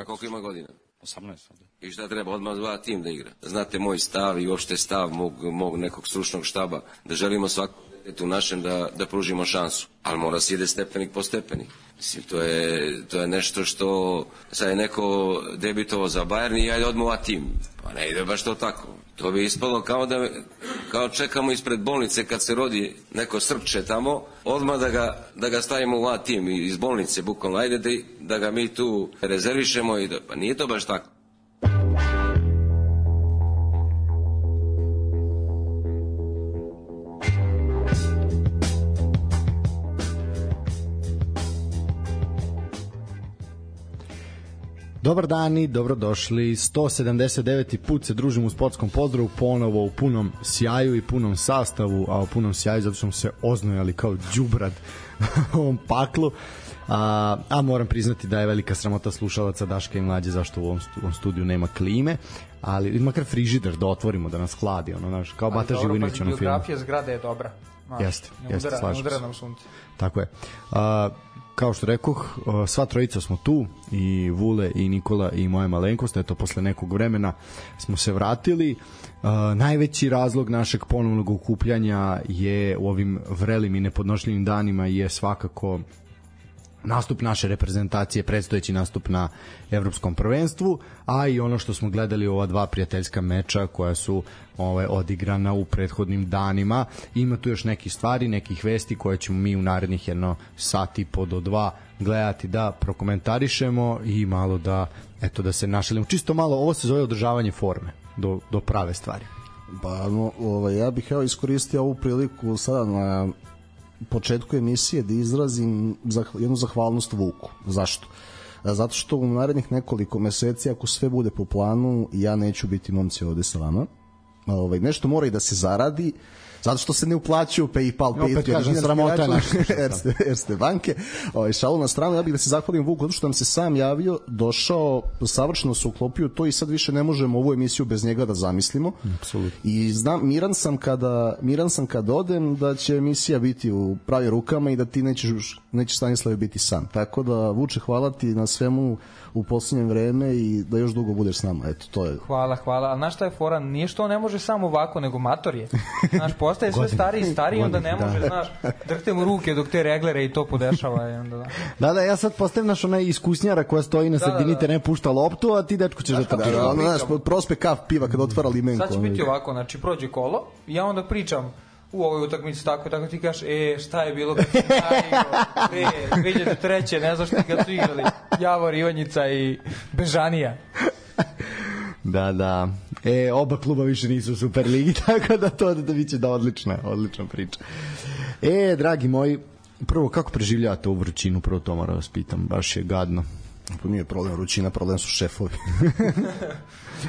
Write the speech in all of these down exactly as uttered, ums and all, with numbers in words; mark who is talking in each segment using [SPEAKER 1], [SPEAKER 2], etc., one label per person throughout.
[SPEAKER 1] A koliko ima godina?
[SPEAKER 2] osamnaest.
[SPEAKER 1] I šta treba, odmah dva tim da igra. Znate moj stav i uopšte stav mog, mog nekog stručnog štaba, da želimo svako u našem da, da pružimo šansu. Ali mora se ide stepenik po stepenik. Mislim, to je, to je nešto što sad je neko debitovao za Bayern i ajde odmah a tim. Pa ne ide baš to tako. To bi ispalo kao da kao čekamo ispred bolnice kad se rodi neko Srpče tamo, odmah da ga, da ga stavimo u A tim iz bolnice, bukvalno ajde da, da ga mi tu rezervišemo i da, pa nije to baš tako.
[SPEAKER 3] Dobar dan i dobrodošli. sto sedamdeset deveti put se družimo u sportskom pozdravu, ponovo u punom sjaju i punom sastavu, a u punom sjaju zato što smo se oznojali kao đubrad u ovom paklu. A, a moram priznati da je velika sramota slušalaca Daška i Mlađe zašto u ovom, stu, u ovom studiju nema klime, ali makar frižider da otvorimo, da nas hladi, ono, znaš, kao Bata Živinović ono film.
[SPEAKER 4] Biografija zgrade je dobra. Znaš,
[SPEAKER 3] jeste, jeste,
[SPEAKER 4] udara,
[SPEAKER 3] slažem
[SPEAKER 4] udara
[SPEAKER 3] se.
[SPEAKER 4] nam sunce.
[SPEAKER 3] Tako je. A, kao što rekoh, sva trojica smo tu, i Vule i Nikola i moja malenkost, eto posle nekog vremena smo se vratili. Uh, najveći razlog našeg ponovnog okupljanja je u ovim vrelim i nepodnošljivim danima je svakako nastup naše reprezentacije, predstojeći nastup na evropskom prvenstvu, a i ono što smo gledali ova dva prijateljska meča koja su ove, odigrana u prethodnim danima. Ima tu još nekih stvari, nekih vesti koje ćemo mi u narednih jedno sat i po do dva gledati da prokomentarišemo i malo da, eto, da se našalimo. Čisto malo, ovo se zove održavanje forme do, do prave stvari.
[SPEAKER 5] Pa, no, ovaj, ja bih evo iskoristio ovu priliku sada na početku emisije da izrazim zah, jednu zahvalnost Vuku. Zašto? Zato što u narednih nekoliko meseci, ako sve bude po planu, ja neću biti, momci, ovde sa vama. Ovaj, nešto mora i da se zaradi, zato što se ne uplaćuju PayPal, Patreon,
[SPEAKER 3] opet kažem, sramota naša
[SPEAKER 5] Erste, Erste banke. Ovaj, šalu na stranu, ja bih da se zahvalim Vuku, zato što nam se sam javio, došao, savršeno se uklopio to i sad više ne možemo ovu emisiju bez njega da zamislimo.
[SPEAKER 3] Apsolutno.
[SPEAKER 5] I znam, miran sam kada, miran sam kada odem da će emisija biti u pravim rukama i da ti nećeš, nećeš Stanislave biti sam. Tako da, Vuče, hvala ti na svemu u posljednje vreme i da još dugo budeš s nama. Eto, to je.
[SPEAKER 4] Hvala, hvala. A znaš šta je fora? Nije što on ne može samo ovako, nego mator je. Znaš, postaje sve stariji i stariji, onda ne može, da. Znaš, drhte mu ruke dok te reglere i to podešava. I onda, da.
[SPEAKER 3] da, da, ja sad postavim naš onaj iskusnjara koja stoji na sredini, da, da, da. te ne pušta loptu, a ti, dečko, ćeš da te...
[SPEAKER 5] Da, da, ono, znaš, prospe kaf piva kada otvara limenko.
[SPEAKER 4] Sad će biti ovako, znači, prođe kolo, ja onda pričam u ovoj utakmici tako, tako ti kažeš, e, šta je bilo kad si naigrao, e, dve hiljade treće, ne znaš ti kad su igrali Javor, Ivanjica i Bežanija.
[SPEAKER 3] Da, da. E, oba kluba više nisu u Superligi, tako da to da biće da odlična, odlična priča. E, dragi moji, prvo, kako preživljavate ovu vrućinu, prvo to moram vas pitam, baš je gadno.
[SPEAKER 5] Pa nije problem vrućina, problem su šefovi.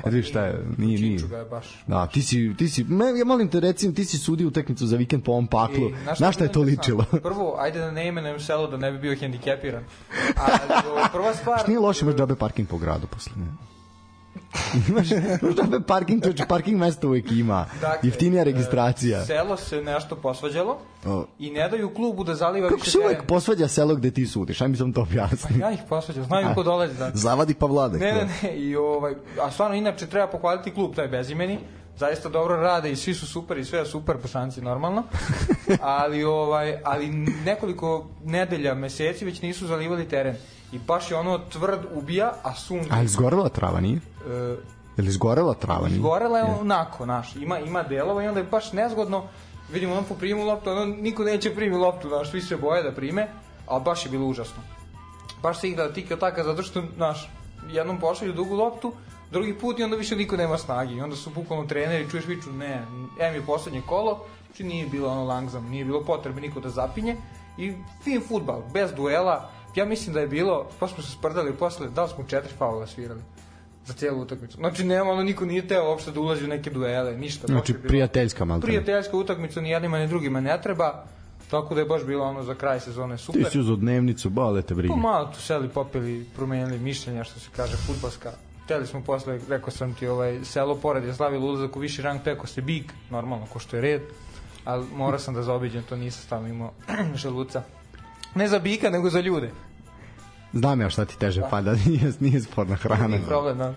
[SPEAKER 3] Znači šta je, nije, nije.
[SPEAKER 4] Je baš.
[SPEAKER 3] Da, ti si, ti si, me, ja molim te, recim, ti si sudio utakmicu za vikend po ovom paklu. E, na šta je to ličilo?
[SPEAKER 4] Prvo, ajde da ne imenujem selo da ne bi bio hendikepiran. A prva stvar...
[SPEAKER 3] Što nije loše, imaš džabe parking po gradu posle. Imaš džabe parking, čoče, parking mesto uvijek ima. Dakle, jeftinija registracija.
[SPEAKER 4] Selo se nešto posvađalo oh. i ne daju klubu da zaliva
[SPEAKER 3] kako
[SPEAKER 4] više
[SPEAKER 3] se
[SPEAKER 4] teren.
[SPEAKER 3] uvijek posvađa selo gde ti sudiš? Aj mi sam to objasniti.
[SPEAKER 4] Pa ja ih posvađam, znaju ko dolazi. Znači.
[SPEAKER 5] Zavadi pa Vladek.
[SPEAKER 4] Ne, ne, ne. I, ovaj, a stvarno, inače, treba pohvaliti klub, taj bezimeni. Zaista dobro rade i svi su super i sve je super, Bosanci normalno. Ali, ovaj, ali nekoliko nedelja, meseci već nisu zalivali teren. I baš je ono tvrd ubija, a sunce...
[SPEAKER 3] A je izgorela trava, nije? E, je li izgorela trava, nije?
[SPEAKER 4] Izgorela je onako, naš. Ima, ima delova i onda je baš nezgodno. Vidimo, on poprimi loptu, ono niko neće primi loptu, naš, svi se boje da prime, ali baš je bilo užasno. Baš se igra tiki taka, zato što, naš, jednom pošalju dugu loptu, drugi put i onda više niko nema snagi. I onda su bukvalno treneri, čuješ viču, ne, em je poslednje kolo, znači nije bilo ono langzam, nije bilo potrebe niko da zapinje. I fin fudbal, bez duela. Ja mislim da je bilo, pa smo se sprdali posle, da li smo četiri faula svirali za cijelu utakmicu. Znači, nema, ono, niko nije teo uopšte da ulazi u neke duele, ništa.
[SPEAKER 3] Znači, prijateljska malo.
[SPEAKER 4] Prijateljska utakmica, ni jednima, ni drugima ne treba, tako da je baš bilo ono za kraj sezone super.
[SPEAKER 3] Ti si uzeo dnevnicu, bale te brige.
[SPEAKER 4] Pa malo tu seli, popili, promenili mišljenja, što se kaže, fudbalska. Hteli smo posle, rekao sam ti, ovaj, selo pored je slavilo ulazak u viši rang, teko se Big, normalno, ko što je red, ali morao sam da zaobiđem, to nisam stavno imao želuca. Ne za bika, nego za ljude.
[SPEAKER 3] Znam ja šta ti teže pada, nije, nije sporna hrana.
[SPEAKER 4] Nije problem, da.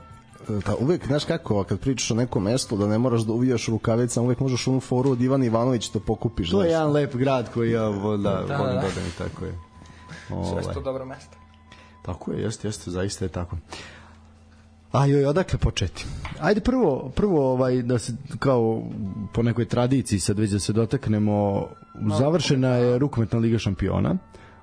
[SPEAKER 5] Da, uvek, znaš kako, kad pričaš o nekom mestu, da ne moraš da uvijaš rukavicama, uvek možeš onu foru od Ivana Ivanović da pokupiš.
[SPEAKER 3] To je
[SPEAKER 5] znaš.
[SPEAKER 3] jedan lep grad koji ja volim da,
[SPEAKER 4] Da,
[SPEAKER 3] volim
[SPEAKER 4] da.
[SPEAKER 3] da odem, tako je.
[SPEAKER 4] Sve su
[SPEAKER 3] Ovaj.
[SPEAKER 4] to dobro mesto.
[SPEAKER 3] Tako je, jeste, jeste, zaista je tako. A joj, odakle početi? Ajde prvo, prvo ovaj, da se kao po nekoj tradiciji sad već da se dotaknemo, završena je rukometna liga šampiona,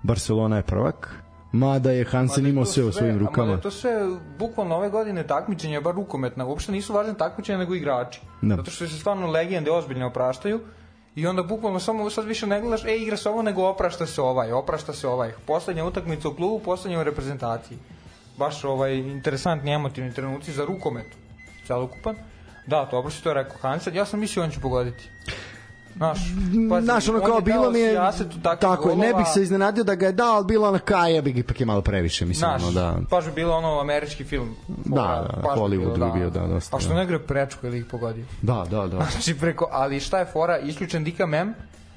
[SPEAKER 3] Barcelona je prvak, mada je Hansen imao sve u svojim rukama.
[SPEAKER 4] Mada je to sve, bukvalno ove godine takmičenja, bar rukometna, uopšte nisu važne takmičenja nego igrači.
[SPEAKER 3] Da.
[SPEAKER 4] Zato što se stvarno legende ozbiljno opraštaju i onda bukvalno samo sad više ne gledaš, e, igra se ovo, nego oprašta se ovaj, oprašta se ovaj. Poslednja utakmica u klubu, poslednja u reprezentaciji. Baš ovaj interesantni emotivni trenuci za rukomet celokupan. Da, dobro si to rekao Hansen, ja sam mislio on će pogoditi. Naš, pazi,
[SPEAKER 3] Znaš, ono
[SPEAKER 4] on
[SPEAKER 3] kao
[SPEAKER 4] je
[SPEAKER 3] bilo
[SPEAKER 4] dao
[SPEAKER 3] mi je
[SPEAKER 4] sijasetu takvih
[SPEAKER 3] tako je, ne
[SPEAKER 4] golova.
[SPEAKER 3] bih se iznenadio da ga je dao, ali bilo na kaja bi ipak je malo previše, mislim.
[SPEAKER 4] Znaš,
[SPEAKER 3] ono, da.
[SPEAKER 4] baš bi bilo ono američki film.
[SPEAKER 3] Da, da,
[SPEAKER 4] Baš bi
[SPEAKER 3] Hollywood
[SPEAKER 4] bilo,
[SPEAKER 3] bi bio, da, dosta,
[SPEAKER 4] A što
[SPEAKER 3] da.
[SPEAKER 4] ne gre prečko ili ih pogodio.
[SPEAKER 3] Da, da, da.
[SPEAKER 4] Znači preko, ali šta je fora, isključen Dika Mem,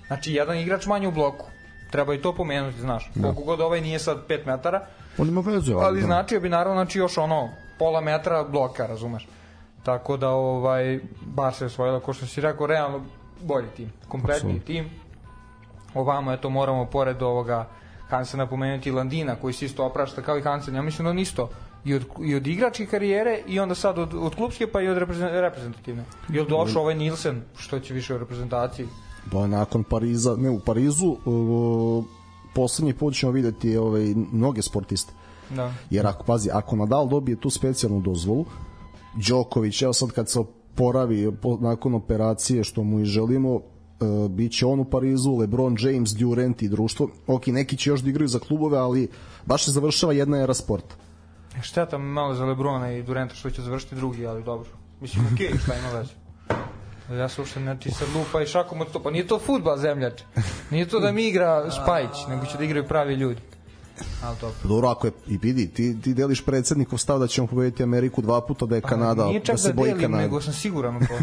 [SPEAKER 4] znači jedan igrač manje u bloku. Treba i to pomenuti, znaš. Koliko god ovaj nije sad pet metara,
[SPEAKER 3] On ima vezu,
[SPEAKER 4] ali
[SPEAKER 3] da.
[SPEAKER 4] značio bi naravno znači još ono pola metra bloka, razumeš. Tako da ovaj bar se osvojila, ko što si rekao, realno bolji tim, kompletni
[SPEAKER 3] Absolutno.
[SPEAKER 4] tim. Ovamo eto moramo pored ovoga Hansena pomenuti Landina koji se isto oprašta kao i Hansen. Ja mislim da on isto i od, i od igračke karijere i onda sad od, od klubske pa i od reprezentativne. I od došao ovaj Nilsen, što će više u reprezentaciji.
[SPEAKER 5] Bo nakon Pariza, ne u Parizu, uh, poslednji put ćemo videti ovaj, mnoge sportiste.
[SPEAKER 4] Da.
[SPEAKER 5] Jer ako, pazi, ako Nadal dobije tu specijalnu dozvolu, Đoković, evo sad kad se oporavi po, nakon operacije, što mu i želimo, uh, bit će on u Parizu, LeBron James, Durant i društvo. Ok, neki će još da igraju za klubove, ali baš se završava jedna era sporta.
[SPEAKER 4] Šteta malo za Lebrona i Duranta što će završiti drugi, ali dobro. Mislim, okej, okay, šta ima veze. Ja se uopšte ne ti sad lupa i šakom od to. Pa nije to fudbal, zemljač. Nije to da mi igra Spajić, nego će da igraju pravi ljudi. Ali dobro.
[SPEAKER 5] Dobro, ako je, i vidi, ti, ti deliš predsednikov stav da ćemo pobediti Ameriku dva puta, da je Kanada,
[SPEAKER 4] Nije čak
[SPEAKER 5] da se
[SPEAKER 4] da
[SPEAKER 5] boji
[SPEAKER 4] delim,
[SPEAKER 5] Kanade.
[SPEAKER 4] nego sam siguran u to.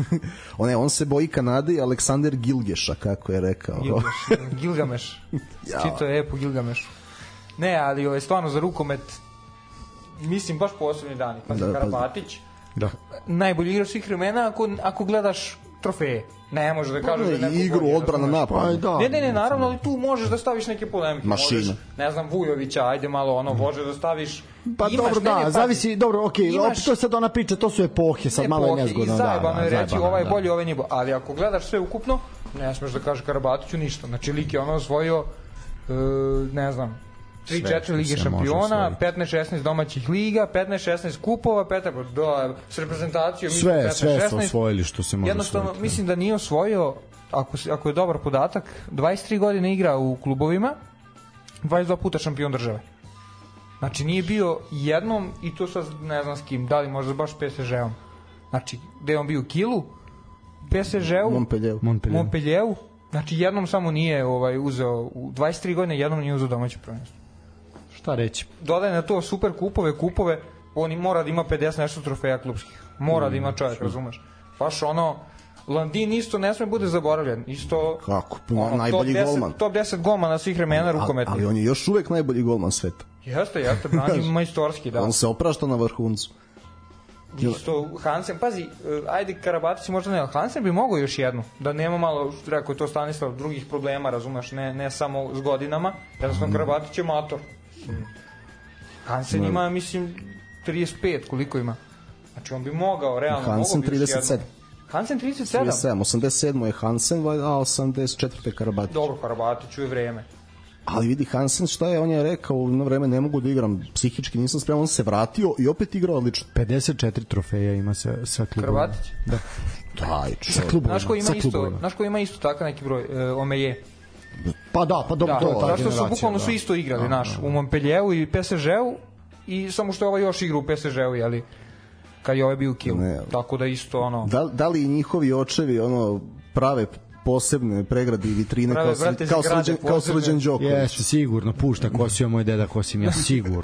[SPEAKER 5] On, ne, on se boji Kanade i Aleksander Gilgeša, kako je rekao.
[SPEAKER 4] Gilgaš, Gilgameš.
[SPEAKER 5] Ja.
[SPEAKER 4] Čito je epo Gilgamešu. Ne, ali ovo je stvarno za rukomet, mislim, baš posebni dani. Pa
[SPEAKER 5] Da, pa-
[SPEAKER 4] Karabatić,
[SPEAKER 3] Da.
[SPEAKER 4] najbolji igrač svih vremena ako, ako gledaš trofeje. Ne može da kažeš da je neko
[SPEAKER 5] igru,
[SPEAKER 4] bolji,
[SPEAKER 5] odbrana,
[SPEAKER 4] razumeš?
[SPEAKER 5] napad.
[SPEAKER 3] Pa, da.
[SPEAKER 4] Ne, ne, ne, naravno, ali tu možeš da staviš neke polemike.
[SPEAKER 5] Mašina.
[SPEAKER 4] Možeš, ne znam, Vujovića, ajde malo ono, može da staviš...
[SPEAKER 3] Pa
[SPEAKER 4] imaš,
[SPEAKER 3] dobro,
[SPEAKER 4] ne, ne,
[SPEAKER 3] da,
[SPEAKER 4] pazi,
[SPEAKER 3] zavisi, dobro, okej,
[SPEAKER 4] imaš-
[SPEAKER 3] opet to je sad ona priča, to su epohe, sad malo je
[SPEAKER 4] epohe
[SPEAKER 3] nezgodno.
[SPEAKER 4] I
[SPEAKER 3] da,
[SPEAKER 4] zajebano
[SPEAKER 3] da,
[SPEAKER 4] je reći,
[SPEAKER 3] zajebano,
[SPEAKER 4] ovaj je
[SPEAKER 3] da.
[SPEAKER 4] bolji, ovaj nije bolji. Ali ako gledaš sve ukupno, ne smeš da kažeš Karabatiću ništa. Znači, lik je ono osvojio, e, ne znam, tri četiri
[SPEAKER 3] što
[SPEAKER 4] lige
[SPEAKER 3] se može
[SPEAKER 4] šampiona,
[SPEAKER 3] osvojiti.
[SPEAKER 4] petnaest šesnaest domaćih liga, petnaest šesnaest kupova, petnaest do, s reprezentacijom
[SPEAKER 3] Sve,
[SPEAKER 4] petnaest
[SPEAKER 3] sve su
[SPEAKER 4] šesnaest.
[SPEAKER 3] osvojili što se može
[SPEAKER 4] Jednostavno,
[SPEAKER 3] osvojiti.
[SPEAKER 4] mislim da nije osvojio, ako, se- ako je dobar podatak, dvadeset tri godine igra u klubovima, dvadeset dva puta šampion države. Znači, nije bio jednom, i to sad ne znam s kim, da li možda baš P S G-om. Znači, gde je on bio u Kilu, P S G-u,
[SPEAKER 5] Montpellier.
[SPEAKER 3] Montpellier.
[SPEAKER 4] Montpellieru, znači jednom samo nije ovaj, uzeo, u dvadeset tri godine jednom nije uzeo domaće prvenstvo.
[SPEAKER 3] Šta reći?
[SPEAKER 4] Dodaje na to super kupove, kupove, on i mora da ima pedeset nešto trofeja klubskih. Mora da ima čovjek, razumeš. Baš ono, Landin isto ne sme bude zaboravljen. Isto,
[SPEAKER 5] Kako?
[SPEAKER 4] ono,
[SPEAKER 5] Najbolji
[SPEAKER 4] top deset,
[SPEAKER 5] golman.
[SPEAKER 4] top deset golmana svih vremena rukometnih.
[SPEAKER 5] Ali on je još uvek najbolji golman sveta.
[SPEAKER 4] Jeste, jeste, brani majstorski, da.
[SPEAKER 5] On se oprašta na vrhuncu.
[SPEAKER 4] Isto Hansen, pazi, eh, ajde Karabatić možda ne, ali Hansen bi mogao još jednu, da nema malo, rekao je to Stanislav, drugih problema, razumeš, ne, ne samo s godinama, jednostavno Karabatić je motor. Hansen
[SPEAKER 5] Ne.
[SPEAKER 4] ima, mislim, trideset pet, koliko ima? Znači on bi mogao, realno,
[SPEAKER 5] Hansen
[SPEAKER 4] mogao bi još
[SPEAKER 5] trideset sedam.
[SPEAKER 4] jednu. Hansen trideset sedam?
[SPEAKER 5] trideset sedam, osamdeset sedam je Hansen, a osamdeset četvrte Karabatić.
[SPEAKER 4] Dobro, Karabatiću je vreme.
[SPEAKER 5] Ali vidi Hansen šta je, on je rekao na vreme ne mogu da igram, psihički nisam spreman, on se vratio i opet igrao odlično.
[SPEAKER 3] pedeset četiri trofeja ima sa, sa klubom.
[SPEAKER 4] Karabatić?
[SPEAKER 3] Da.
[SPEAKER 5] Daj,
[SPEAKER 3] Sa
[SPEAKER 5] čovjek.
[SPEAKER 3] klubom.
[SPEAKER 4] Znaš ko ima
[SPEAKER 3] sa
[SPEAKER 4] isto,
[SPEAKER 3] klubovima.
[SPEAKER 4] znaš ko ima isto takav neki broj, e, Omeje.
[SPEAKER 3] Pa da, pa dobro,
[SPEAKER 4] Da,
[SPEAKER 3] to je ta
[SPEAKER 4] zašto su
[SPEAKER 3] generacija,
[SPEAKER 4] bukvalno
[SPEAKER 3] da.
[SPEAKER 4] su isto igrali,
[SPEAKER 3] Da,
[SPEAKER 4] naš,
[SPEAKER 3] da, da.
[SPEAKER 4] u Montpellieru i P S G-u, i samo što je ovaj još igra u P S G-u, jeli, kad je ovaj bio u Kilu.
[SPEAKER 5] Ne.
[SPEAKER 4] Tako da isto, ono...
[SPEAKER 5] Da, da li i njihovi očevi ono prave posebne pregrade i vitrine
[SPEAKER 4] Prave,
[SPEAKER 5] kao,
[SPEAKER 4] brate,
[SPEAKER 5] kao,
[SPEAKER 4] zgrade
[SPEAKER 5] srđan, kao
[SPEAKER 4] posebne.
[SPEAKER 5] Srđan Đoković.
[SPEAKER 3] Jeste, sigurno, pušta kosio moj deda, kosim ja, sigurno.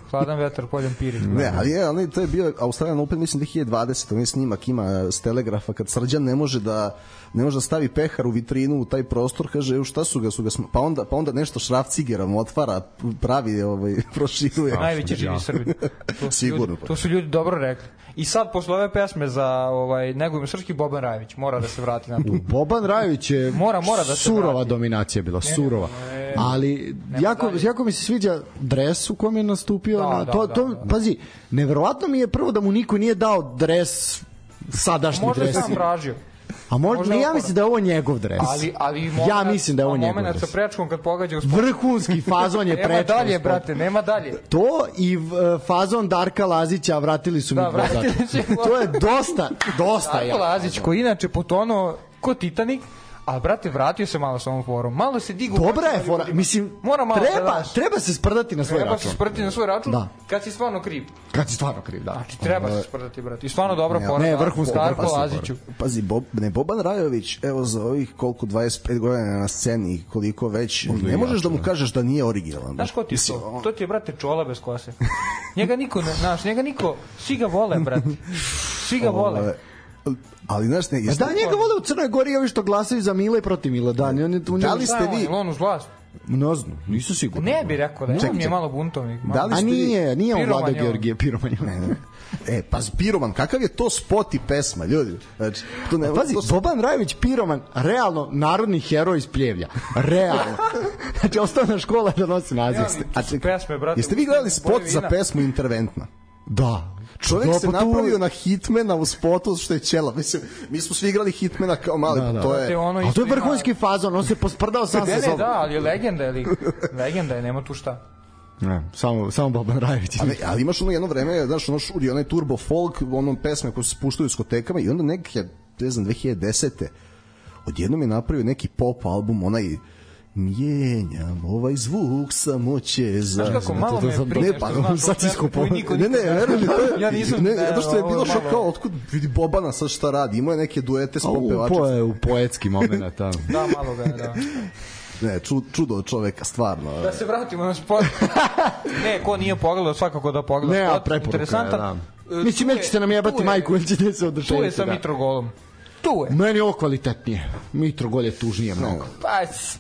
[SPEAKER 4] Hladan vetar, poljem piri.
[SPEAKER 5] Ne, ali je, ali to je bio Australian Open, mislim, dve hiljade dvadesete. On je snimak ima s Telegrafa, kad Srđan ne može da ne može da stavi pehar u vitrinu u taj prostor, kaže, evo šta su ga, su ga sm... pa onda pa onda nešto šrafcigerom otvara, pravi, ovaj proširuje.
[SPEAKER 4] Najveći živi Srbi. To su
[SPEAKER 5] Sigurno.
[SPEAKER 4] Ljudi, to su ljudi dobro rekli. I sad posle ove pesme za ovaj negujemo srpski, Boban Rajević mora da se vrati na to.
[SPEAKER 3] Boban Rajević je
[SPEAKER 4] Mora, mora da se
[SPEAKER 3] surova
[SPEAKER 4] vrati.
[SPEAKER 3] dominacija bila,
[SPEAKER 4] Ne,
[SPEAKER 3] surova.
[SPEAKER 4] ne,
[SPEAKER 3] Ali jako,
[SPEAKER 4] dalje.
[SPEAKER 3] jako mi se sviđa dres u kom je nastupio.
[SPEAKER 4] Da,
[SPEAKER 3] na,
[SPEAKER 4] da,
[SPEAKER 3] to,
[SPEAKER 4] da,
[SPEAKER 3] to,
[SPEAKER 4] da, da.
[SPEAKER 3] Pazi, neverovatno mi je prvo da mu niko nije dao dres, sadašnji
[SPEAKER 4] Možda je
[SPEAKER 3] dres.
[SPEAKER 4] sam tražio.
[SPEAKER 3] A možda,
[SPEAKER 4] možda
[SPEAKER 3] ne, ja
[SPEAKER 4] opora.
[SPEAKER 3] mislim da je ovo njegov dres.
[SPEAKER 4] Ali, ali
[SPEAKER 3] ja mislim da je ovo njegov
[SPEAKER 4] moment
[SPEAKER 3] dres.
[SPEAKER 4] sa prečkom kad pogađa u sport.
[SPEAKER 3] Vrhunski fazon je
[SPEAKER 4] Nema
[SPEAKER 3] prečko.
[SPEAKER 4] dalje, brate, nema dalje.
[SPEAKER 3] To i uh, fazon Darka Lazića vratili su mi
[SPEAKER 4] Da,
[SPEAKER 3] dva
[SPEAKER 4] vratili
[SPEAKER 3] zaka.
[SPEAKER 4] su mi.
[SPEAKER 3] To je dosta, dosta
[SPEAKER 4] Darko
[SPEAKER 3] jako.
[SPEAKER 4] Lazić, koji inače potonuo ko Titanik, ali brate, vratio se malo sa ovom forom. Malo se digu.
[SPEAKER 3] Dobra je fora, mislim,
[SPEAKER 4] Mora malo da
[SPEAKER 3] treba,
[SPEAKER 4] daš.
[SPEAKER 3] treba se sprdati na svoj
[SPEAKER 4] Treba
[SPEAKER 3] račun.
[SPEAKER 4] se sprti na svoj račun,
[SPEAKER 3] Da.
[SPEAKER 4] kad si stvarno kriv.
[SPEAKER 3] Kad si stvarno kriv, da.
[SPEAKER 4] Znači, treba se sprdati, brate. I stvarno dobra
[SPEAKER 5] Ne,
[SPEAKER 4] fora.
[SPEAKER 3] ne,
[SPEAKER 4] da,
[SPEAKER 3] vrhunska,
[SPEAKER 4] Darko
[SPEAKER 3] vrhunska
[SPEAKER 4] Laziću.
[SPEAKER 5] Pazi, Bob, ne Boban Rajović, evo za ovih koliko dvadeset pet godina na sceni, koliko već, ne možeš da mu kažeš da nije originalan.
[SPEAKER 4] Znaš ko ti je
[SPEAKER 5] Mislim,
[SPEAKER 4] to? To ti je, brate, čola bez kose. Njega niko ne, znaš, njega niko, svi ga vole, brate. Svi ga vole.
[SPEAKER 5] Ove, ali znaš, ne,
[SPEAKER 3] A
[SPEAKER 5] jeste,
[SPEAKER 3] da, njega vole u Crnoj Gori ovi što glasaju za Mila i protiv Mila. Da, on je tu
[SPEAKER 5] Da li
[SPEAKER 4] Šta
[SPEAKER 5] ste
[SPEAKER 4] je on,
[SPEAKER 5] vi-
[SPEAKER 4] je li on uz vlast?
[SPEAKER 3] Ne znam, nisu sigurni.
[SPEAKER 4] Ne bi rekao da je,
[SPEAKER 5] Čekaj,
[SPEAKER 4] on mi je
[SPEAKER 5] čekaj.
[SPEAKER 4] malo buntovnik.
[SPEAKER 5] Da
[SPEAKER 4] Malo.
[SPEAKER 5] li
[SPEAKER 3] A
[SPEAKER 5] ste vi-
[SPEAKER 3] nije, nije on
[SPEAKER 4] Piroman
[SPEAKER 3] Vlada
[SPEAKER 4] je on.
[SPEAKER 3] Georgije, Piroman je on.
[SPEAKER 5] Ne, ne. E, pa Piroman, kakav je to spot i pesma, ljudi? Znači, to ne,
[SPEAKER 3] Pazi,
[SPEAKER 5] to su-
[SPEAKER 3] Boban Rajević Piroman, realno narodni heroj iz Pljevlja. Realno. Znači, osnovna škola da nosi naziv.
[SPEAKER 4] Ja,
[SPEAKER 5] A
[SPEAKER 4] to su
[SPEAKER 5] čekaj,
[SPEAKER 4] pesme, brate.
[SPEAKER 5] jeste vi gledali spot
[SPEAKER 4] Boje
[SPEAKER 5] za
[SPEAKER 4] vina.
[SPEAKER 5] pesmu Interventna?
[SPEAKER 3] Da.
[SPEAKER 5] Čovjek
[SPEAKER 3] Da,
[SPEAKER 5] se
[SPEAKER 3] pa tu-
[SPEAKER 5] napravio na Hitmana u spotu što je ćela. Mislim, mi smo svi igrali Hitmana kao mali,
[SPEAKER 3] Da, da.
[SPEAKER 5] to
[SPEAKER 4] Te
[SPEAKER 5] je...
[SPEAKER 4] ono
[SPEAKER 3] A to
[SPEAKER 4] isto
[SPEAKER 3] je
[SPEAKER 4] ima-
[SPEAKER 3] vrhunski fazon, on se posprdao sam
[SPEAKER 4] Ne,
[SPEAKER 3] sa
[SPEAKER 4] ne,
[SPEAKER 3] sobom.
[SPEAKER 4] da, ali je legenda je lik. Legenda je, nema tu šta.
[SPEAKER 3] Ne, samo, samo Boban Rajević.
[SPEAKER 5] Ali, ali imaš ono jedno vreme, znaš, ono šuri, onaj turbo folk, ono pesme koje se spuštaju u diskotekama i onda neke, ne znam, dve hiljade desete odjednom je napravio neki pop album, onaj mijenjam ovaj zvuk samo će za...
[SPEAKER 4] Znaš kako, malo
[SPEAKER 3] to
[SPEAKER 4] me
[SPEAKER 3] sam-
[SPEAKER 4] prije
[SPEAKER 3] ne, pa,
[SPEAKER 4] što znaš
[SPEAKER 3] sad
[SPEAKER 4] ovu pesmu
[SPEAKER 3] iskopao.
[SPEAKER 4] koju niko
[SPEAKER 5] Ne, ne,
[SPEAKER 4] nikad
[SPEAKER 5] veruj mi, to je,
[SPEAKER 4] Ja nisam...
[SPEAKER 5] ne, zato što je
[SPEAKER 4] ovo
[SPEAKER 5] bilo što
[SPEAKER 4] malo-
[SPEAKER 5] kao, otkud vidi Bobana sad šta radi, imao je neke duete s
[SPEAKER 3] A, u,
[SPEAKER 5] popevačima.
[SPEAKER 3] po, je, u poetski moment, tamo.
[SPEAKER 4] Da, malo ga je, da.
[SPEAKER 5] Ne, ču, čudo od čoveka, stvarno.
[SPEAKER 4] Da se vratimo na sport. Ne, ko nije pogledao, svakako da pogleda
[SPEAKER 3] Ne, a
[SPEAKER 4] sport.
[SPEAKER 3] preporuka je,
[SPEAKER 4] Interesantan.
[SPEAKER 3] da.
[SPEAKER 4] E,
[SPEAKER 3] Mislim,
[SPEAKER 4] tu je-
[SPEAKER 3] nećete nam jebati
[SPEAKER 4] tu je-
[SPEAKER 3] majku, ili ćete se
[SPEAKER 4] Tu
[SPEAKER 3] oduševiti.
[SPEAKER 4] je sa
[SPEAKER 3] da.
[SPEAKER 4] Mitrogolom. Tu je.
[SPEAKER 3] Meni je ovo kvalitetnije. Mitrogol je tužnije mnogo.
[SPEAKER 4] Pa, s-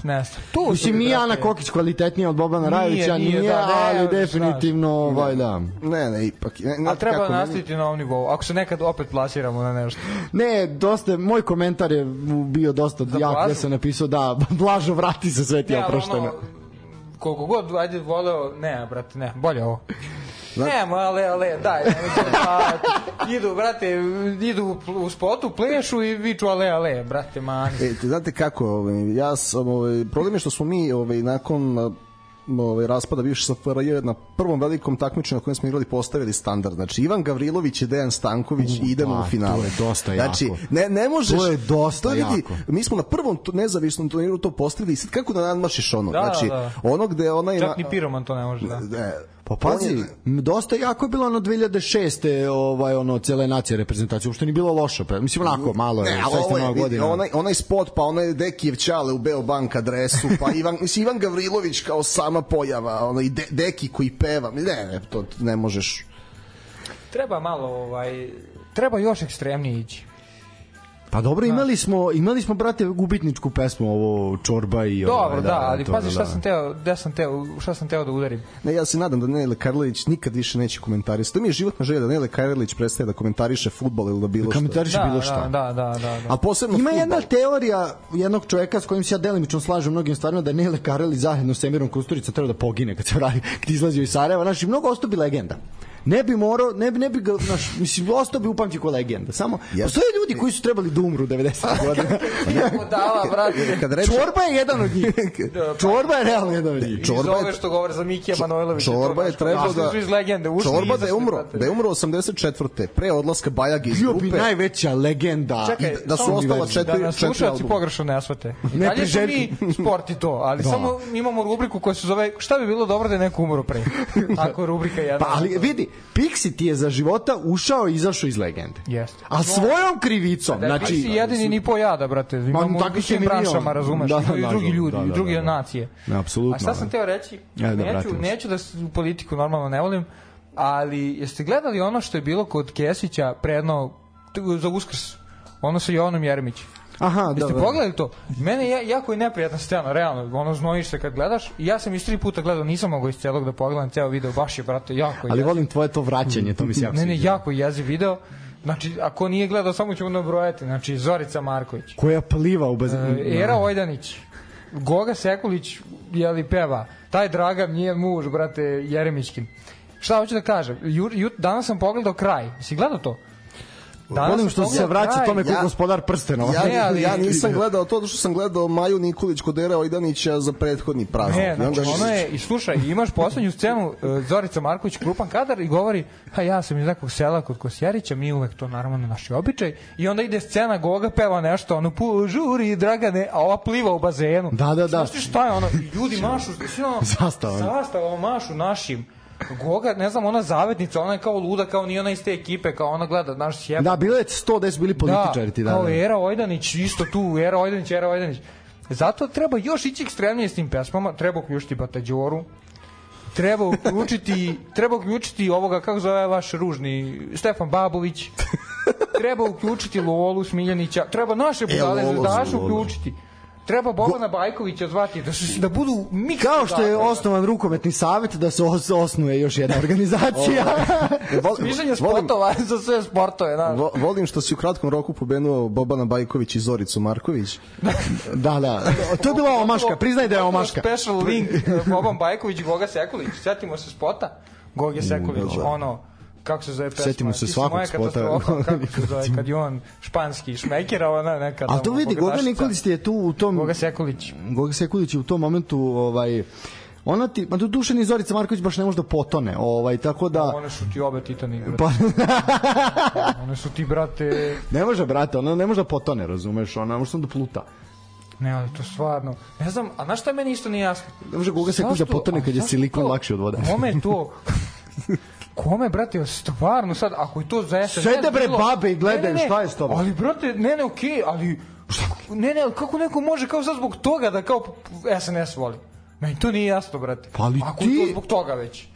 [SPEAKER 4] ne znam. Tu
[SPEAKER 3] Mislim,
[SPEAKER 4] su,
[SPEAKER 3] mi Ana
[SPEAKER 4] brate.
[SPEAKER 3] Kokić kvalitetnija od Bobana
[SPEAKER 4] Nije,
[SPEAKER 3] Rajevića,
[SPEAKER 4] nije,
[SPEAKER 3] nije,
[SPEAKER 4] da, ne,
[SPEAKER 3] ali
[SPEAKER 4] znaš.
[SPEAKER 3] definitivno, ovaj, da.
[SPEAKER 5] Ne, ne, ipak... Ne,
[SPEAKER 4] A
[SPEAKER 5] znate
[SPEAKER 4] treba
[SPEAKER 5] kako, meni-
[SPEAKER 4] nastaviti na ovom nivou. Ako se nekad opet plasiramo na nešto.
[SPEAKER 3] Ne, dosta, moj komentar je bio dosta
[SPEAKER 4] Za
[SPEAKER 3] jak,
[SPEAKER 4] Blažu?
[SPEAKER 3] gde sam napisao da, Blažo vrati se, sve ti je
[SPEAKER 4] Ne, ali
[SPEAKER 3] oprošteno.
[SPEAKER 4] ono, koliko god, ajde, voleo, ne, brate, ne, bolje ovo. Ne, ale, ale, daj, nemojte, pa, idu, brate, idu u spotu, plešu i viču ale, ale, brate, mani.
[SPEAKER 5] E, te znate kako, ovaj, ja sam, ovaj, problem je što smo mi ovaj, nakon ovaj, raspada bivše S F R J na prvom velikom takmičenju na kojem smo igrali postavili standard. Znači, Ivan Gavrilović i Dejan Stanković
[SPEAKER 3] U,
[SPEAKER 5] i idemo
[SPEAKER 3] da,
[SPEAKER 5] u finale.
[SPEAKER 3] to je dosta
[SPEAKER 5] znači,
[SPEAKER 3] jako.
[SPEAKER 5] Ne, ne možeš...
[SPEAKER 3] To je dosta
[SPEAKER 5] to vidi,
[SPEAKER 3] jako.
[SPEAKER 5] Mi smo na prvom tu- nezavisnom turniru to postavili i sad kako da nadmašiš ono?
[SPEAKER 4] Da,
[SPEAKER 5] znači,
[SPEAKER 4] da.
[SPEAKER 5] ono gde onaj...
[SPEAKER 4] Čak ni Piroman to ne može, da.
[SPEAKER 5] Ne,
[SPEAKER 3] Pa
[SPEAKER 5] on
[SPEAKER 3] pazi,
[SPEAKER 5] je-
[SPEAKER 3] m, dosta jako je bilo ono dve hiljade šeste ovaj ono cele nacije reprezentacije, uopšte ni bilo loše, pa mislim onako malo je,
[SPEAKER 5] Ne, ali
[SPEAKER 3] zaista
[SPEAKER 5] ovo je,
[SPEAKER 3] nova
[SPEAKER 5] vidi,
[SPEAKER 3] godina.
[SPEAKER 5] onaj, onaj spot, pa onaj Dekijev Ćale u Beobank adresu, pa Ivan, mislim, Ivan Gavrilović kao sama pojava, onaj De, Deki koji peva, ne, ne, to ne možeš.
[SPEAKER 4] Treba malo, ovaj, treba još ekstremnije ići.
[SPEAKER 3] Pa dobro, imali smo, imali smo brate gubitničku pesmu ovo Čorba i
[SPEAKER 4] Dobro,
[SPEAKER 3] ovaj,
[SPEAKER 4] da, ali
[SPEAKER 3] to,
[SPEAKER 4] pazi šta
[SPEAKER 3] da.
[SPEAKER 4] sam teo, gde sam teo, šta sam teo da udarim.
[SPEAKER 5] Ne, ja se nadam da Nele Karlović nikad više neće komentarisati. To mi je životna želja da Nele Karlović prestaje da komentariše fudbal ili da bilo što.
[SPEAKER 3] Komentariše
[SPEAKER 4] Da,
[SPEAKER 3] bilo
[SPEAKER 4] da,
[SPEAKER 3] šta.
[SPEAKER 4] da, da, da, da.
[SPEAKER 5] A posebno
[SPEAKER 3] Ima
[SPEAKER 5] fudbal.
[SPEAKER 3] jedna teorija jednog čoveka s kojim se ja delimično slažem u mnogim stvarima, da Nele Karelić zajedno s Emirom Kusturica treba da pogine kad se vrati, kad izlazi iz Sarajeva. Znači, mnogo ostao bi legenda. Ne bi morao, ne bi, ne bi ga, naš, mislim, ostao bi upamći kao legenda. Samo,
[SPEAKER 5] Ja-
[SPEAKER 3] postoje ljudi koji su trebali da umru devedesetih godina.
[SPEAKER 4] Idemo dala, brate.
[SPEAKER 5] Kad reče,
[SPEAKER 3] Čorba je jedan od njih. Čorba je realno jedan od njih.
[SPEAKER 4] Iz
[SPEAKER 5] Čorba je-
[SPEAKER 4] ove što govore za Mikija Manojlovića.
[SPEAKER 5] Čorba je trebao da...
[SPEAKER 4] Iz legende, ušli
[SPEAKER 5] Čorba da je
[SPEAKER 4] izašli,
[SPEAKER 5] umro,
[SPEAKER 4] brate.
[SPEAKER 5] da je umro osamdeset četvrte pre odlaska Bajage iz
[SPEAKER 3] Bio bi
[SPEAKER 5] grupe.
[SPEAKER 3] najveća legenda.
[SPEAKER 4] Čekaj,
[SPEAKER 5] da su
[SPEAKER 4] samo
[SPEAKER 5] ostala
[SPEAKER 4] da
[SPEAKER 5] četiri-
[SPEAKER 4] nas
[SPEAKER 5] četiri
[SPEAKER 4] slušalci
[SPEAKER 5] albuma.
[SPEAKER 4] pogrešno ne shvate. I
[SPEAKER 3] Ne
[SPEAKER 4] dalje smo
[SPEAKER 3] priželjki.
[SPEAKER 4] mi sport i to, ali
[SPEAKER 3] Da.
[SPEAKER 4] samo imamo rubriku koja se zove šta bi bilo dobro da je neko umro pre. Tako je rubrika jedna.
[SPEAKER 3] Pa ali vidi, Pixi ti je za života ušao i izašao iz legende.
[SPEAKER 4] Jeste.
[SPEAKER 3] A svojom krivicom.
[SPEAKER 4] Da,
[SPEAKER 3] znači,
[SPEAKER 4] Pixi jedini ni po jada, brate. Imamo u svim branšama, razumeš, da, da, i drugi ljudi, da, da, i drugi da, da. nacije.
[SPEAKER 3] Ne, apsolutno.
[SPEAKER 4] A šta sam teo reći,
[SPEAKER 3] ja, da,
[SPEAKER 4] neću, neću da u politiku normalno ne volim, ali jeste gledali ono što je bilo kod Kesića predno za Uskrs, ono sa Jovanom Jeremićem?
[SPEAKER 3] Aha, da.
[SPEAKER 4] Jeste pogledali to? Mene je jako i neprijatna scena, realno, ono znojiš se kad gledaš i ja sam iz tri puta gledao, nisam mogao iz celog da pogledam ceo video, baš je, brate, jako
[SPEAKER 3] ali jeziv. Volim tvoje to vraćanje, to mi se jako
[SPEAKER 4] ne, ne, jako jeziv video. Znači, ako nije gledao, samo ćemo nabrojati. Znači, Zorica Marković.
[SPEAKER 3] Koja pliva u bez...
[SPEAKER 4] E, Era Ojdanić. Goga Sekulić, jeli peva. Taj Dragan nije muž, brate, Jeremićkin. Šta hoću da kažem? Ju, ju, danas sam pogledao kraj. Si gledao to?
[SPEAKER 3] Danas volim što se vraća kraj. Tome kao ja, gospodar prstenova.
[SPEAKER 5] Ja, ne, ali, ja nisam gledao to, što sam gledao Maju Nikolić kod Era Ojdanića za prethodni praznik.
[SPEAKER 4] Ne, znači, ono je, i slušaj, imaš poslednju scenu, uh, Zorica Marković, krupan kadar, i govori, ha, ja sam iz nekog sela kod Kosjerića, mi uvek to naravno na naši običaj, i onda ide scena, Goga peva nešto, ono, pu, žuri, Dragane, a ova pliva u bazenu.
[SPEAKER 3] Da, da, da.
[SPEAKER 4] Znaš ti šta je ono, ljudi mašu, sve ono,
[SPEAKER 3] zastava,
[SPEAKER 4] zastava mašu našim. Goga, ne znam, ona zavetnica, ona je kao luda, kao nije ona iz te ekipe, kao ona gleda, znaš, sjeba.
[SPEAKER 3] Da, bilo je sto da su bili političari ti,
[SPEAKER 4] da. Da, kao Era Ojdanić, isto tu, Era Ojdanić, Era Ojdanić. Zato treba još ići ekstremnije s tim pesmama, treba uključiti Batađoru, treba uključiti, treba uključiti ovoga, kako zove vaš ružni, Stefan Babović, treba uključiti Lolu Smiljanića, treba naše budale zvezdaše uključiti. Treba Bobana Bajkovića zvati da su da budu miks.
[SPEAKER 3] Kao što je osnovan rukometni savet da se os, osnuje još jedna organizacija.
[SPEAKER 4] Smišljanje spotova za sve sportove, da.
[SPEAKER 5] Vo, volim što si u kratkom roku pobenuo Bobana Bajković i Zoricu Marković.
[SPEAKER 3] Da, da. To je bila omaška, priznaj da je omaška.
[SPEAKER 4] Special link Boban Bajković i Goga Sekulić. Setimo se spota Goge Sekulić, ono kako se zove pesma?
[SPEAKER 3] Setimo se svakog spota.
[SPEAKER 4] Kako se zove, kad je on španski šmekera, ona neka...
[SPEAKER 3] Ali to vidi, Goga Nikolić je tu u tom...
[SPEAKER 4] Goga Sekulić.
[SPEAKER 3] Goga Sekulić je u tom momentu, ovaj... Ona ti, ma do duše ni Zorica Marković baš ne može da potone, ovaj, tako da...
[SPEAKER 4] One su ti obe titani, brate. Pa... One su ti, brate...
[SPEAKER 3] Ne može, brate, ona ne može da potone, razumeš, ona može samo da pluta.
[SPEAKER 4] Ne, ali to stvarno... Ne znam, a znaš šta je meni isto nije jasno?
[SPEAKER 3] Ne može Goga Sekulić da potone kad je silikon lakši od vode.
[SPEAKER 4] Kome je to... Kome, brate, stvarno sad, ako je to za es en es...
[SPEAKER 3] Sede bre babe i gledaju, šta je s tobom?
[SPEAKER 4] Ali, brate, ne, ne, okej, okay, ali... Ne, ne, ali kako neko može kao sad zbog toga da kao es en es voli? Meni to nije jasno, brate.
[SPEAKER 3] Pa ali
[SPEAKER 4] ako
[SPEAKER 3] ti...
[SPEAKER 4] je to zbog toga već.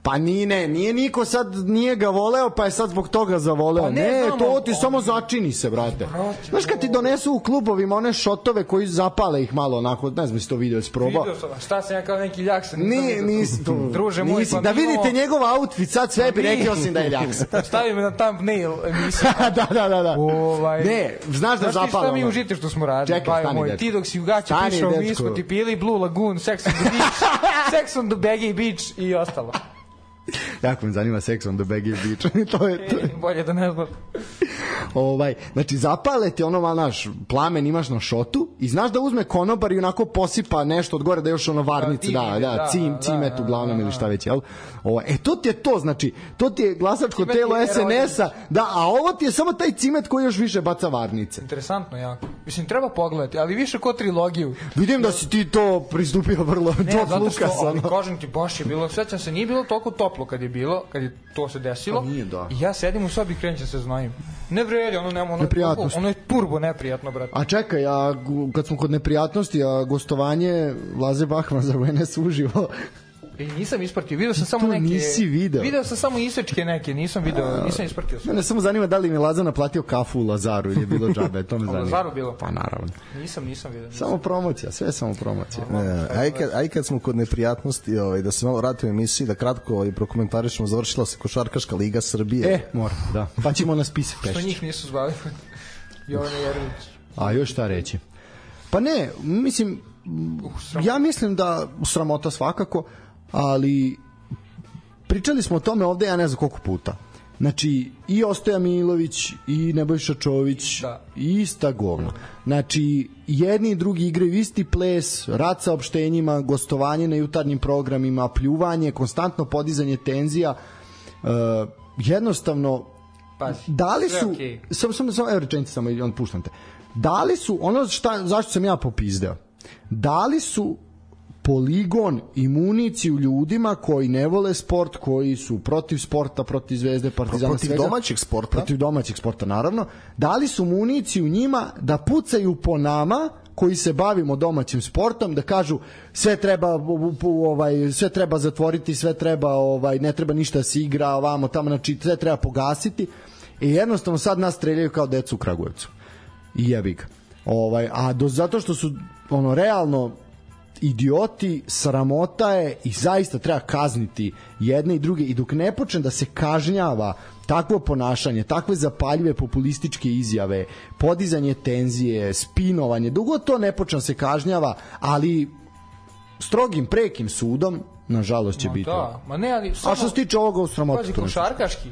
[SPEAKER 3] Pa nije, ne, nije niko sad nije ga voleo, pa je sad zbog toga zavoleo. Pa ne, ne znam, to ti on... samo začini se, brate. Znaš kad ti donesu u klubovima one šotove koji zapale ih malo onako, ne znam si to video, isprobao.
[SPEAKER 4] Video sam, šta sam ja kao neki ljaks.
[SPEAKER 3] Nije, nisi to.
[SPEAKER 4] Druže moj,
[SPEAKER 3] nisi, pa da vidite imamo... njegov outfit, sad sve bi rekao sam da je ljaks.
[SPEAKER 4] Stavi me na thumbnail emisiju.
[SPEAKER 3] da, da, da, da.
[SPEAKER 4] Ovaj...
[SPEAKER 3] Ne, znaš da zapalo.
[SPEAKER 4] Znaš ti šta mi užite što smo radili?
[SPEAKER 3] Čekaj, stani,
[SPEAKER 4] moj, ti dok si u gaće pišao, mi smo ti pili Blue Lagoon, Sex on the Beach, Sex on the Baggy Beach i ostalo.
[SPEAKER 3] Jako me zanima Sex on the Baggy Beach. to je, to je.
[SPEAKER 4] Bolje da ne znam.
[SPEAKER 3] Ovaj, znači zapale ti ono malo naš plamen imaš na šotu i znaš da uzme konobar i onako posipa nešto od gore da još ono varnice, da, da, da, cim, cimet da, uglavnom da, ili šta već, jel? Ovo, e, to ti je to, znači, to ti je glasačko cimet telo es en es-a, da, a ovo ti je samo taj cimet koji još više baca varnice.
[SPEAKER 4] Interesantno jako. Mislim, treba pogledati, ali više ko trilogiju.
[SPEAKER 3] Vidim da si ti to pristupio vrlo
[SPEAKER 4] ne, George Lucas. Ali kažem ti, baš je bilo, sećam se, nije bilo toliko toplo kad je bilo, kad je to se desilo.
[SPEAKER 3] Pa nije, da.
[SPEAKER 4] I ja sedim u sobi i krećem se znojim. Ne vredi, ono nema, ono, ono je turbo neprijatno, brate.
[SPEAKER 3] A čekaj, a kad smo kod neprijatnosti, a gostovanje Laze Bahman za U N S uživo...
[SPEAKER 4] E, nisam ispratio, video sam samo neke...
[SPEAKER 3] nisi video.
[SPEAKER 4] Video sam samo isečke neke, nisam video, nisam ispratio sve.
[SPEAKER 3] Mene samo zanima da li mi Laza naplatio kafu u Lazaru ili je bilo džabe, to me zanima.
[SPEAKER 4] U Lazaru bilo?
[SPEAKER 3] Pa naravno.
[SPEAKER 4] Nisam, nisam video. Nisam.
[SPEAKER 3] Samo promocija, sve samo promocija.
[SPEAKER 5] E, aj, kad, aj kad smo kod neprijatnosti, ovaj, da se malo vratimo emisiji, da kratko ovaj, prokomentarišemo, završila se Košarkaška liga Srbije.
[SPEAKER 3] E, mora, da. Pa ćemo na spisak pešći.
[SPEAKER 4] Što njih nisu zvali? Jovana Jeremić.
[SPEAKER 3] A još šta reći? Pa ne, mislim, ja mislim da sramota svakako, ali pričali smo o tome ovde, ja ne znam koliko puta. Znači, i Ostoja Milović, i Nebojša Čović, da. I ista govna. Znači, jedni i drugi igraju isti ples, rad sa opštenjima, gostovanje na jutarnjim programima, pljuvanje, konstantno podizanje tenzija. Uh, jednostavno,
[SPEAKER 4] Pazi,
[SPEAKER 3] da li su...
[SPEAKER 4] Okay.
[SPEAKER 3] Samo, samo, samo, evo rečenice, samo i on puštam te. Da li su, ono šta, zašto sam ja popizdeo, da li su poligon i municiju ljudima koji ne vole sport, koji su protiv sporta, protiv Zvezde, Partizana,
[SPEAKER 5] protiv
[SPEAKER 3] svega,
[SPEAKER 5] domaćeg sporta.
[SPEAKER 3] Protiv domaćeg sporta, naravno. Dali su municiju njima da pucaju po nama koji se bavimo domaćim sportom, da kažu sve treba ovaj sve treba zatvoriti, sve treba ovaj ne treba ništa da se igra ovamo tamo, znači sve treba pogasiti. I jednostavno sad nas streljaju kao decu u Kragujevcu. I jebi ga. Ovaj a do zato što su ono realno idioti, sramota je i zaista treba kazniti jedne i druge, i dok ne počne da se kažnjava takvo ponašanje, takve zapaljive populističke izjave, podizanje tenzije, spinovanje, dugo to ne počne da se kažnjava, ali strogim, prekim sudom, nažalost će
[SPEAKER 4] ma
[SPEAKER 3] biti.
[SPEAKER 4] Da, ma ne, ali samo,
[SPEAKER 3] a što se tiče ovoga u sramotu?
[SPEAKER 4] Pazi, košarkaški,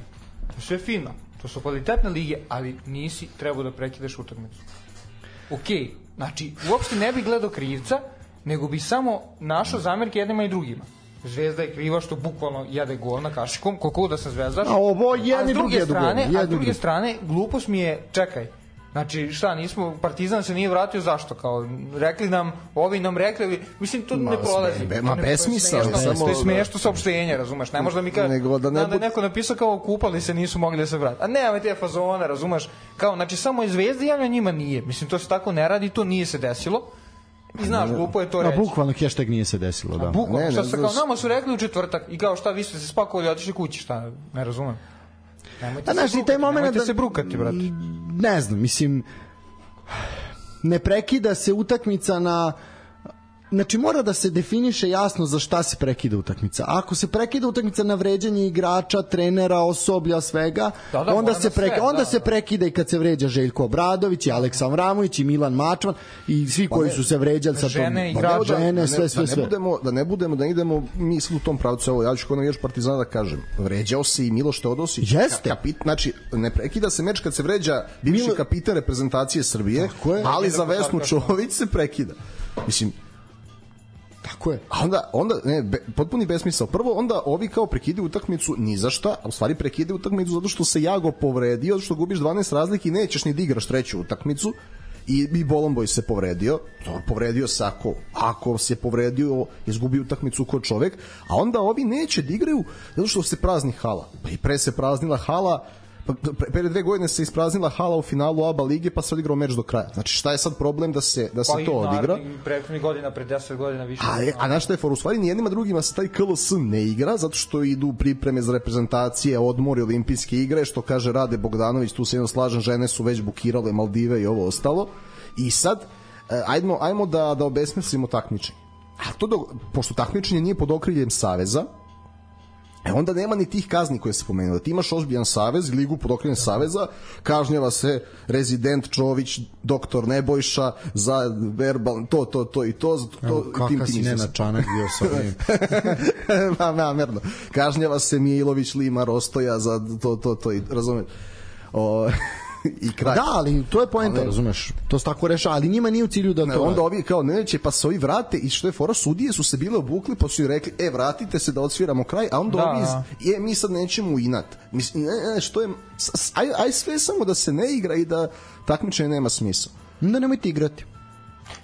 [SPEAKER 4] sve fino, to su kvalitetne lige, ali nisi trebao da prekidaš utakmicu. Okej, znači, uopšte ne bi gledao krivca, nego bi samo našao zamerke jednima i drugima. Zvezda je kriva što bukvalno jede gol na kašikom, koliko da sam zvezdaš.
[SPEAKER 3] A ovo jedni
[SPEAKER 4] a s druge
[SPEAKER 3] drugi
[SPEAKER 4] strane,
[SPEAKER 3] jedu gol.
[SPEAKER 4] a s druge strane, glupost mi je, čekaj, znači šta, nismo, Partizan se nije vratio, zašto? Kao, rekli nam, ovi nam rekli, mislim, to
[SPEAKER 5] ma,
[SPEAKER 4] ne prolazi.
[SPEAKER 5] Be, ma, besmisao.
[SPEAKER 4] To je smiješno saopštenje, razumeš, ne možda mi kaže,
[SPEAKER 5] nego da ne
[SPEAKER 4] da,
[SPEAKER 5] bud...
[SPEAKER 4] da neko napisao kao kupali se, nisu mogli da se vrati. A nema te fazone, razumeš, kao, znači, samo je Zvezda javlja, njima nije. Mislim, to se tako ne radi, to nije se desilo. I znaš, glupo je to reći.
[SPEAKER 3] A bukvalno hashtag nije se desilo, da.
[SPEAKER 4] A bukvalno,
[SPEAKER 5] ne, ne,
[SPEAKER 4] šta se kao,
[SPEAKER 5] znaš...
[SPEAKER 4] nama su rekli u četvrtak i kao šta, vi ste se spakovali i otišli kući, šta, ne razumem. Nemojte
[SPEAKER 3] A,
[SPEAKER 4] se
[SPEAKER 3] znaš,
[SPEAKER 4] brukati,
[SPEAKER 3] taj moment
[SPEAKER 4] nemojte
[SPEAKER 3] da,
[SPEAKER 4] se brukati, brate.
[SPEAKER 3] Ne znam, mislim, ne prekida se utakmica na... Znači, mora da se definiše jasno za šta se prekida utakmica. Ako se prekida utakmica na vređanje igrača, trenera, osoblja, svega,
[SPEAKER 4] da, da,
[SPEAKER 3] onda, se, preki,
[SPEAKER 4] sve,
[SPEAKER 3] onda
[SPEAKER 4] da,
[SPEAKER 3] se
[SPEAKER 4] da.
[SPEAKER 3] prekida i kad se vređa Željko Obradović, i Aleksa Vramović, i Milan Mačvan, i svi koji su se vređali sa
[SPEAKER 4] žene,
[SPEAKER 3] tom...
[SPEAKER 4] igrače,
[SPEAKER 3] žene,
[SPEAKER 5] da ne,
[SPEAKER 3] sve, sve,
[SPEAKER 5] da ne
[SPEAKER 3] sve.
[SPEAKER 5] budemo, da ne budemo, da idemo mi sad u tom pravcu. Evo, ja ću kod navijač Partizana da kažem. Vređao se i Miloš Teodosić.
[SPEAKER 3] Jeste.
[SPEAKER 5] Kapit, znači, ne prekida se meč kad se vređa bivši
[SPEAKER 3] Milo...
[SPEAKER 5] kapitan reprezentacije Srbije, ali za Vesnu Čović se prekida. Mislim,
[SPEAKER 3] tako je.
[SPEAKER 5] A onda, onda ne, be, potpuni besmisao. Prvo, onda ovi kao prekidaju utakmicu ni za šta, a u stvari prekidaju utakmicu zato što se Jago povredio, zato što gubiš dvanaest razlike i nećeš ni da igraš treću utakmicu. I, i Bolomboj se povredio. Dobro, povredio se ako, ako se povredio, izgubio utakmicu kod čovek, a onda ovi neće da igraju zato što se prazni hala. Pa i pre se praznila hala, pa pre dve godine se ispraznila hala u finalu A B A lige, pa se odigrao meč do kraja. Znači, šta je sad problem da se da se
[SPEAKER 4] pa
[SPEAKER 5] to odigra?
[SPEAKER 4] Pa i prethodnih godina, pre deset godina više.
[SPEAKER 5] A, a na šta je for? U stvari, nijednima drugima se taj K L S ne igra, zato što idu pripreme za reprezentacije, odmori, olimpijske igre, što kaže Rade Bogdanović, tu se jedno slažem, žene su već bukirale Maldive i ovo ostalo. I sad, ajmo, ajmo da, da obesmislimo takmičenje. A to, do, pošto takmičenje nije pod okriljem saveza, E onda nema ni tih kazni koje se pomenuli. Ti imaš ozbiljan savez, ligu pod okriljem saveza, kažnjava se rezident Čović, doktor Nebojša za verbal, to, to, to i to. to
[SPEAKER 3] Evo, kakav si Nenad Čanak bio sa ovim.
[SPEAKER 5] Ma, namerno. Kažnjava se Mijailović, Lima, Rostoja za to, to, to i razumeš. O... i kraj.
[SPEAKER 3] Da, ali to je poenta, ali, razumeš, to se tako reša, ali njima nije u cilju da
[SPEAKER 5] ne,
[SPEAKER 3] to...
[SPEAKER 5] Onda ovi kao neće, pa se ovi vrate i što je fora, sudije su se bile obukli, pa su i rekli, e, vratite se da odsviramo kraj, a onda
[SPEAKER 4] da,
[SPEAKER 5] ovi,
[SPEAKER 4] da.
[SPEAKER 5] je, mi sad nećemo u inat. Mislim, ne, ne, što je, aj, aj sve samo da se ne igra i da takmičenje nema smisla.
[SPEAKER 3] Onda nemojte igrati.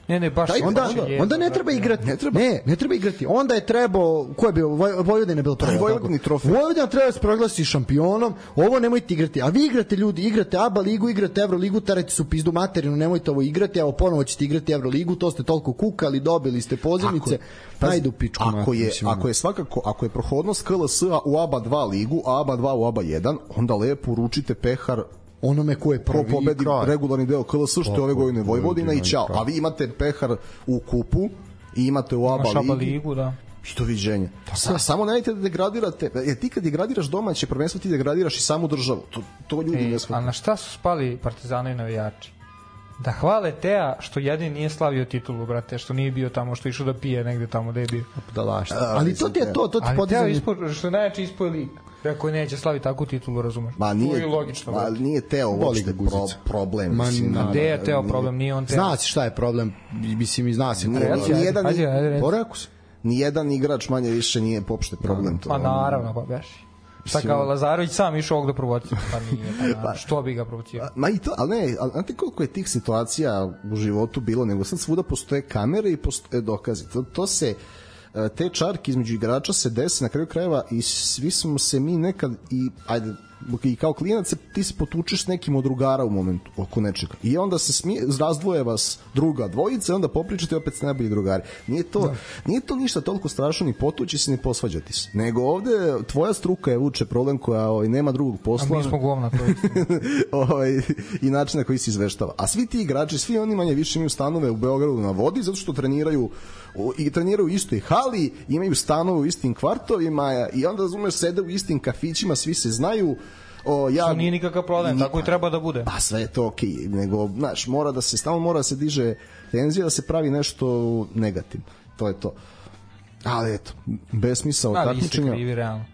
[SPEAKER 4] Ne, ne, baš
[SPEAKER 3] Taj, onda, onda, je, onda ne treba igrati. Ne treba. Ne, ne treba igrati. Onda je trebao, ko je bio? Vojvodina je bilo prvo.
[SPEAKER 5] Vojvodini trofej.
[SPEAKER 3] Vojvodina treba da se proglasi šampionom. Ovo nemojte igrati. A vi igrate, ljudi, igrate A B A ligu, igrate Evroligu, terajte su pizdu materinu, nemojte ovo igrati, evo ponovo ćete igrati Evroligu, to ste toliko kukali, dobili ste pozivnice. Ajde u pičku.
[SPEAKER 5] Ako je, ako je svakako, ako je prohodnost K L S u A B A dva ligu, a A B A dva u A B A jedan, onda lepo uručite pehar
[SPEAKER 3] onome ko je prvi
[SPEAKER 5] pobedi
[SPEAKER 3] kraj.
[SPEAKER 5] Regularni deo K L S, što je ove godine Vojvodina i čao. A vi imate pehar u kupu i imate u A B A ligi.
[SPEAKER 4] ligu, da.
[SPEAKER 5] I doviđenja. Sa, samo nemojte da degradirate. Jer ti kad degradiraš domaće prvenstvo, ti degradiraš i samu državu. To, to ljudi
[SPEAKER 4] e,
[SPEAKER 5] ne shvataju.
[SPEAKER 4] A na šta su spali Partizanovi navijači? Da hvale Teja što jedini nije slavio titulu, brate, što nije bio tamo, što išao da pije negde tamo da je bio.
[SPEAKER 3] Da laš. Ali to ti je to, to ti podizanje.
[SPEAKER 4] Ali Teo ispo, što je najjači ispoj lig. Rekao neće slaviti takvu titulu, razumeš?
[SPEAKER 5] Ma nije,
[SPEAKER 4] to je logično.
[SPEAKER 5] Ma nije Teo uopšte pro, problem.
[SPEAKER 3] Ma,
[SPEAKER 5] mislim,
[SPEAKER 3] na,
[SPEAKER 4] gde je Teo problem, nije on Teo.
[SPEAKER 3] Zna se šta je problem, mislim i zna se.
[SPEAKER 5] Nijedan
[SPEAKER 3] Poraku se.
[SPEAKER 5] Nijedan igrač manje više nije popšte problem.
[SPEAKER 4] Pa naravno, pa beš. Šta kao Lazarević sam išao ovog da provocira, pa nije, pa, što bi ga provocirao?
[SPEAKER 5] Ma i to, ali ne, ali znate koliko je tih situacija u životu bilo, nego sad svuda postoje kamere i postoje dokazi. To, to se, te čarke između igrača se desi na kraju krajeva i svi smo se mi nekad i, ajde, i kao klinac ti se potučeš s nekim od drugara u momentu oko nečega i onda se smije, razdvoje vas druga dvojica i onda popričate opet s najbolji drugari. Nije to, da. Nije to ništa toliko strašno ni potući se ni posvađati se, nego ovde tvoja struka je vuče problem koja ovaj, nema drugog posla.
[SPEAKER 4] A mi smo govna to
[SPEAKER 5] ovaj, i način na koji se izveštava. A svi ti igrači, svi oni manje više imaju stanove u Beogradu na vodi zato što treniraju i treniraju u istoj hali, imaju stanove u istim kvartovima i onda razumeš sede u istim kafićima, svi se znaju. O, ja,
[SPEAKER 4] to nije nikakav problem, ni, tako i treba da bude.
[SPEAKER 5] Pa sve je to okej, okay, nego, znaš, mora da se, stalno mora da se diže tenzija, da se pravi nešto negativno. To je to. Ali eto, besmisao takmičenja.
[SPEAKER 4] Ali ste krivi, realno.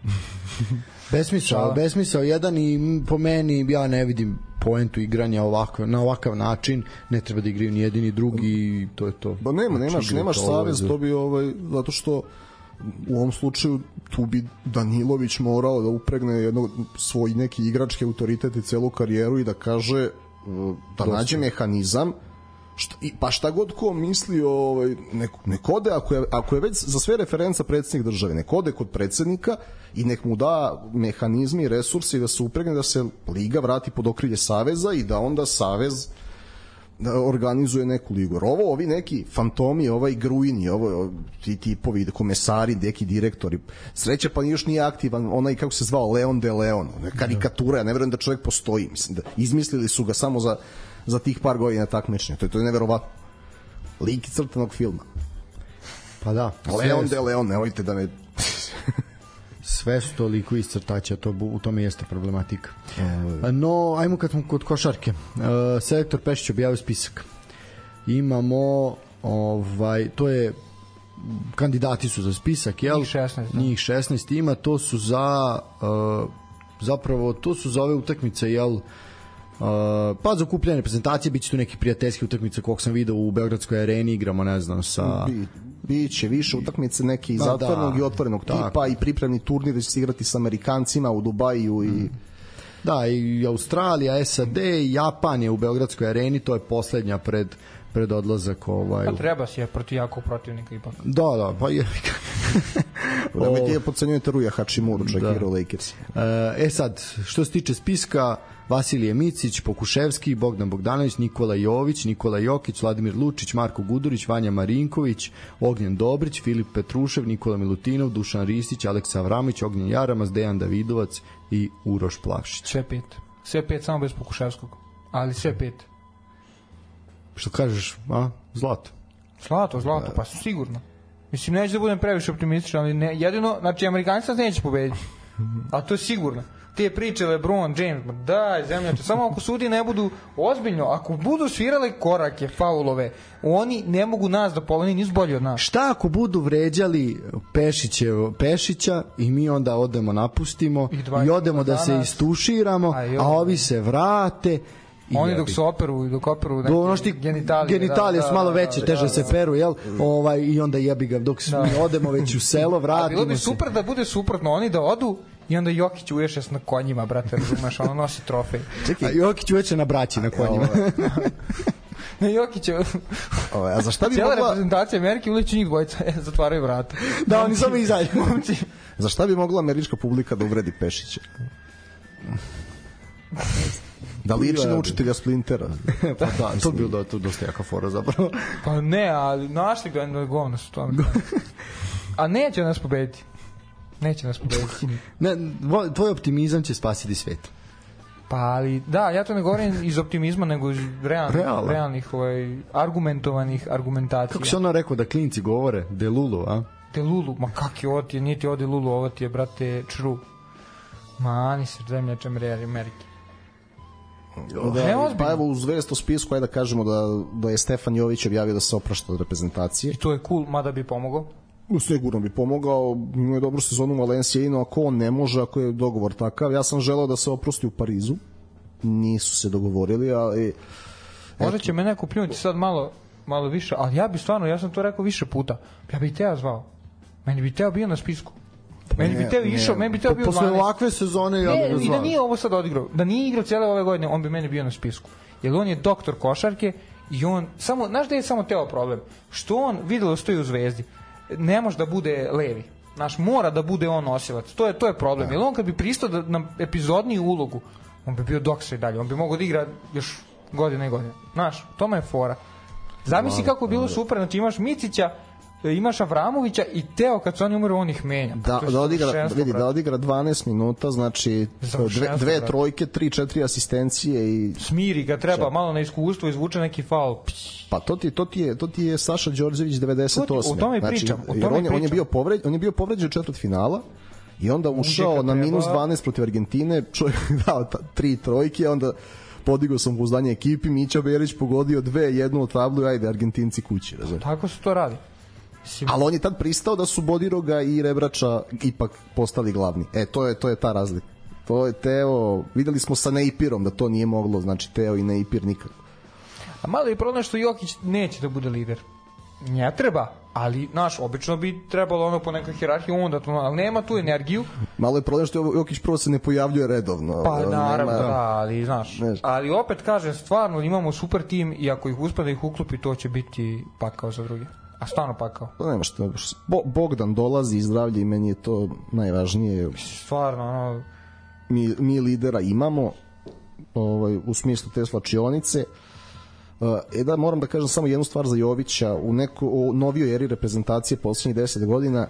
[SPEAKER 3] besmisao, besmisao jedan i po meni ja ne vidim poentu igranja ovako, na ovakav način, ne treba da igraju ni jedini drugi i to je to.
[SPEAKER 5] Ba nema, nemaš, nemaš savez, to bi ovaj, zato što u ovom slučaju tu bi Danilović morao da upregne jedno, svoj neki igrački autoritet i celu karijeru i da kaže da nađe mehanizam šta, i, pa šta god ko misli ovaj, nek, nek ode ako je, ako je već za sve referenca predsjednik države, nek ode kod predsjednika i nek mu da mehanizmi i resursi da se upregne da se liga vrati pod okrilje saveza i da onda savez da organizuje neku ligu. Ovo, ovi neki fantomi, ovaj Gruini, ovo, ti tipovi, komesari, neki direktori, sreća pa još nije aktivan, onaj kako se zvao, Leon de Leon, karikatura, ja ne verujem da čovjek postoji, mislim da izmislili su ga samo za, za tih par godina takmičenja, to je, to je neverovatno. Lik crtanog filma.
[SPEAKER 3] Pa da.
[SPEAKER 5] Leon de Leon, nemojte da me...
[SPEAKER 3] Sve su toliko iscrtaća, to, u tome jeste problematika. No, ajmo kad smo kod košarke. Selektor Pešić objavio spisak. Imamo, ovaj, to je, kandidati su za spisak, jel?
[SPEAKER 4] Njih šesnaest. Da.
[SPEAKER 3] Njih šesnaest ima, to su za, zapravo, to su za ove utakmice, jel? Uh, pa za okupljanje reprezentacije biće tu neki prijateljski utakmice kog sam video u Beogradskoj areni, igramo ne znam sa
[SPEAKER 5] Bi, biće više utakmice neki da, zatvorenog da, i otvorenog tipa tako. I pripremni turnir da će se igrati sa Amerikancima u Dubaju i mm.
[SPEAKER 3] da i Australija, S A D i Japan je u Beogradskoj areni, to je poslednja pred pred odlazak ovaj.
[SPEAKER 4] Pa treba si je protiv jakog protivnika ipak.
[SPEAKER 3] Da, da, pa je.
[SPEAKER 5] Da mi je podcenjujete Ruja Hachimuru, čak igrao Lakers.
[SPEAKER 3] E sad, što se tiče spiska, Vasilije Micić, Pokuševski, Bogdan Bogdanović, Nikola Jović, Nikola Jokić, Vladimir Lučić, Marko Gudurić, Vanja Marinković, Ognjen Dobrić, Filip Petrušev, Nikola Milutinov, Dušan Ristić, Aleksa Avramović, Ognjen Jaramas, Dejan Davidovac i Uroš Plavšić.
[SPEAKER 4] Sve pet. Sve pet samo bez Pokuševskog. Ali sve pet.
[SPEAKER 3] Što kažeš, a? Zlato.
[SPEAKER 4] Zlato, zlato, pa sigurno. Mislim, neće da budem previše optimističan, ali ne, jedino, znači, Amerikanci nas neće pobediti. A to je sigurno. Te priče LeBron, James, daj, zemljače, samo ako sudi ne budu ozbiljno, ako budu svirale korake, faulove, oni ne mogu nas da poloni, nisu bolji od nas.
[SPEAKER 3] Šta ako budu vređali Pešićev, Pešića i mi onda odemo, napustimo i, i odemo da se istuširamo, a, a ovi se vrate.
[SPEAKER 4] Oni dok su operu, dok operu
[SPEAKER 3] neki ono šti, genitalije, genitalije da, su malo veće, da, teže da, da, se peru, jel? Ovaj, i onda jebi ga, dok da. odemo već u selo, vratimo se.
[SPEAKER 4] Bilo bi super da bude suprotno, oni da odu i onda Jokić uješe na konjima, brate, razumeš, ono nosi trofej.
[SPEAKER 3] Čekaj, a Jokić uječe na braći na konjima.
[SPEAKER 4] Ne, Jokić je...
[SPEAKER 5] A za šta bi
[SPEAKER 4] cijela
[SPEAKER 5] mogla...
[SPEAKER 4] reprezentacija Amerike uleću njih dvojica, e, zatvaraju vrata.
[SPEAKER 3] Da, oni samo izađu.
[SPEAKER 5] Za šta bi mogla američka publika da uvredi Pešića? Da liči na učitelja Splintera.
[SPEAKER 3] Pa da, to bi bilo to dosta jaka fora zapravo.
[SPEAKER 4] Pa ne, ali našli ga na govno su to. A neće nas pobediti. Neće nas pobediti.
[SPEAKER 3] Ne, tvoj optimizam će spasiti svet.
[SPEAKER 4] Pa ali, da, ja to ne govorim iz optimizma, nego iz realnih,
[SPEAKER 3] Reala.
[SPEAKER 4] realnih ovaj, argumentovanih argumentacija.
[SPEAKER 3] Kako se ono rekao da klinci govore? Delulu, a?
[SPEAKER 4] Delulu, ma kak je ovo ti je, nije ti ovo Delulu, ovo ti je, brate, čru. Ma, ani se zemljače Amerike.
[SPEAKER 5] Da, pa evo u zvezdu spisku ajde da kažemo da, da je Stefan Jović objavio da se oprašta od reprezentacije.
[SPEAKER 4] I to je cool, mada bi pomogao.
[SPEAKER 5] Sigurno bi pomogao, ima je dobru sezonu u Valencia, no ako on ne može, ako je dogovor takav, ja sam želeo da se oprosti u Parizu, nisu se dogovorili, ali...
[SPEAKER 4] Možda će me neko pljunuti sad malo, malo više, ali ja bi stvarno, ja sam to rekao više puta, ja bih teo zvao, meni bi teo bio na spisku. Meni bi teo išao, meni bi teo bio
[SPEAKER 3] posle
[SPEAKER 4] dvanaest.
[SPEAKER 3] ovakve sezone ja
[SPEAKER 4] Ne,
[SPEAKER 3] bih ga
[SPEAKER 4] i da
[SPEAKER 3] zvao.
[SPEAKER 4] nije ovo sad odigrao, da nije igrao cijele ove godine, on bi meni bio na spisku. Jer on je doktor košarke i on, samo, znaš da je samo teo problem? Što on, videlo stoji u Zvezdi, ne može da bude levi. Znaš, mora da bude on nosilac. To je, to je problem. Jer on kad bi pristao da, na epizodniju ulogu, on bi bio doktor i dalje. On bi mogao da igra još godine i godine. Znaš, tome je fora. Zamisli kako je bilo super, znači imaš Micića, imaš Avramovića i Teo kad su oni umiru, on ih menja.
[SPEAKER 5] Da, da odigra, vidi, da odigra dvanaest minuta, znači dve, dve trojke, tri, četiri asistencije i
[SPEAKER 4] smiri ga treba, malo na iskustvo, izvuče neki faul.
[SPEAKER 5] Pa to ti, to ti je, to ti je Saša Đorđević devedeset osme.
[SPEAKER 4] O tome znači, pričam, o tome
[SPEAKER 5] on, je,
[SPEAKER 4] pričam.
[SPEAKER 5] on je bio povređen, on je bio povređen u četvrtfinala i onda ušao na minus dvanaest protiv Argentine, čovjek dao ta, tri trojke, onda podigao sam pouzdanje ekipi, Mića Berić pogodio dve, jednu od tablu i ajde Argentinci kući, razumiješ.
[SPEAKER 4] Tako se to radi.
[SPEAKER 5] Ali on je tad pristao da su Bodiroga i Rebrača ipak postali glavni. E, to je, to je ta razlika. To je Teo, videli smo sa Neipirom da to nije moglo, znači Teo i Neipir nikako.
[SPEAKER 4] A malo je problem što Jokić neće da bude lider. Ne treba, ali, znaš, obično bi trebalo ono po nekoj hierarhiji onda to, ali nema tu energiju.
[SPEAKER 5] Malo je problem što Jokić prvo se ne pojavljuje redovno.
[SPEAKER 4] Pa naravno,
[SPEAKER 5] nema...
[SPEAKER 4] da, ali, znaš,
[SPEAKER 5] Neš.
[SPEAKER 4] ali opet kažem, stvarno imamo super tim i ako ih uspe da ih uklopi, to će biti pakao za druge. A stvarno pakao.
[SPEAKER 5] To nema što. Bo, Bogdan dolazi i zdravlje i meni je to najvažnije.
[SPEAKER 4] Stvarno, ono...
[SPEAKER 5] Mi, mi lidera imamo ovaj, u smislu te slačionice. E da, moram da kažem samo jednu stvar za Jovića. U neko, u novijoj eri reprezentacije poslednjih deset godina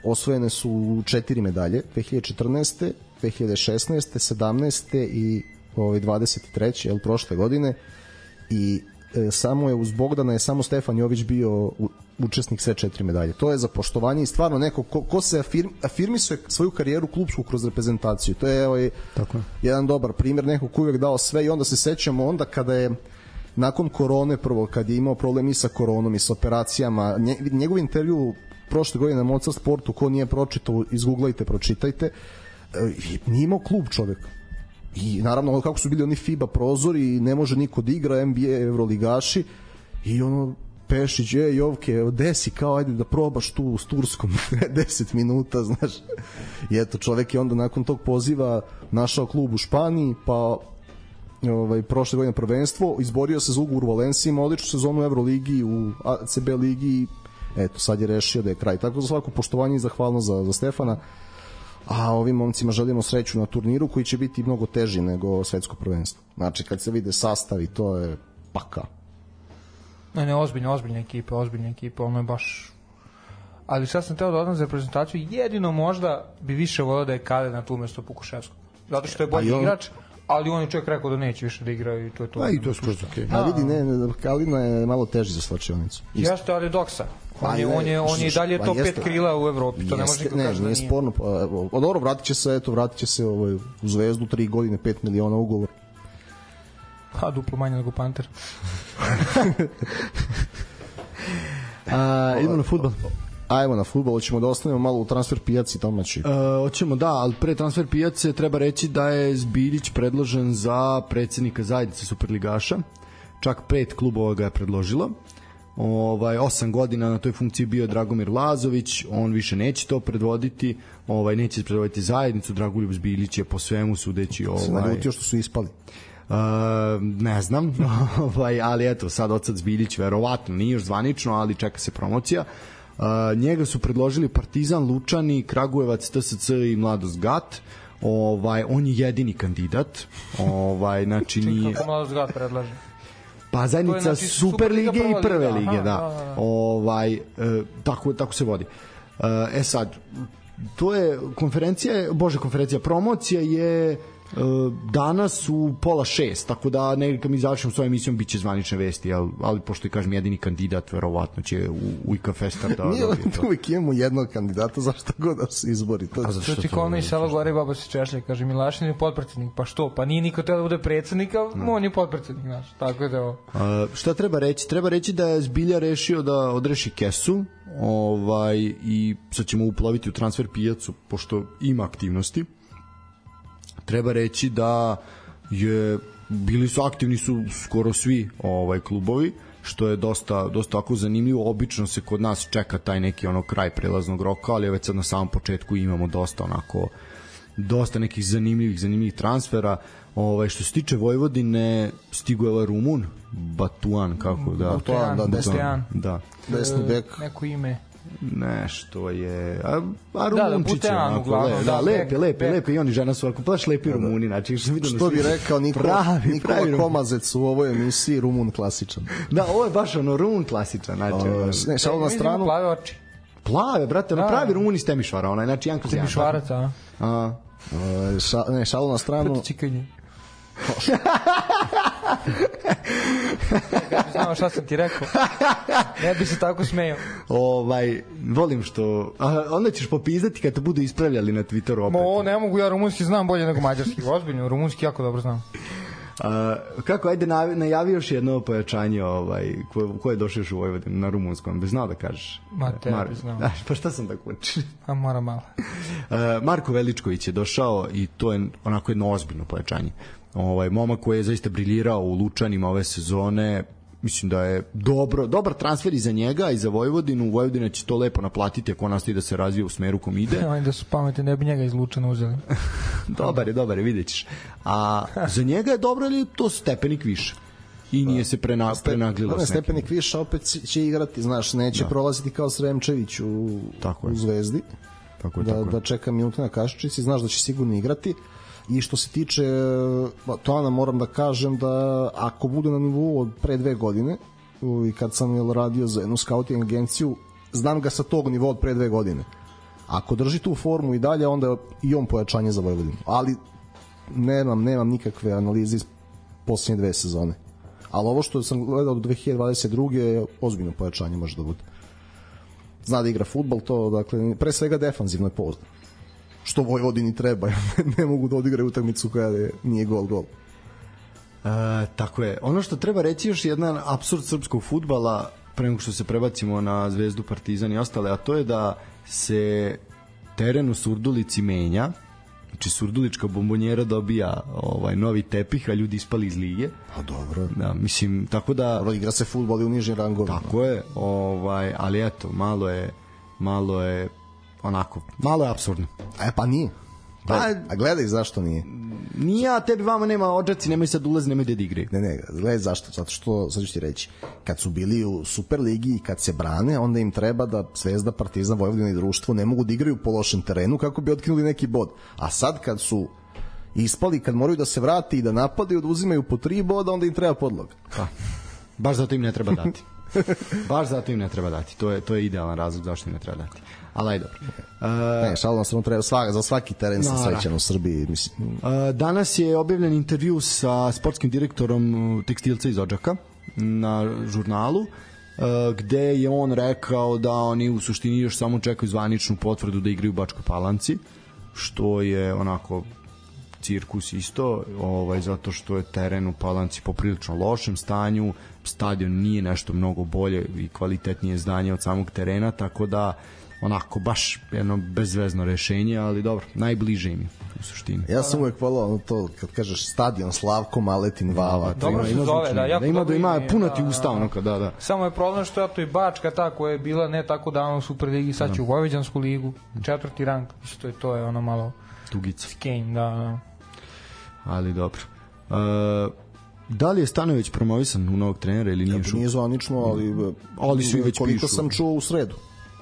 [SPEAKER 5] osvojene su četiri medalje. dve hiljade četrnaeste, dve hiljade šesnaeste, sedamnaeste i ovaj, dvadeset treće jel, prošle godine. I e, samo je uz Bogdana je samo Stefan Jović bio u, učesnik sve četiri medalje. To je za poštovanje i stvarno neko ko, ko se afirm, afirmisuje svoju karijeru klupsku kroz reprezentaciju. To je ovaj,
[SPEAKER 3] Tako je.
[SPEAKER 5] jedan dobar primjer, neko ko uvek dao sve i onda se sećamo onda kada je nakon korone prvo, kad je imao problem i sa koronom i sa operacijama, nje, njegov intervju prošle godine na Mozart Sportu, ko nije pročitao, izguglajte, pročitajte, e, nije imao klub čovek. I naravno kako su bili oni FIBA prozori i ne može niko da igra, N B A, Evroligaši i ono Pešić, je Jovke, desi kao ajde da probaš tu s Turskom deset minuta, znaš. I eto, čovek je onda nakon tog poziva našao klub u Španiji, pa ovaj, prošle godine prvenstvo, izborio se za ugovor u Valenciji, ima odličnu sezonu u Euroligi, u A C B ligi, eto, sad je rešio da je kraj. Tako za svako poštovanje i zahvalnost za, za Stefana. A ovim momcima želimo sreću na turniru koji će biti mnogo teži nego svetsko prvenstvo. Znači, kad se vide sastavi, to je paka.
[SPEAKER 4] Ne, ne, ozbiljne, ozbiljne ekipe, ozbiljne ekipe, ono je baš... Ali sad sam teo da odam za reprezentaciju, jedino možda bi više volio da je Kale na tu mesto Pukuševskog. Zato što je bolji
[SPEAKER 5] on...
[SPEAKER 4] igrač, ali on je čovjek rekao da neće više da igra i to je to.
[SPEAKER 3] A i to je skroz okej.
[SPEAKER 5] A vidi, ne, ne, Kalina je malo teži za slačionicu.
[SPEAKER 4] Jeste, ali Doksa. On je, on je, on je dalje top pet krila u Evropi, to ne može niko
[SPEAKER 5] ne,
[SPEAKER 4] kaži da
[SPEAKER 5] nije. Sporno, pa, o, dobro, vratit će se, eto, vratit će se ovaj, u Zvezdu, tri godine, pet miliona ugovor.
[SPEAKER 4] Pa, duplo manje nego Panter.
[SPEAKER 3] A, idemo na fudbal.
[SPEAKER 5] Ajmo na fudbal, ćemo da ostanemo malo u transfer pijaci domaći.
[SPEAKER 3] E, hoćemo da, ali pre transfer pijace treba reći da je Zbiljić predložen za predsednika zajednice Superligaša. Čak pet klubova ga je predložilo. Ovaj osam godina na toj funkciji bio Dragomir Lazović, on više neće to predvoditi, ovaj neće predvoditi zajednicu. Dragoljub Zbilić je po svemu sudeći ovaj
[SPEAKER 5] se naljutio što su ispali.
[SPEAKER 3] Uh, ne znam, ovaj, ali eto, sad odsad Zbiljić verovatno nije još zvanično, ali čeka se promocija. Uh, njega su predložili Partizan, Lučani, Kragujevac, T S C i Mladost Gat. Ovaj, on je jedini kandidat. Ovaj, znači nije...
[SPEAKER 4] Kako Mladost Gat predlaže?
[SPEAKER 3] Pa zajednica
[SPEAKER 4] znači
[SPEAKER 3] Super lige i prve
[SPEAKER 4] liga.
[SPEAKER 3] lige,
[SPEAKER 4] Aha,
[SPEAKER 3] da.
[SPEAKER 4] da, da.
[SPEAKER 3] Ovaj, e, tako, tako se vodi. E, e sad, to je konferencija, bože konferencija, promocija je danas u pola šest, tako da nekako kad mi završimo s ovom emisijom biće zvanične vesti, ali, ali pošto je kažem jedini kandidat, verovatno će u, u I K Festa da...
[SPEAKER 5] Nije da uvijek imamo jednog kandidata, zašto god da se izbori. To,
[SPEAKER 4] što ti kao ono iz sela gore baba se češlja, kaže Milašin je potpredsjednik, pa što? Pa nije niko teo da bude predsjednik, ali no. on je potpredsjednik naš, tako da ovo.
[SPEAKER 3] A, šta treba reći? Treba reći da je Zbilja rešio da odreši kesu, ovaj, i sad ćemo uploviti u transfer pijacu, pošto ima aktivnosti. Treba reći da je bili su aktivni su skoro svi ovaj klubovi, što je dosta dosta tako zanimljivo. Obično se kod nas čeka taj neki ono kraj prelaznog roka, ali već sad na samom početku imamo dosta onako dosta nekih zanimljivih zanimljivih transfera. Ovaj što se tiče Vojvodine, stigo je ovaj Rumun Batuan, kako da
[SPEAKER 5] Batuan, da,
[SPEAKER 4] Batuan.
[SPEAKER 3] Da.
[SPEAKER 5] Desni bek.
[SPEAKER 4] Neko ime.
[SPEAKER 3] Nešto je a, a
[SPEAKER 4] da,
[SPEAKER 3] Rumunčić
[SPEAKER 4] da,
[SPEAKER 3] je
[SPEAKER 4] uglavnom,
[SPEAKER 3] le,
[SPEAKER 4] da,
[SPEAKER 3] da, lepe,
[SPEAKER 4] bek,
[SPEAKER 3] lepe,
[SPEAKER 4] bek.
[SPEAKER 3] lepe i oni žena su ovako baš lepi da, Rumuni, znači što vidim
[SPEAKER 5] što bi rekao Nikola,
[SPEAKER 3] pravi,
[SPEAKER 5] Nikola
[SPEAKER 3] pravi
[SPEAKER 5] Komazec u ovoj emisiji, Rumun klasičan.
[SPEAKER 3] Da, ovo je baš ono Rumun klasičan, znači
[SPEAKER 5] o, ne, šalo na stranu.
[SPEAKER 4] Plave oči.
[SPEAKER 3] Plave, brate, ono pravi Rumuni s Temišvara, onaj, znači Janko Zjan.
[SPEAKER 4] Temišvarac, a?
[SPEAKER 3] A.
[SPEAKER 5] O, ša, ne, šalo na stranu.
[SPEAKER 4] Proti čikanje. Kad bi znao šta sam ti rekao, ne bi se tako smejao.
[SPEAKER 3] Ovaj, volim što a, onda ćeš popizdati kad te budu ispravljali na Twitteru opet.
[SPEAKER 4] Mo, ne mogu, ja rumunski znam bolje nego mađarski, ozbiljno, rumunski jako dobro znam.
[SPEAKER 3] A, kako, ajde najavi još jedno pojačanje ovaj, ko, ko je došao još u Vojvodinu na rumunskom, bez znao da kažeš.
[SPEAKER 4] Ma te
[SPEAKER 3] Mar...
[SPEAKER 4] bi znao.
[SPEAKER 3] Pa šta sam da kući?
[SPEAKER 4] A mora malo.
[SPEAKER 3] Marko Veličković je došao i to je onako jedno ozbiljno pojačanje. Ovaj momak koji je zaista briljirao u Lučanima ove sezone, mislim da je dobro, dobar transfer i za njega i za Vojvodinu. Vojvodina će to lepo naplatiti ako nastavi da se razvija u smeru kom ide.
[SPEAKER 4] Oni da su pametni, ne bi njega iz Lučana uzeli.
[SPEAKER 3] Dobar je, dobar je, vidjet ćeš. A za njega je dobro, ali to stepenik više. I nije se prena, prenaglilo.
[SPEAKER 5] Ne, stepenik više, opet će igrati, znaš, neće da. prolaziti kao Sremčević u, u Zvezdi.
[SPEAKER 3] Tako je,
[SPEAKER 5] da,
[SPEAKER 3] tako je.
[SPEAKER 5] Da čeka minute na kašičici, znaš da će sigurno igrati. I što se tiče Toana, moram da kažem da ako bude na nivou od pre dve godine i kad sam jel, radio za jednu scouting agenciju, znam ga sa tog nivoa od pre dve godine. Ako drži tu formu i dalje, onda je i on pojačanje za Vojvodinu. Ali nemam, nemam nikakve analize iz posljednje dve sezone. Ali ovo što sam gledao do dve hiljade dvadeset druge je ozbiljno pojačanje, može da bude. Zna da igra fudbal, to dakle, pre svega defanzivno je poznan. Što Vojvodini treba, ne mogu da odigraju utakmicu koja je, nije gol gol.
[SPEAKER 3] E, tako je. Ono što treba reći još jedan apsurd srpskog fudbala pre nego što se prebacimo na Zvezdu, Partizan i ostale, a to je da se teren u Surdulici menja. Znači Surdulička bombonjera dobija ovaj novi tepih, a ljudi ispali iz lige.
[SPEAKER 5] Pa dobro.
[SPEAKER 3] Da, mislim, tako da
[SPEAKER 5] dobro, igra se fudbal i u nižim rangovima.
[SPEAKER 3] Tako je, ovaj, ali eto, malo je malo je onako, malo je apsurdno.
[SPEAKER 5] E pa nije. Pa, a gledaj zašto nije.
[SPEAKER 3] Nije, a tebi vama nema odžaci, nemoj sad ulazi, nemoj da igraju.
[SPEAKER 5] Ne, ne, gledaj zašto, zato što, sad ću ti reći, kad su bili u Superligi i kad se brane, onda im treba da Zvezda, Partizan, Vojvodina i društvo ne mogu da igraju po lošem terenu kako bi otkinuli neki bod. A sad kad su ispali, kad moraju da se vrati i da napadaju, da uzimaju po tri boda, onda im treba podlog.
[SPEAKER 3] Pa, baš zato im ne treba dati. Baš zato im ne treba dati. To je, to je idealan razlog zašto im ne treba dati. Ali aj dobro.
[SPEAKER 5] Uh, ne, šalno sam treba svaka, za svaki teren sa srećan u Srbiji. Mislim.
[SPEAKER 3] Uh, danas je objavljen intervju sa sportskim direktorom tekstilca iz Odžaka na žurnalu, uh, gde je on rekao da oni u suštini još samo čekaju zvaničnu potvrdu da igraju u Bačkoj Palanci, što je onako cirkus isto, ovaj, zato što je teren u Palanci poprilično lošem stanju, stadion nije nešto mnogo bolje i kvalitetnije zdanje od samog terena, tako da onako baš jedno bezvezno rešenje, ali dobro, najbliže im je u suštini.
[SPEAKER 5] Ja sam uvek volao to kad kažeš stadion Slavko Maletin Vava.
[SPEAKER 4] Dobro se zove, da, jako
[SPEAKER 3] da ima da ima puno ti
[SPEAKER 4] da,
[SPEAKER 3] usta onako, da, da.
[SPEAKER 4] Samo je problem što je to i Bačka ta koja je bila ne tako davno u Superligi, sad će u Vojvođansku ligu, četvrti rang, isto je to je ono malo
[SPEAKER 3] tugica.
[SPEAKER 4] Skenj, da, da.
[SPEAKER 3] Ali dobro. Uh, da li je Stanojević promovisan u novog trenera ili nije?
[SPEAKER 5] Ja, nije zvanično, ali,
[SPEAKER 3] ali su i već
[SPEAKER 5] koliko
[SPEAKER 3] pišu.
[SPEAKER 5] sam čuo u sredu.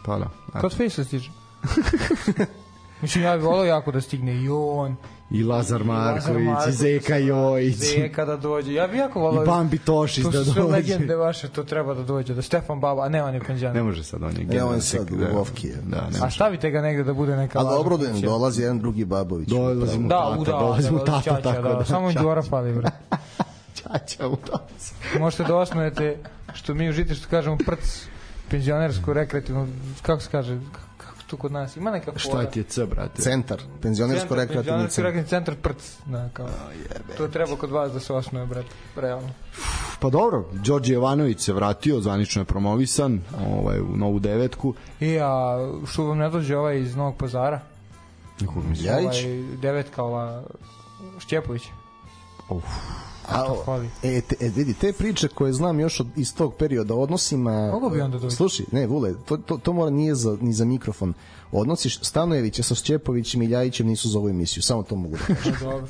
[SPEAKER 3] Pa da.
[SPEAKER 4] Kad Fejsa stiže? Mislim, ja bih volao jako da stigne i on.
[SPEAKER 3] I Lazar Marković, i Zeka Jojić.
[SPEAKER 4] Zeka da dođe. Ja bih jako volao.
[SPEAKER 3] I Bambi Tošić da dođe.
[SPEAKER 4] To su sve legende vaše, to treba da dođe. Da Stefan Baba, a ne, on je penzioner.
[SPEAKER 3] Ne može sad, on je
[SPEAKER 5] general. Ne, on je sad u Vovki.
[SPEAKER 3] Da,
[SPEAKER 4] a stavite ga negde da bude neka...
[SPEAKER 5] A dobro, da dolazi jedan drugi Babović.
[SPEAKER 3] Dolazi mu
[SPEAKER 4] tata,
[SPEAKER 3] da, dolazi mu tata,
[SPEAKER 4] čača,
[SPEAKER 3] tako
[SPEAKER 4] da.
[SPEAKER 3] da.
[SPEAKER 4] Samo im dvora fali, bre.
[SPEAKER 3] Čača mu dolazi.
[SPEAKER 4] Možete da osnujete, što mi u Žiti, što kažemo, prc, penzionersku, rekreativnu, kako se kaže, kako to kod nas, ima neka fora.
[SPEAKER 3] Šta ti je C, brate?
[SPEAKER 5] Centar, penzionersko rekreativni
[SPEAKER 4] centar. Penzionersko centar prc, da, kao. To treba kod vas da se osnuje, brate, realno.
[SPEAKER 3] Pa dobro, Đorđe Jovanović se vratio, zvanično je promovisan ovaj, u novu devetku.
[SPEAKER 4] I, a što vam ne dođe ovaj iz Novog Pazara?
[SPEAKER 3] Nikog mi
[SPEAKER 5] Jajić?
[SPEAKER 4] Ovaj devetka, ova Šćepović.
[SPEAKER 3] Uf.
[SPEAKER 5] A, e, te, e, vidi, te priče koje znam još od, iz tog perioda odnosima...
[SPEAKER 4] Mogu bi onda doći?
[SPEAKER 5] Slušaj, ne, Vule, to, to, to mora nije za, ni za mikrofon. Odnosi Stanojevića sa Šćepovićem i Ljajićem nisu za ovu emisiju, samo to mogu da kažem.
[SPEAKER 4] Dobro.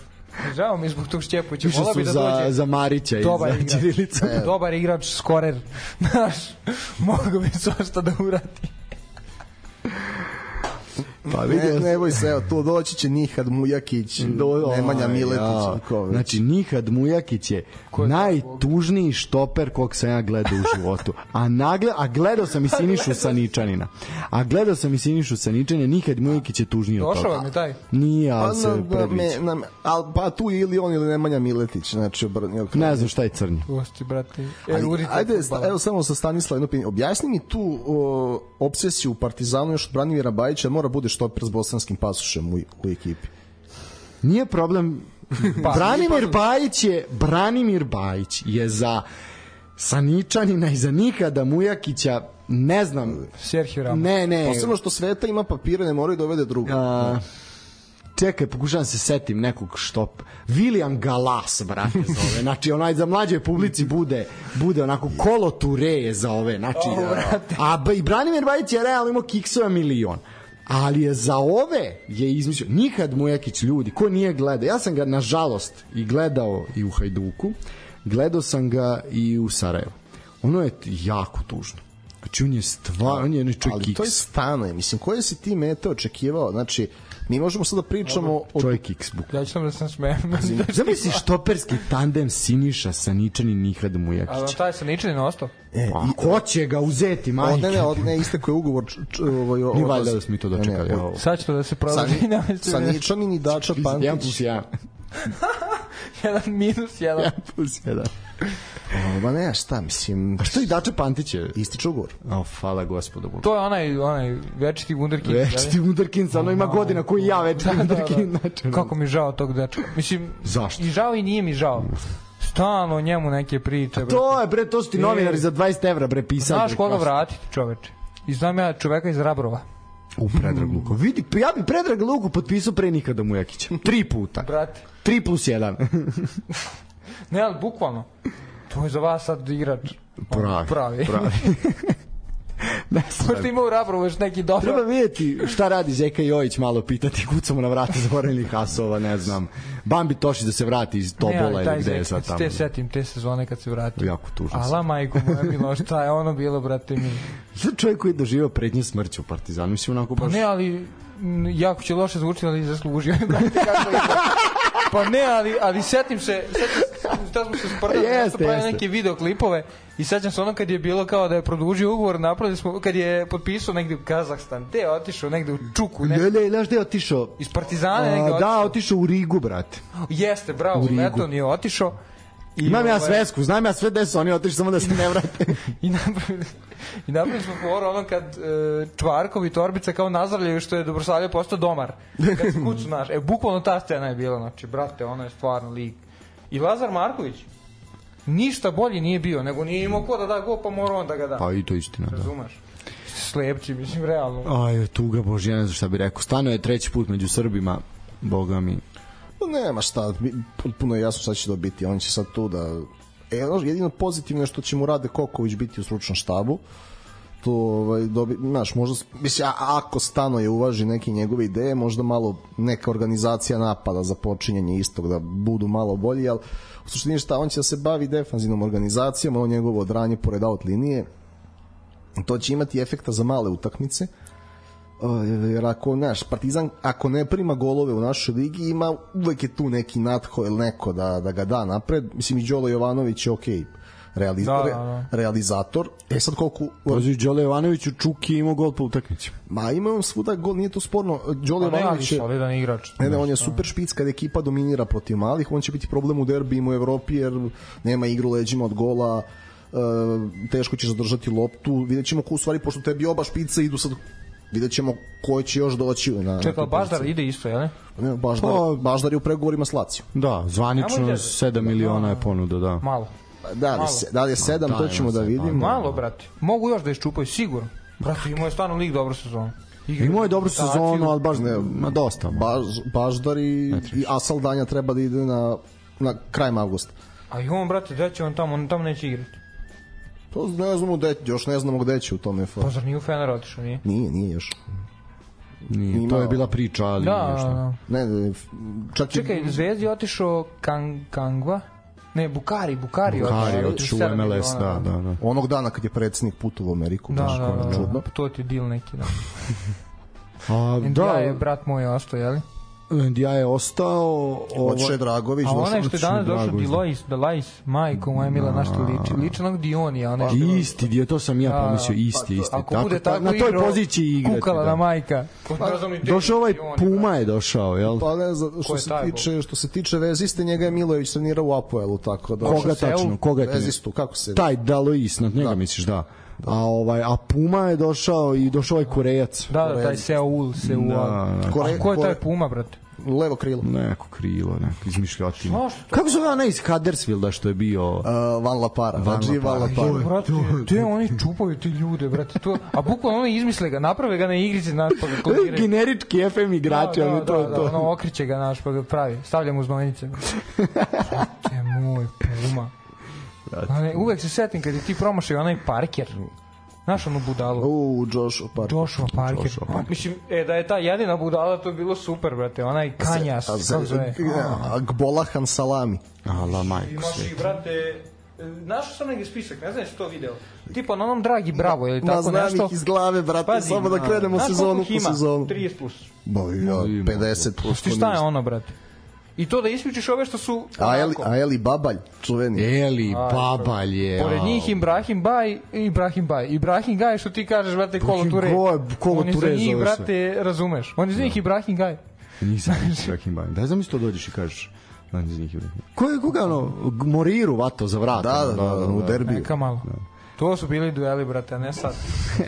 [SPEAKER 4] Žao mi zbog tog Šćepovića.
[SPEAKER 3] Više su
[SPEAKER 4] da
[SPEAKER 3] za,
[SPEAKER 4] dođe.
[SPEAKER 3] za Marića i
[SPEAKER 4] Dobar
[SPEAKER 3] za
[SPEAKER 4] igrač.
[SPEAKER 3] Ćirilica.
[SPEAKER 5] E.
[SPEAKER 4] Dobar igrač, skorer. Znaš, mogu bi svašta da urati.
[SPEAKER 5] Pa ne, ne boj se, evo, tu doći će Nihad Mujakić, Do, Nemanja Miletić.
[SPEAKER 3] Ja.
[SPEAKER 5] Ković.
[SPEAKER 3] Znači, Nihad Mujakić je najtužniji štoper kog sam ja gledao u životu. A, nagle, a gledao sam i Sinišu Saničanina. A gledao sam i Sinišu Saničanina, Nihad Mujakić je tužniji od toga.
[SPEAKER 4] Došao vam je taj?
[SPEAKER 3] Nije, ali
[SPEAKER 5] Pa,
[SPEAKER 3] se
[SPEAKER 5] na, na,
[SPEAKER 3] predviđa.
[SPEAKER 5] me, na, al, pa tu ili on ili Nemanja Miletić. Znači, obrnio.
[SPEAKER 3] Ne znam šta je crni.
[SPEAKER 4] Pusti, brate. E,
[SPEAKER 5] Ali, ajde, sta, evo samo sa Stanislav jedno pitanje. Objasni mi tu o, obsesiju u Partizanu još od Branimira Bajića, mora bude štoper s bosanskim pasošem u, u ekipi.
[SPEAKER 3] Nije problem.
[SPEAKER 4] Pa,
[SPEAKER 3] Branimir Bajić je Branimir Bajić je za Saničanina i za Nikada Mujakića, ne znam.
[SPEAKER 4] Serhio Ramos.
[SPEAKER 3] Ne, ne.
[SPEAKER 5] Posebno što Sveta ima papire, ne moraju dovede druga.
[SPEAKER 3] A, čekaj, pokušavam se setim nekog štop. William Galas, brate, zove. Znači, onaj za mlađe publici bude, bude onako Kolo Ture za ove. Znači, a, a i Branimir Bajić je realno imao kiksova milion. Ali je za ove je izmislio Nikad Mujakić, ljudi, ko nije gledao, ja sam ga nažalost i gledao i u Hajduku, gledao sam ga i u Sarajevu. Ono je jako tužno. Znači on je stvar, on je ne čovjek
[SPEAKER 5] Ali
[SPEAKER 3] kiks.
[SPEAKER 5] to je Stanoje, mislim, koje si ti mete očekivao? Znači, mi možemo sada pričamo o...
[SPEAKER 3] Čovjek kiks buk.
[SPEAKER 4] Ja ću sam da sam smijem.
[SPEAKER 3] Zamisli štoperski tandem Siniša Saničanin i Nikad Mujakić.
[SPEAKER 4] Ali taj sa Ničanin ostao?
[SPEAKER 5] E,
[SPEAKER 3] Pa, ko će ga uzeti,
[SPEAKER 5] o,
[SPEAKER 3] majke?
[SPEAKER 5] ne, ne, od, ne, isteko je ugovor. Č, č, ovaj,
[SPEAKER 3] Ni valjda da smo mi to dočekali.
[SPEAKER 5] Ne, ne,
[SPEAKER 3] ovo.
[SPEAKER 4] Sad će to da se prodaži.
[SPEAKER 5] Sa Ničanin i Dača Pantić.
[SPEAKER 3] jedan plus jedan.
[SPEAKER 4] jedan minus jedan.
[SPEAKER 3] jedan plus jedan.
[SPEAKER 5] Ma ne, šta, mislim...
[SPEAKER 3] A što i Dača Pantić je?
[SPEAKER 5] Ističe ugovor.
[SPEAKER 3] O, hvala gospodu.
[SPEAKER 4] To je onaj, onaj večiti wunderkind.
[SPEAKER 3] Večiti wunderkind, ono ima godina koji ja večiti
[SPEAKER 4] Da, da,
[SPEAKER 3] wunderkind.
[SPEAKER 4] da. Kako mi žao tog dečka. Mislim,
[SPEAKER 3] zašto?
[SPEAKER 4] I žao i nije mi žao. Stalno o njemu neke priče.
[SPEAKER 3] To je, bre, to su ti novinari za dvadeset evra, bre, pisali.
[SPEAKER 4] Znaš koga vratiti, čoveče? I znam ja čoveka iz Rabrova.
[SPEAKER 3] U Predrag Luko. Vidi, ja bi Predrag Luku potpisao pre Nikada Mujakića. Tri puta.
[SPEAKER 4] Brate.
[SPEAKER 3] Tri plus jedan.
[SPEAKER 4] Ne, ali bukvalno. To je za vas sad igrač.
[SPEAKER 3] Pravi.
[SPEAKER 4] Pravi.
[SPEAKER 3] Pravi. Ne
[SPEAKER 4] Možda ima u Rabrovu još neki dobro.
[SPEAKER 3] Treba vidjeti šta radi Zeka Jojić, malo pitati, kucamo na vrata zaboravljenih Hasova, ne znam. Bambi Tošić da se vrati iz Tobola ili gde je sad tamo.
[SPEAKER 4] Te setim, te sezone kad se vrati.
[SPEAKER 3] Jako tužno.
[SPEAKER 4] Ala majko moja milo, šta je ono bilo, brate mi?
[SPEAKER 3] Sad čovjek koji je doživao prednje smrću u Partizanu, mislim onako baš...
[SPEAKER 4] Pa ne, ali m, jako će loše zvučiti, ali zaslužio. Pa ne, ali, ali setim se, setim se, da smo se sprdali,
[SPEAKER 3] Jeste,
[SPEAKER 4] da smo pravili
[SPEAKER 3] jeste.
[SPEAKER 4] neke videoklipove i sećam se ono kad je bilo kao da je produžio ugovor, napravili smo, kad je potpisao negde u Kazahstan, te je otišao negde u Čuku, ne,
[SPEAKER 3] Ne, ne, znaš gde je otišao?
[SPEAKER 4] iz Partizana negde
[SPEAKER 3] A,
[SPEAKER 4] otišao.
[SPEAKER 3] da, otišao u Rigu, brate.
[SPEAKER 4] Jeste, bravo,
[SPEAKER 3] U Rigu.
[SPEAKER 4] Leton je otišao. I
[SPEAKER 3] Imam ja
[SPEAKER 4] ovaj,
[SPEAKER 3] svesku, znam ja sve gde su oni otišli, samo da se ne vrate.
[SPEAKER 4] I napravili, i napravili smo foru ono kad e, Čvarkov i Torbica kao nazdravljaju što je Dobrosavlje postao domar. Kad se kucu naš. E, bukvalno ta scena je bila, znači, brate, ono je stvarno lig. I Lazar Marković ništa bolji nije bio, nego nije imao ko da da go, pa mora on da ga da.
[SPEAKER 3] Pa i to istina, da.
[SPEAKER 4] Razumeš? Slepci, mislim, realno.
[SPEAKER 3] Aj, tuga Bože, ja ne znam šta bi rekao. Stano je treći put među Srbima, boga mi.
[SPEAKER 5] Pa nema šta, puno je jasno šta će dobiti. On će sad tu da... E, jedino pozitivno je što će mu Rade Koković biti u stručnom štabu. To, ovaj, dobi, znaš, možda, mislim, a- ako Stanoje uvaži neke njegove ideje, možda malo neka organizacija napada za počinjanje istog, da budu malo bolji, ali u suštini šta, on će da se bavi defanzivnom organizacijom, ono njegovo odranje pored out linije, to će imati efekta za male utakmice, jer ako, znaš, Partizan ako ne prima golove u našoj ligi, ima uvek je tu neki Natho ili neko da, da ga da napred. Mislim, i Đolo Jovanović je okej, realiz,
[SPEAKER 4] Da, da,
[SPEAKER 5] re,
[SPEAKER 4] da.
[SPEAKER 5] realizator. E sad koliko...
[SPEAKER 3] Pazi, Đole Jovanović u Čuki imao gol po utakmici.
[SPEAKER 5] Ma ima on svuda gol, nije to sporno. Đolo
[SPEAKER 4] Pa ne, ali
[SPEAKER 5] Jovanović je...
[SPEAKER 4] solidan igrač.
[SPEAKER 5] Ne, ne, on je super špic kad ekipa dominira protiv malih, on će biti problem u derbijima u Evropi jer nema igru leđima od gola, e, teško ćeš zadržati loptu, vidjet ćemo ko u stvari, pošto tebi oba špica idu sad, vidjet ćemo ko će još doći na...
[SPEAKER 4] Čekaj, Baždar ide isto, jel ne?
[SPEAKER 5] Ne, Baždar,
[SPEAKER 3] Pa-
[SPEAKER 5] Baždar je u pregovorima s Lacijom.
[SPEAKER 3] Da, zvanično
[SPEAKER 4] Nemojte-
[SPEAKER 3] sedam miliona je ponuda, da.
[SPEAKER 4] Malo.
[SPEAKER 5] Da li,
[SPEAKER 4] Malo.
[SPEAKER 5] se, da li je sedam,
[SPEAKER 3] Ma,
[SPEAKER 5] to
[SPEAKER 3] daj,
[SPEAKER 5] ćemo
[SPEAKER 3] ma,
[SPEAKER 5] da
[SPEAKER 3] sad,
[SPEAKER 5] vidimo.
[SPEAKER 4] Malo, brate. Mogu još da iščupaju, sigurno. Brate, imao je stvarno lig dobru sezonu. Igra
[SPEAKER 3] Imao je dobru
[SPEAKER 4] reprezentaciju.
[SPEAKER 3] sezonu, ali baš
[SPEAKER 5] Ne,
[SPEAKER 3] ma dosta. ma.
[SPEAKER 5] Baž, Baždar i, i Asal Danja treba da ide na, na krajem avgusta.
[SPEAKER 4] A i on, brate, gde će on tamo, on tamo neće igrati.
[SPEAKER 5] To ne znamo gde, još ne znamo gde će u tom F A.
[SPEAKER 4] Pa zar nije u Fener otišao, nije?
[SPEAKER 5] Nije, nije još.
[SPEAKER 3] Nije, to je bila priča, ali
[SPEAKER 4] da,
[SPEAKER 3] nije šta.
[SPEAKER 5] Ne, ne, čak
[SPEAKER 4] čekaj,
[SPEAKER 5] i...
[SPEAKER 4] Zvezdi je otišao Kang, Kangva? Ne, Bukari, Bukari.
[SPEAKER 3] Bukari otišao u M L S, da, da, da.
[SPEAKER 5] Onog dana kad je predsjednik putao u Ameriku,
[SPEAKER 4] da,
[SPEAKER 5] baš
[SPEAKER 4] da, da,
[SPEAKER 5] čudno.
[SPEAKER 4] da, to ti je deal neki, da.
[SPEAKER 3] A,
[SPEAKER 4] Indija
[SPEAKER 3] da,
[SPEAKER 4] je brat moj ostao, jeli?
[SPEAKER 3] Indija je ostao...
[SPEAKER 5] Odšao je Dragović.
[SPEAKER 4] A onaj što je danas došao,
[SPEAKER 3] Dragović,
[SPEAKER 4] Dilois, Delais, majko moja mila, na što liči? Liči onog Dionija. Onaj što...
[SPEAKER 3] Isti, dio, to sam ja pomislio, isti, isti.
[SPEAKER 4] Ako bude tako
[SPEAKER 3] na toj
[SPEAKER 4] igrao,
[SPEAKER 3] poziciji igrati.
[SPEAKER 4] kukala na majka.
[SPEAKER 3] Došao ovaj Puma je došao, jel?
[SPEAKER 5] Pa ne, što se tiče, što se tiče veziste, njega je Milojević trenirao u Apoelu, tako da...
[SPEAKER 3] Koga tačno, koga je
[SPEAKER 5] vezistu, kako se...
[SPEAKER 3] Taj Dalois, na njega misliš, da. A ovaj a Puma je došao i došao ovaj Korejac.
[SPEAKER 4] Da, da, taj Seul, Seul.
[SPEAKER 3] Da, da.
[SPEAKER 5] Kore,
[SPEAKER 4] ko je taj Puma, brate?
[SPEAKER 5] Levo krilo.
[SPEAKER 3] Neko krilo, neko izmišljotina. Kako se zove onaj iz Huddersfielda što je bio?
[SPEAKER 5] Uh, Van La Para.
[SPEAKER 3] Van La Para.
[SPEAKER 4] Jo, brate, te oni čupaju ti ljude, brate. To, a bukvalno oni izmisle ga, naprave ga na igrici, naš, pa ga kloniraju.
[SPEAKER 3] Generički F M igrači,
[SPEAKER 4] da, da,
[SPEAKER 3] ali to
[SPEAKER 4] da,
[SPEAKER 3] to.
[SPEAKER 4] Da, ono okriće ga, naš, pa ga pravi. Stavlja mu znojnice. Brate moj, Puma. Ne, uvek se setim kad je ti promašao onaj Parker. Znaš onu budalu?
[SPEAKER 5] U, Joshua Parker.
[SPEAKER 4] Joshua Parker. Joshua Parker. Mislim, e, da je ta jedina budala, to je bilo super, brate. Onaj Kanjas, kako zove?
[SPEAKER 5] Gbolahan Salami.
[SPEAKER 3] Ala, majko
[SPEAKER 4] imaš
[SPEAKER 3] sve.
[SPEAKER 4] i, brate, našao sam neki spisak, ne znam što to video. Tipa na onom Dragi Bravo, ili tako
[SPEAKER 5] Ma,
[SPEAKER 4] nešto.
[SPEAKER 5] znam ih iz glave, brate,
[SPEAKER 4] Pazi,
[SPEAKER 5] samo da krenemo
[SPEAKER 4] znaš
[SPEAKER 5] sezonu
[SPEAKER 4] koliko
[SPEAKER 5] po sezonu.
[SPEAKER 4] trideset plus.
[SPEAKER 5] Boj, ja, pedeset plus.
[SPEAKER 4] Ti šta je ono, brate? I to da isključiš ove što su...
[SPEAKER 5] A Eli, a Eli Babalj, čuveni.
[SPEAKER 3] Eli Babalj je.
[SPEAKER 4] Pored njih Ibrahim Baj i Ibrahim Baj. Ibrahim Gaj, što ti kažeš, brate, kolo ture.
[SPEAKER 3] Kolo
[SPEAKER 4] Oni
[SPEAKER 3] ture
[SPEAKER 4] za njih,
[SPEAKER 3] zove se.
[SPEAKER 4] brate, razumeš. Oni za njih Ibrahim Gaj.
[SPEAKER 3] Nisam Ibrahim Baj. Daj zamisli to dođeš i kažeš. Daj za njih Ibrahim. Ko je, koga ono, Moriru vato za vrat?
[SPEAKER 5] Da, da, da, u derbiju.
[SPEAKER 4] Neka malo. To su bili dueli, brate, a ne sad.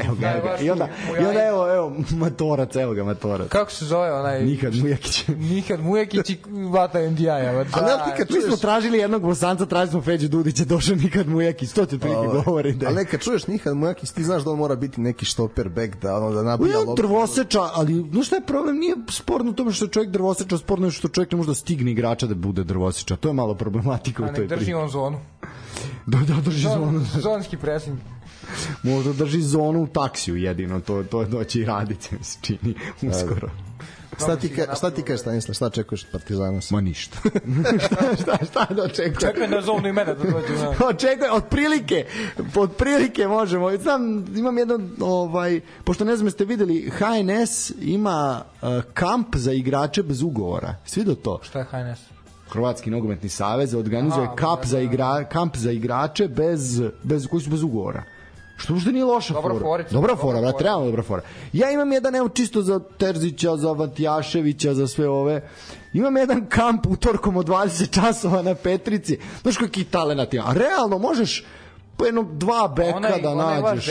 [SPEAKER 3] Evo ga, evo ga. I onda, i onda evo, evo, Matorac, evo ga Matorac.
[SPEAKER 4] Kako se zove onaj...
[SPEAKER 3] Nikad Mujakić.
[SPEAKER 4] Nikad Mujakić i Vata N D I-a.
[SPEAKER 3] A ne, nikad mi smo tražili jednog Bosanca, tražili smo Feđu Dudića, došao Nikad Mujakić, to ti otprilike govori.
[SPEAKER 5] Ali nekad čuješ Nikad Mujakić, ti znaš da on mora biti neki štoper back, da ono da nabija loptu.
[SPEAKER 3] Drvoseča, ali no šta je problem, nije sporno u tome što je čovjek drvoseča, sporno je što čovjek ne može da stigne igrača da bude drvoseča. To je malo problematika u toj priči.
[SPEAKER 4] A ne drži on zonu.
[SPEAKER 3] Da, da, drži zonu.
[SPEAKER 4] Zonski pressing.
[SPEAKER 3] Možda drži zonu u taksiju jedino, to, to je doći i raditi, mi se čini, uskoro.
[SPEAKER 5] Šta ti, ka, šta ti kažeš, Stanislav, šta očekuješ od Partizana?
[SPEAKER 3] Ma ništa. šta, šta da očekujem?
[SPEAKER 4] Čekaj da zovnu i mene da dođe.
[SPEAKER 3] Očekujem, otprilike, otprilike možemo. Znam, imam jedan, ovaj, pošto ne znam ste videli, H N S ima uh, kamp za igrače bez ugovora. Svi do to?
[SPEAKER 4] Šta je H N S?
[SPEAKER 3] Hrvatski nogometni savez organizuje
[SPEAKER 4] Aha,
[SPEAKER 3] kamp za igra, kamp za igrače bez bez koji su bez ugovora. Što možda nije loša
[SPEAKER 4] dobra
[SPEAKER 3] fora.
[SPEAKER 4] Forica,
[SPEAKER 3] dobra fora, brate, realno dobra fora. Ja imam jedan, evo, čisto za Terzića, za Vatjaševića, za sve ove. Imam jedan kamp utorkom od dvadeset časova na Petrici. Znaš kakvi talenat ima. A realno možeš po jedno dva beka
[SPEAKER 4] onaj,
[SPEAKER 3] da
[SPEAKER 4] onaj
[SPEAKER 3] nađeš.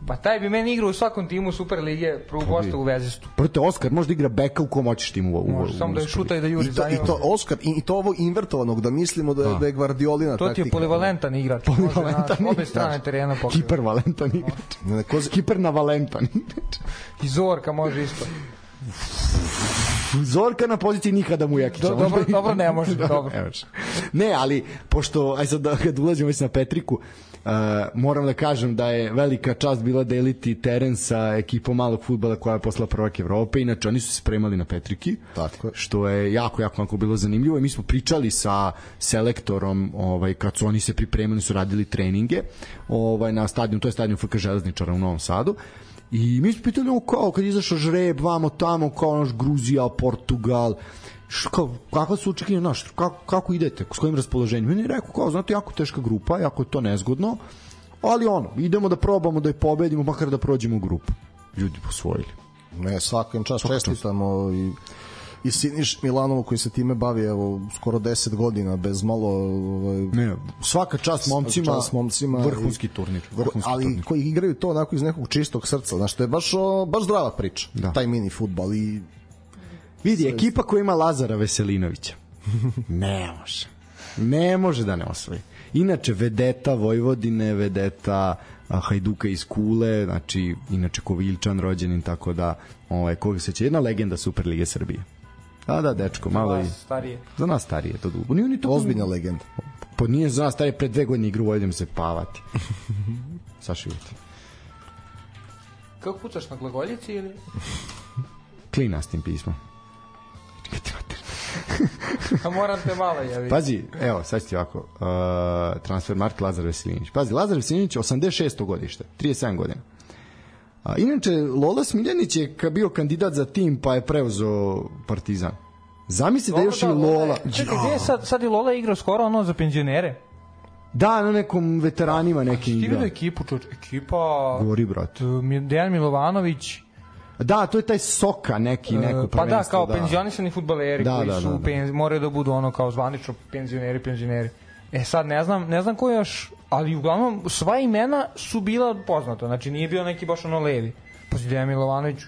[SPEAKER 4] Pa taj bi meni igrao u svakom timu Super lige, prvu gosta u Vezistu.
[SPEAKER 3] Prate, Oskar može da igra beka u kom hoćeš timu. U,
[SPEAKER 4] može, samo da je šuta i da juri
[SPEAKER 5] I to,
[SPEAKER 4] za
[SPEAKER 5] i to Oskar, i, i to ovo invertovanog, da mislimo da je, da je Gvardiolina
[SPEAKER 4] taktika. To ti je polivalentan igrač.
[SPEAKER 3] Polivalentan
[SPEAKER 4] igrač. Obe strane terena pokriva.
[SPEAKER 3] Hipervalentan igrač.
[SPEAKER 5] Ne, ko...
[SPEAKER 3] Hipernavalentan igrač.
[SPEAKER 4] I Zorka može isto.
[SPEAKER 3] Zorka na poziciji nikada Mujakića.
[SPEAKER 4] Do, dobro, dobro, ne može, dobro.
[SPEAKER 3] Ne, ali, pošto, aj sad da kad ulazimo već na Petriku, uh, moram da kažem da je velika čast bila deliti teren sa ekipom malog fudbala koja je posla prvak Evrope, inače oni su se spremali na Petriki,
[SPEAKER 5] tako je.
[SPEAKER 3] Što je jako, jako, jako bilo zanimljivo i mi smo pričali sa selektorom, ovaj, kad su oni se pripremili, su radili treninge ovaj, na stadionu, to je stadion F K Železničara u Novom Sadu. I mi smo pitali, kao, kad izašao žreb, vamo tamo, kao naš Gruzija, Portugal, što, kakva su očekivanja, znaš, kako, kako idete, s kojim raspoloženjem? Meni je rekao, kao, znate, jako teška grupa, jako je to nezgodno, ali ono, idemo da probamo da je pobedimo, makar da prođemo u grupu. Ljudi posvojili.
[SPEAKER 5] Ne, svakim čas čestitamo i i Siniš Milanovu koji se time bavi evo skoro deset godina bez malo ovaj,
[SPEAKER 3] ne, svaka čast momcima,
[SPEAKER 5] čast momcima
[SPEAKER 3] vrhunski turnir, vrhunski
[SPEAKER 5] ali
[SPEAKER 3] turnir.
[SPEAKER 5] Koji igraju to onako iz nekog čistog srca, znači to je baš o, baš zdrava priča,
[SPEAKER 3] da.
[SPEAKER 5] Taj mini fudbal i
[SPEAKER 3] vidi, ekipa koja ima Lazara Veselinovića ne može ne može da ne osvoji. Inače vedeta Vojvodine, vedeta Hajduka iz Kule, znači inače Koviljčan rođenin, tako da ovaj, koga se će, jedna legenda Superlige Srbije. A da, dečko, malo i...
[SPEAKER 4] starije.
[SPEAKER 3] Za nas starije, to dugo. Nije ni to...
[SPEAKER 5] Ozbiljna legenda.
[SPEAKER 3] Pa nije za nas, taj je pre dve godine igru, idem se pavati. Saša Jutin.
[SPEAKER 4] Kako pucaš na glagoljici ili?
[SPEAKER 3] Klinastim pismom.
[SPEAKER 4] A moram te malo javiti.
[SPEAKER 3] Pazi, evo, sad ti ovako. Uh, transfer market Lazar Veselinić. Pazi, Lazar Veselinić, osamdeset šesto godište, trideset sedam godina. A, inače, Lola Smiljanić je bio kandidat za tim, pa je preuzeo Partizan. Zamisli da još da, i Lola...
[SPEAKER 4] Čekaj, gdje je sad, sad i Lola igrao skoro ono za penzionere?
[SPEAKER 3] Da, na nekom veteranima neke igra.
[SPEAKER 4] Ti vidio ekipu, čoč, ekipa...
[SPEAKER 3] Govori, brate.
[SPEAKER 4] Dejan Milovanović...
[SPEAKER 3] Da, to je taj Soka neki, neko prvenstvo.
[SPEAKER 4] Pa da, kao da. Penzionisani fudbaleri
[SPEAKER 3] da,
[SPEAKER 4] koji
[SPEAKER 3] da,
[SPEAKER 4] su
[SPEAKER 3] da, da.
[SPEAKER 4] Penzi, moraju da budu ono kao zvanično penzioneri, penzioneri. E sad ne znam, ne znam ko još, ali uglavnom sva imena su bila poznata, znači nije bio neki baš ono levi. Pa si Dejan Milovanović,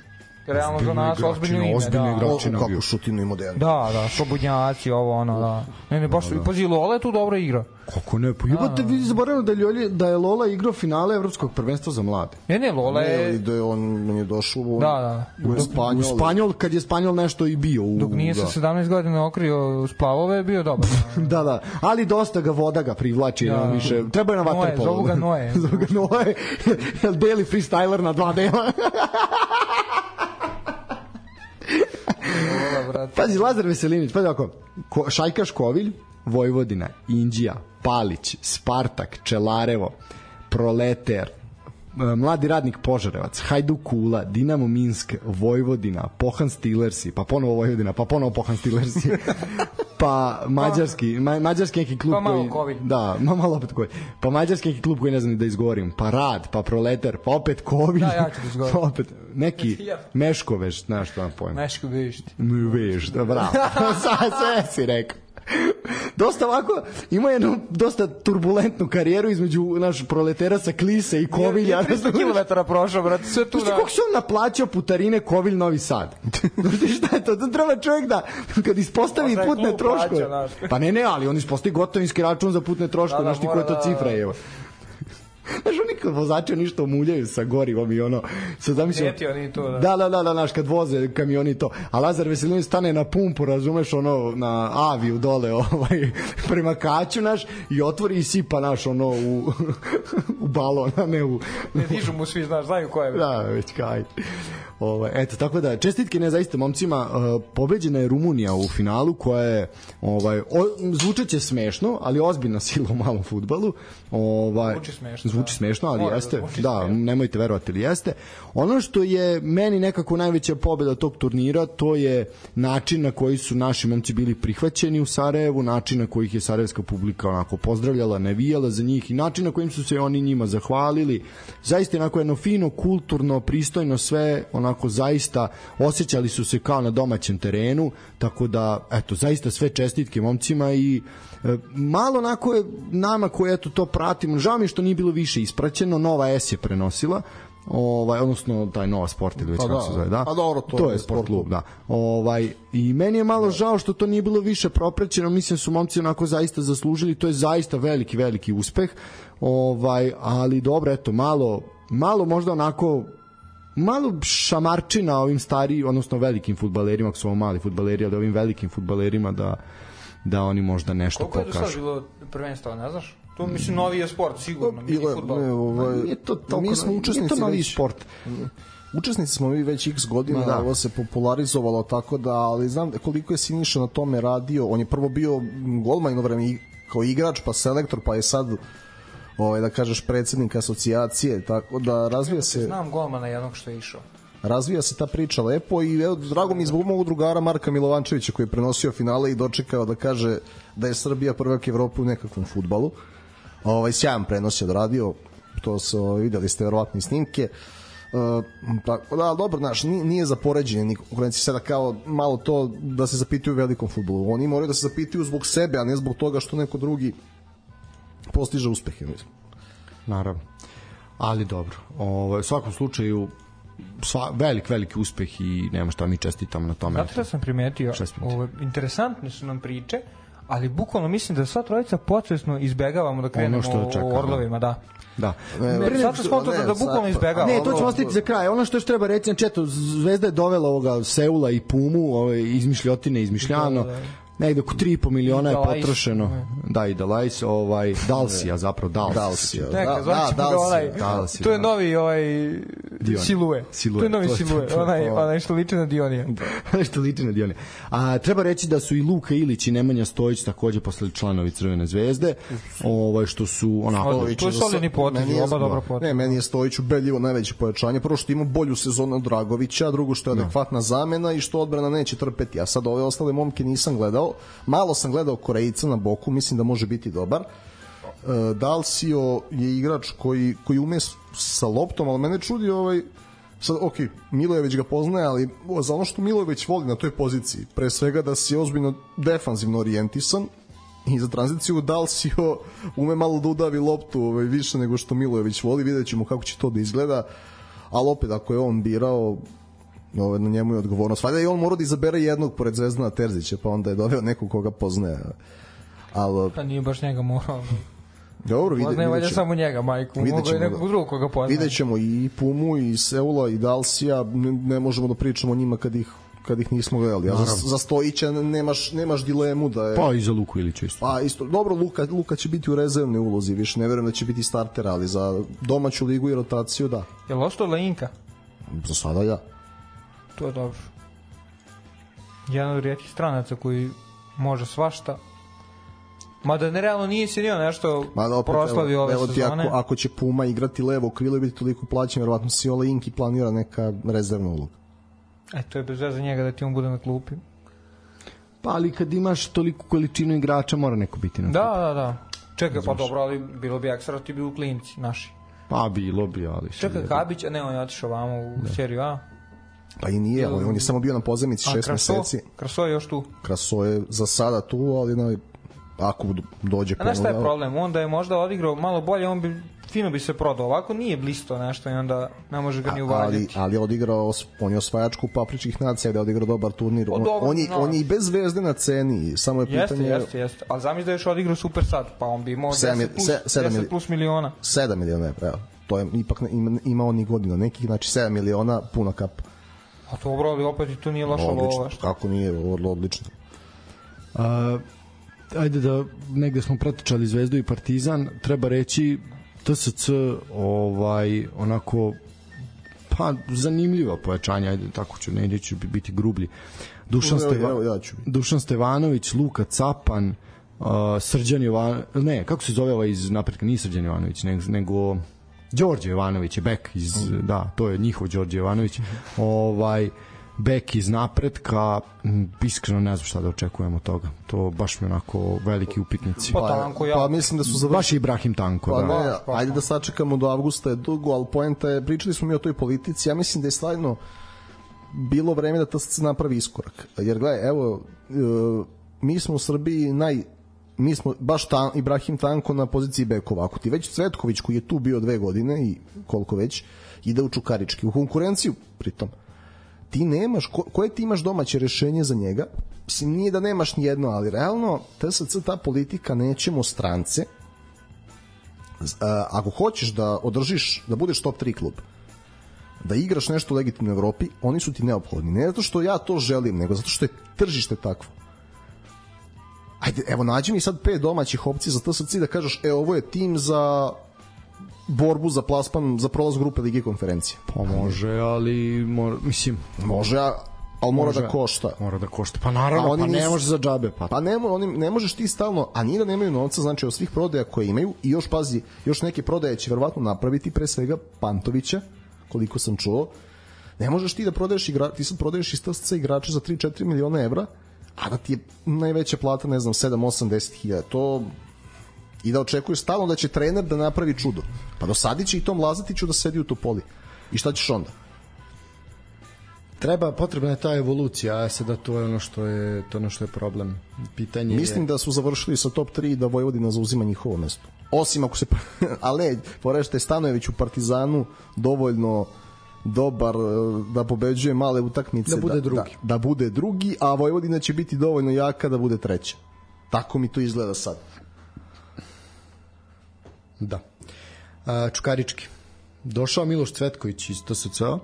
[SPEAKER 4] realno za nas ozbiljno ime.
[SPEAKER 3] Ozbiljno igračina
[SPEAKER 5] bio. Kako Šutinu i modern.
[SPEAKER 4] Da, da, Slobodnjaci, ovo ono, da. Ne, ne, baš, da, da. Pazi, Lola je tu dobra igra.
[SPEAKER 3] Kako ne, pa jebate, vi zaboravili da, Ljolje, da je Lola igrao finale Evropskog prvenstva za mlade.
[SPEAKER 4] Ne, ne, Lola je...
[SPEAKER 5] Ne, da je on, on je došao u,
[SPEAKER 4] da, da.
[SPEAKER 5] u Spanjol.
[SPEAKER 3] U Spanjol, kad je Spanjol nešto i bio. U,
[SPEAKER 4] dok nije
[SPEAKER 3] da.
[SPEAKER 4] se sedamnaest godina okrio splavove, je bio dobar.
[SPEAKER 3] Da, da, ali dosta ga voda ga privlači, da. Više. Treba je na vaterpolu.
[SPEAKER 4] Zovu ga Noe.
[SPEAKER 3] Zovu ga Noe, deli freestyler na dva dela. Pazi, Lazar Veselinić, pazi ovako, Ko, Šajkaš Kovilj, Vojvodina, Inđija, Palić, Spartak, Čelarevo, Proleter, Mladi radnik Požarevac, Hajduk Kula, Dinamo Minsk, Vojvodina, Pohan Steelersi, pa ponovo Vojvodina, pa ponovo Pohan Steelersi, pa mađarski, ma, mađarski neki klub
[SPEAKER 4] pa malo
[SPEAKER 3] koji... Da, ma malo opet koji. Pa mađarski neki klub koji ne znam da izgovorim, pa Rad, pa Proleter, pa opet Kovilj,
[SPEAKER 4] da, ja ću da izgovorim.
[SPEAKER 3] Pa opet neki Meškoveš, znaš što vam pojma.
[SPEAKER 4] Meškoveš.
[SPEAKER 3] Veš, da, bravo. Sve si rekao. Dosta ovako, ima jednu dosta turbulentnu karijeru između naš Proletera sa Klise i Kovilja.
[SPEAKER 4] Je tristo kilometara prošao, brate, sve tu.
[SPEAKER 3] Znaš ti koliko se on naplaćao putarine Kovilj Novi Sad? Znaš šta je to? To treba čovjek da, kad ispostavi pa putne troškove. Pa ne, ne, ali on ispostavi gotovinski račun za putne troškove. Znaš ti koja je to cifra, evo. Znaš, oni kad vozače ništa omuljaju sa gorivom i ono... Sad zamišljam...
[SPEAKER 4] Sjeti oni to, da.
[SPEAKER 3] Da, da, da, da, znaš, kad voze kamioni to. A Lazar Veselinović stane na pumpu, razumeš, ono, na aviju dole, ovaj, prema Kaću, naš, i otvori i sipa, naš, ono, u, u balon, a ne u...
[SPEAKER 4] Ne dižu mu svi, znaš, znaju ko je.
[SPEAKER 3] Da, već kaj. Ovaj, eto, tako da, čestitke ne zaista momcima, uh, pobeđena je Rumunija u finalu koja je, ovaj, o, zvučeće smešno, ali ozbiljna sila u malom fudbalu. Ovaj,
[SPEAKER 4] zvuči smešno.
[SPEAKER 3] Zvuči
[SPEAKER 4] da.
[SPEAKER 3] smešno, ali
[SPEAKER 4] Mora
[SPEAKER 3] jeste.
[SPEAKER 4] Da,
[SPEAKER 3] da, nemojte verovati, ali jeste. Ono što je meni nekako najveća pobeda tog turnira, to je način na koji su naši momci bili prihvaćeni u Sarajevu, način na koji ih je sarajevska publika onako pozdravljala, navijala za njih i način na kojim su se oni njima zahvalili. Zaista onako jedno fino, kulturno, pristojno sve, onako zaista osjećali su se kao na domaćem terenu, tako da, eto, zaista sve čestitke momcima i e, malo onako je nama koji eto to pratimo, žao mi što nije bilo više ispraćeno, Nova S je prenosila, ovaj, odnosno taj Nova Sport ili već
[SPEAKER 5] pa
[SPEAKER 3] kako
[SPEAKER 5] da,
[SPEAKER 3] se zove, da?
[SPEAKER 5] Pa dobro, to,
[SPEAKER 3] to je sport klub, da. Ovaj, i meni je malo žao što to nije bilo više propraćeno, mislim su momci onako zaista zaslužili, to je zaista veliki, veliki uspeh, ovaj, ali dobro, eto, malo, malo možda onako malo šamarčina ovim stariji, odnosno velikim fudbalerima, ako su ovo mali fudbaleri, ali ovim velikim fudbalerima da, da oni možda nešto
[SPEAKER 4] pokažu.
[SPEAKER 3] Koliko
[SPEAKER 4] je do sad bilo prvenstva, ne znaš? To mislim novi je sport, sigurno, mini fudbal.
[SPEAKER 5] Ne, ovaj,
[SPEAKER 3] nije to toliko,
[SPEAKER 5] mi smo učesnici
[SPEAKER 3] novi
[SPEAKER 5] već,
[SPEAKER 3] sport.
[SPEAKER 5] Učesnici smo mi već x godina, da. Ovo se popularizovalo tako da, ali znam koliko je Siniša na tome radio. On je prvo bio golman jedno vreme kao igrač, pa selektor, pa je sad ovaj, da kažeš predsednik asocijacije, tako da razvija se...
[SPEAKER 4] Znam golmana jednog što je išao.
[SPEAKER 5] Razvija se ta priča lepo i evo, drago mi je zbog mog drugara Marka Milovančevića koji je prenosio finale i dočekao da kaže da je Srbija prvak Evrope u nekakvom fudbalu. Ovaj, sjajan prenos je odradio, to se ovaj, videli ste verovatno snimke. Uh, tako da, dobro, znaš, nije, nije za poređenje ni konkurencije sada kao malo to da se zapitaju u velikom fudbalu. Oni moraju da se zapitaju zbog sebe, a ne zbog toga što neko drugi postiže uspehe.
[SPEAKER 3] Naravno. Ali dobro. Ovo, u svakom slučaju sva, velik, veliki uspeh i nema šta mi čestitamo na tome.
[SPEAKER 4] Zato da sam primetio, ovo, interesantne su nam priče, ali bukvalno mislim da sva trojica podsvesno izbegavamo da krenemo čeka, o Orlovima, da.
[SPEAKER 3] Da.
[SPEAKER 4] Ne, zato smo to da, da bukvalno izbegavamo.
[SPEAKER 3] Ne, to ćemo ostaviti za kraj. Ono što još treba reći, znači eto, Zvezda je dovela ovoga Seula i Pumu, ove izmišljotine, izmišljano. negde oko tri i po miliona je
[SPEAKER 4] Dalais.
[SPEAKER 3] potrošeno. Da, i Dalais, ovaj, Dalsija, zapravo Dalsija.
[SPEAKER 5] Dalsija.
[SPEAKER 4] Neka,
[SPEAKER 5] Da,
[SPEAKER 4] zvaćemo
[SPEAKER 5] da,
[SPEAKER 4] ga onaj,
[SPEAKER 3] Dalsija,
[SPEAKER 4] to je
[SPEAKER 3] da.
[SPEAKER 4] novi ovaj
[SPEAKER 3] Dion.
[SPEAKER 4] Silue.
[SPEAKER 3] Silue,
[SPEAKER 4] To je novi
[SPEAKER 3] to je
[SPEAKER 4] Silue,
[SPEAKER 3] to, to,
[SPEAKER 4] onaj,
[SPEAKER 3] to.
[SPEAKER 4] onaj što liči na Dionija.
[SPEAKER 3] Što liči na Dione. A treba reći da su i Luka Ilić i Nemanja Stojić takođe postali članovi Crvene zvezde, ovaj što su onako
[SPEAKER 4] Stojić To je solidni potez,
[SPEAKER 5] Meni je-
[SPEAKER 4] oba dobra poteza.
[SPEAKER 5] Ne, meni je Stojić ubedljivo najveće pojačanje. Prvo što ima bolju sezonu od Dragovića, drugo što je adekvatna zamena i što odbrana neće trpeti. A sad ove ostale momke nisam gledao. Malo sam gledao Korejca na boku, mislim da može biti dobar. E, Dalsio je igrač koji, koji ume s- sa loptom, ali mene čudi ovaj sad, ok, Milojević ga poznaje, ali za ono što Milojević voli na toj poziciji, pre svega da si ozbiljno defanzivno orijentisan i za tranziciju Dalsio ume malo da udavi loptu ovaj, više nego što Milojević voli, vidjet ćemo kako će to da izgleda, ali opet ako je on birao, ovaj, na njemu je odgovornost. Valjda i on mora da izabere jednog pored Zvezdana Terzića, pa onda je doveo nekog koga poznaje. Ali,
[SPEAKER 4] Pa nije baš njega morao.
[SPEAKER 5] dobro, vide,
[SPEAKER 4] Poznaje valjda
[SPEAKER 5] vidjet ćemo.
[SPEAKER 4] samo njega, majku.
[SPEAKER 5] Vidjet
[SPEAKER 4] Mogu i
[SPEAKER 5] ćemo,
[SPEAKER 4] nekog
[SPEAKER 5] da.
[SPEAKER 4] drugog koga poznaje.
[SPEAKER 5] Vidjet ćemo i Pumu, i Seula, i Dalsija, ne, ne možemo da pričamo o njima kad ih, kad ih nismo gledali. A za, za Stojića nemaš, nemaš dilemu da je...
[SPEAKER 3] pa i za Luku Ilića isto.
[SPEAKER 5] Pa isto, dobro, Luka, Luka će biti u rezervnoj ulozi, više ne verujem da će biti starter, ali za domaću ligu i rotaciju, da.
[SPEAKER 4] Je li ostao Leinka?
[SPEAKER 5] Za sada ja.
[SPEAKER 4] To je dobro. Jedan od rijetkih stranaca koji može svašta. Mada nerealno nije se nio nešto
[SPEAKER 5] Mada opet,
[SPEAKER 4] proslavio
[SPEAKER 5] evo,
[SPEAKER 4] ove
[SPEAKER 5] evo ti
[SPEAKER 4] sezone.
[SPEAKER 5] ako, ako će Puma igrati levo krilo i biti toliko plaćen, verovatno si Ole Inki planira neka rezervna uloga.
[SPEAKER 4] E, to je bez veze njega da ti on bude na klupi.
[SPEAKER 3] Pa ali kad imaš toliku količinu igrača mora neko biti na
[SPEAKER 4] Da,
[SPEAKER 3] klupi.
[SPEAKER 4] da, da. Čekaj, pa dobro, ali bilo bi ekstra ti bi u klinci naši.
[SPEAKER 3] Pa bilo bi, ali...
[SPEAKER 4] Čekaj, Kabić, a ne, on je otišao vamo u da. seriju A.
[SPEAKER 5] Pa i nije, on, on je samo bio na pozemici
[SPEAKER 4] A,
[SPEAKER 5] šest
[SPEAKER 4] Kraso?
[SPEAKER 5] meseci.
[SPEAKER 4] Kraso je još tu.
[SPEAKER 5] Kraso je za sada tu, ali na, ako dođe
[SPEAKER 4] A znaš šta je
[SPEAKER 5] ponovo-
[SPEAKER 4] problem? On da je možda odigrao malo bolje, on bi fino bi se prodao. Ovako nije blisto nešto i onda ne može ga ni
[SPEAKER 5] ali,
[SPEAKER 4] uvaljati.
[SPEAKER 5] ali je odigrao, on je osvajač kupa Afričkih nacija, da je odigrao dobar turnir.
[SPEAKER 4] O,
[SPEAKER 5] On,
[SPEAKER 4] dobro,
[SPEAKER 5] on, je,
[SPEAKER 4] no.
[SPEAKER 5] on je i bez zvezde na ceni, samo je
[SPEAKER 4] Jeste,
[SPEAKER 5] pitanje...
[SPEAKER 4] jeste, jeste. Ali zamisli da je još odigrao super sad, pa on bi imao
[SPEAKER 5] Sedam
[SPEAKER 4] deset
[SPEAKER 5] mil-
[SPEAKER 4] plus,
[SPEAKER 5] se- sedam
[SPEAKER 4] deset
[SPEAKER 5] mil-
[SPEAKER 4] plus miliona.
[SPEAKER 5] sedam miliona evra, evo. To je ipak ne- ima, ima on i godina nekih, znači sedam miliona puna kapa.
[SPEAKER 4] A dobro, ali opet i to nije loša
[SPEAKER 5] Odlično,
[SPEAKER 4] lova. Što?
[SPEAKER 5] kako nije, vrlo odlično.
[SPEAKER 3] A, ajde da negde smo pratičali Zvezdu i Partizan, treba reći T S C ovaj onako pa zanimljiva pojačanja, ajde tako ću, ne ću biti grublji. Dušan,
[SPEAKER 5] Evo,
[SPEAKER 3] Steva,
[SPEAKER 5] evo, ja ću.
[SPEAKER 3] Dušan Stevanović, Luka Capan, uh, Srđan Jovanović, ne, kako se zove ovaj iz napretka, nije Srđan Jovanović, nego, nego Đorđe Jovanović je bek iz, mm. da, to je njihov Đorđe Jovanović, ovaj bek iz napretka, m, iskreno ne znam šta da očekujemo od toga. To baš mi onako veliki upitnici.
[SPEAKER 4] Pa Tanko, ja.
[SPEAKER 5] Pa mislim da su završili.
[SPEAKER 3] Baš i Ibrahim Tanko,
[SPEAKER 5] Pa
[SPEAKER 3] da.
[SPEAKER 5] ne,
[SPEAKER 4] Pa, pa,
[SPEAKER 5] ajde
[SPEAKER 4] pa.
[SPEAKER 5] da sačekamo do avgusta, je dugo, ali poenta je, pričali smo mi o toj politici, ja mislim da je stvarno bilo vreme da T S C napravi iskorak. Jer gledaj, evo, e, mi smo u Srbiji naj mi smo baš ta, Ibrahim Tanko na poziciji bekova. Ako ti već Cvetković koji je tu bio dve godine i koliko već, ide u Čukarički, u konkurenciju pritom. Ti nemaš, ko, koje ti imaš domaće rešenje za njega? Mislim, nije da nemaš ni jedno, ali realno T S C, ta politika, nećemo strance. Uh, ako hoćeš da održiš, da budeš top tri klub, da igraš nešto u legitimnoj Evropi, oni su ti neophodni. Ne zato što ja to želim, nego zato što je tržište takvo. Ajde, evo, nađi mi sad pet domaćih opcija za T S C da kažeš, e, ovo je tim za borbu za plasman, za prolaz grupe Lige konferencije.
[SPEAKER 3] Pa može, ali mora, mislim,
[SPEAKER 5] Može, a- ali mora
[SPEAKER 3] može,
[SPEAKER 5] da košta.
[SPEAKER 3] Mora da košta. Pa naravno,
[SPEAKER 5] A oni
[SPEAKER 3] pa ne
[SPEAKER 5] nisu-
[SPEAKER 3] može za džabe. Pa,
[SPEAKER 5] Pa ne, mo- oni, ne možeš ti stalno, a nije da nemaju novca, znači od svih prodaja koje imaju, i još pazi, još neke prodaje će verovatno napraviti, pre svega Pantovića, koliko sam čuo. Ne možeš ti da prodaješ igra, ti sad prodaješ iz T S C igrača za tri do četiri miliona evra, a da ti je najveća plata, ne znam, sedam, osam, deset hiljada. To i da očekuješ stalno da će trener da napravi čudo. Pa dosadit će i Tom Lazatiću da sedi u Topoli. I šta ćeš onda?
[SPEAKER 3] treba, potrebna je ta evolucija, a sada to je ono što je, to je ono što je problem. Pitanje
[SPEAKER 5] Mislim
[SPEAKER 3] je...
[SPEAKER 5] da su završili sa top tri i da Vojvodina zauzima njihovo mesto. Osim ako se... Ali ne, porešte Stanojević u Partizanu dovoljno dobar eh, da pobeđuje male utakmice.
[SPEAKER 3] Da bude drugi.
[SPEAKER 5] Da, da bude drugi, a Vojvodina će biti dovoljno jaka da bude treća. Tako mi to izgleda sad.
[SPEAKER 3] Da. A, Čukarički. Došao Miloš Cvetković iz T S C-a,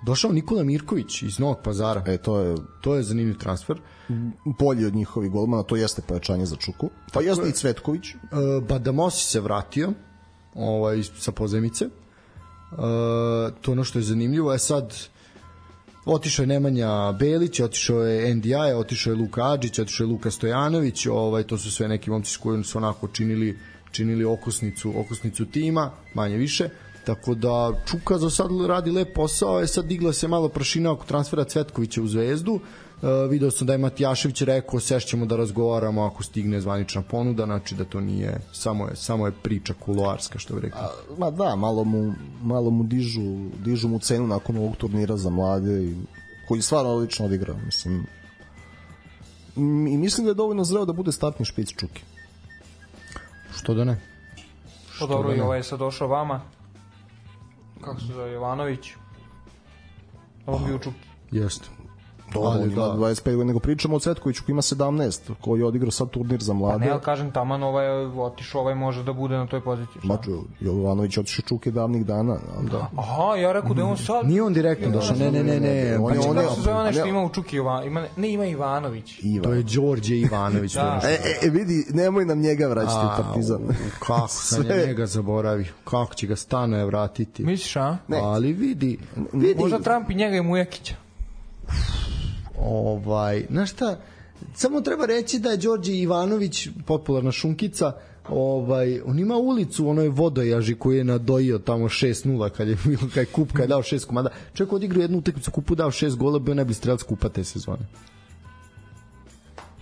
[SPEAKER 3] Došao Nikola Mirković iz Novog Pazara.
[SPEAKER 5] E, to je...
[SPEAKER 3] To je zanimljiv transfer.
[SPEAKER 5] Bolji od njihovih golmana, to jeste pojačanje za Čuku. Pa jeste i Cvetković.
[SPEAKER 3] Uh, Badamosi se vratio ovaj, sa pozemice. Uh, to ono što je zanimljivo je sad otišao je Nemanja Belić, otišao je N D I, otišao je Luka Adžić, otišao je Luka Stojanović, ovaj, to su sve neki momci s kojim su onako činili, činili okosnicu, okosnicu tima, manje više. Tako da Čuka za sad radi lep posao, je sad digla se malo prašina oko transfera Cvetkovića u Zvezdu. Uh, video sam da je Matijašević rekao sešćemo da razgovaramo ako stigne zvanična ponuda, znači da to nije samo je, samo je priča kuloarska, što bi rekli.
[SPEAKER 5] A, ma da, malo mu, malo mu dižu, dižu mu cenu nakon ovog turnira za mlade i, koji stvarno odlično odigrao, mislim. I mislim da je dovoljno zreo da bude startni špic Čuki.
[SPEAKER 3] Što da ne?
[SPEAKER 4] Što dobro, da i ovaj je sad došao vama. Kako se zove, Jovanović? On bio u Čuki.
[SPEAKER 3] Jeste.
[SPEAKER 5] Dobro, on ima dvadeset pet godina, nego pričamo o Cvetkoviću koji ima sedamnaest, koji je odigrao sad turnir za mlade.
[SPEAKER 4] Pa ne, ali kažem, taman ovaj otišao, ovaj može da bude na toj poziciji.
[SPEAKER 5] Maču, Jovanović otišao Čuke davnih dana. Da.
[SPEAKER 4] Aha, ja rekao da je on sad...
[SPEAKER 3] Nije on direktno došao, ne, ne, ne, ne.
[SPEAKER 4] On je, on je, kako se zove onaj što ima u Čuki, ima, ne, ima Ivanović.
[SPEAKER 5] Ivan.
[SPEAKER 3] To je Đorđe Ivanović.
[SPEAKER 4] Da.
[SPEAKER 5] E, e, vidi, nemoj nam njega vraćati u Partizan.
[SPEAKER 3] Kako sam je njega zaboravio, kako će ga Stanoje vratiti.
[SPEAKER 4] Misliš, a?
[SPEAKER 3] Ne. Ali vidi, vidi.
[SPEAKER 4] Možda Trump i njega i Mujakića.
[SPEAKER 3] Ovaj, znaš šta, samo treba reći da je Đorđe Ivanović popularna šunkica, ovaj, on ima ulicu u onoj Vodojaži koji je nadojio tamo šest nula kad je bilo kaj kup, kad je dao šest komada. Čovjek odigrao jednu utakmicu kupu, dao šest gola, bio najbolji strelac kupa te sezone.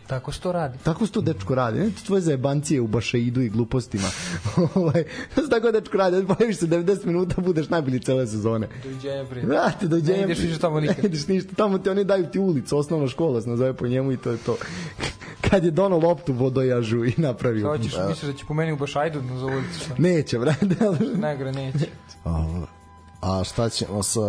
[SPEAKER 4] Tako se to radi.
[SPEAKER 3] Tako se to dečko radi. Ne, to tvoje zajebancije u bašaidu i glupostima. Ovaj, tako dečko radi. Pojaviš se devedeset minuta, budeš najbolji cele sezone.
[SPEAKER 4] Doviđenja prije.
[SPEAKER 3] Vrati, doviđenja.
[SPEAKER 4] Ne ideš ništa tamo nikad.
[SPEAKER 3] Ne ideš ništa. Tamo ti oni daju ti ulicu, osnovna škola se nazove po njemu i to je to. Kad je donao loptu Vodojažu i napravio.
[SPEAKER 4] Kao ćeš, misliš da će po meni u bašaidu za ulicu? Šta?
[SPEAKER 3] Neće, vrati.
[SPEAKER 4] Negre, neće.
[SPEAKER 5] A, a šta ćemo sa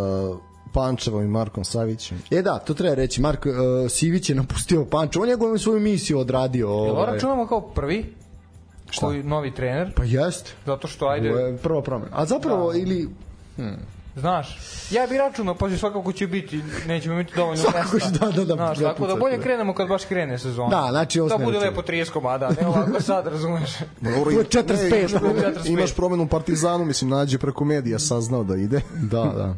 [SPEAKER 5] Pančevom i Markom Savićem?
[SPEAKER 3] E da, to treba reći. Marko uh, Sivić je napustio Pančevo. On je govorio svoju misiju odradio.
[SPEAKER 4] Jel
[SPEAKER 3] ovaj.
[SPEAKER 4] računamo kao prvi? Šta? Koji novi trener?
[SPEAKER 3] Pa jest.
[SPEAKER 4] Zato što ajde...
[SPEAKER 3] Ovo je prva promena. A zapravo da. ili... Hmm.
[SPEAKER 4] Znaš, ja bih računao, pa svakako će biti, nećemo imati dovoljno mesta.
[SPEAKER 3] Da, da, da,
[SPEAKER 4] znaš, tako da bolje krenemo kad baš krene sezona.
[SPEAKER 3] Da, znači
[SPEAKER 4] da bude lepo trideset komada, ne ovako sad, razumeš.
[SPEAKER 5] Dobro,
[SPEAKER 3] to je četrdeset pet.
[SPEAKER 5] Ne, imaš, promenu, imaš promenu u Partizanu, mislim, nađe preko medija saznao da ide.
[SPEAKER 3] Da, da.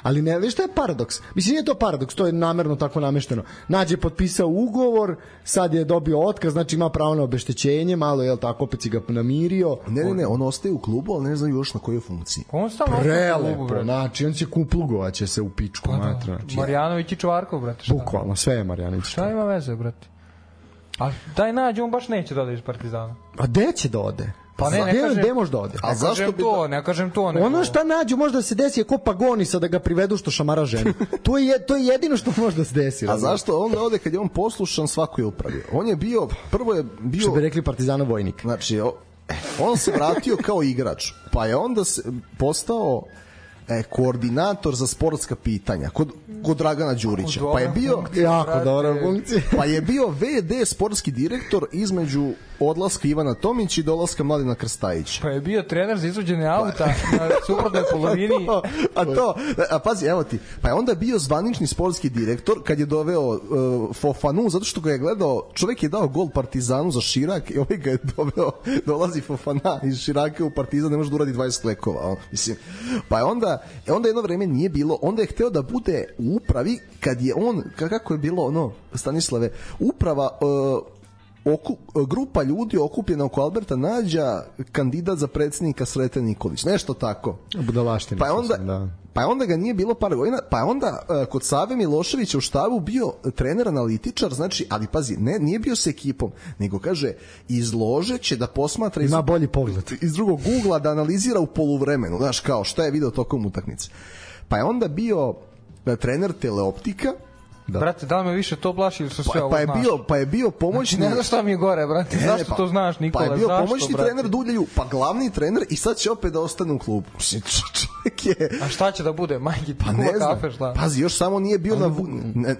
[SPEAKER 3] Ali ne, viš šta je paradoks? Mislim, nije to paradoks, to je namerno tako namešteno. Nađe potpisao ugovor, sad je dobio otkaz, znači ima pravo na obeštećenje, malo je tako, opet si ga namirio.
[SPEAKER 5] Ne, ne, ne, on ostaje u klubu, ali ne znam još na kojoj funkciji.
[SPEAKER 4] On stalno ostaje u klubu, brate.
[SPEAKER 3] Znači, on će kuplugovaće se u pičku,
[SPEAKER 4] pa
[SPEAKER 3] matra.
[SPEAKER 4] Da, Marjanović i Čvarkov, brate. Šta?
[SPEAKER 3] Bukvalno, sve je Marjanović.
[SPEAKER 4] Šta ima veze, brate? A taj Nađe, on baš neće da ode iz Partizana.
[SPEAKER 3] A gde će da ode?
[SPEAKER 4] Pa ne, ne
[SPEAKER 3] gde,
[SPEAKER 4] kažem,
[SPEAKER 3] gde može da ode?
[SPEAKER 4] A zašto bi to, ne kažem to. Ne
[SPEAKER 3] ono šta Nađu možda se desi je ko Pagonisa da ga privedu što šamara ženu. to, je, to je jedino što može da se desi.
[SPEAKER 5] A zašto on da ode kad je on poslušan svakoj upravi? On je bio, prvo je bio...
[SPEAKER 3] Što bi rekli Partizana vojnik.
[SPEAKER 5] Znači, on se vratio kao igrač, pa je onda se postao e, koordinator za sportska pitanja kod, kod Dragana Đurića. Pa je bio...
[SPEAKER 3] Jako dobra funkcija.
[SPEAKER 5] Pa je bio ve de sportski direktor između odlaska Ivana Tomić i dolaska Mladena Krstajića.
[SPEAKER 4] Pa je bio trener za izvođenje auta na suprotnoj polovini.
[SPEAKER 5] A to, a pazi, evo ti, pa je onda bio zvanični sportski direktor kad je doveo uh, Fofanu, zato što ga je gledao, čovjek je dao gol Partizanu za Širak i ovaj ga je doveo, dolazi Fofana iz Širaka u Partizan, ne može da uradi dvadeset klekova. Mislim. Pa je onda, onda jedno vreme nije bilo, onda je hteo da bude u upravi kad je on, kako je bilo ono, Stanislave, uprava... Uh, Oku, grupa ljudi okupljena oko Alberta Nađa, kandidat za predsjednika Sreten Nikolić, nešto tako.
[SPEAKER 3] Budalaština.
[SPEAKER 5] Pa je onda,
[SPEAKER 3] da.
[SPEAKER 5] pa je onda ga nije bilo par godina, pa je onda uh, kod Save Miloševića u štabu bio trener analitičar, znači, ali pazi, ne, nije bio s ekipom, nego kaže, izlože će da posmatra iz,
[SPEAKER 3] ima bolji pogled
[SPEAKER 5] iz drugog ugla, da analizira u poluvremenu, znaš, kao šta je video tokom utakmice. Pa je onda bio uh, trener Teleoptika.
[SPEAKER 4] Da. Brate, da li me više to plaši ili su sve pa, ovo
[SPEAKER 5] pa je
[SPEAKER 4] znaš?
[SPEAKER 5] bio, pa je bio pomoćni...
[SPEAKER 4] Znači, ne znaš šta mi je gore, brate, ne, zašto
[SPEAKER 5] pa,
[SPEAKER 4] to znaš, Nikola,
[SPEAKER 5] zašto, Pa je bio
[SPEAKER 4] zašto,
[SPEAKER 5] pomoćni
[SPEAKER 4] brate?
[SPEAKER 5] trener Duljaju, pa glavni trener i sad će opet da ostane u klubu. Čovjek je...
[SPEAKER 4] A šta će da bude, majki,
[SPEAKER 5] pa ne
[SPEAKER 4] kuva
[SPEAKER 5] znam.
[SPEAKER 4] kafe, šta?
[SPEAKER 5] Pazi, još samo nije bio na...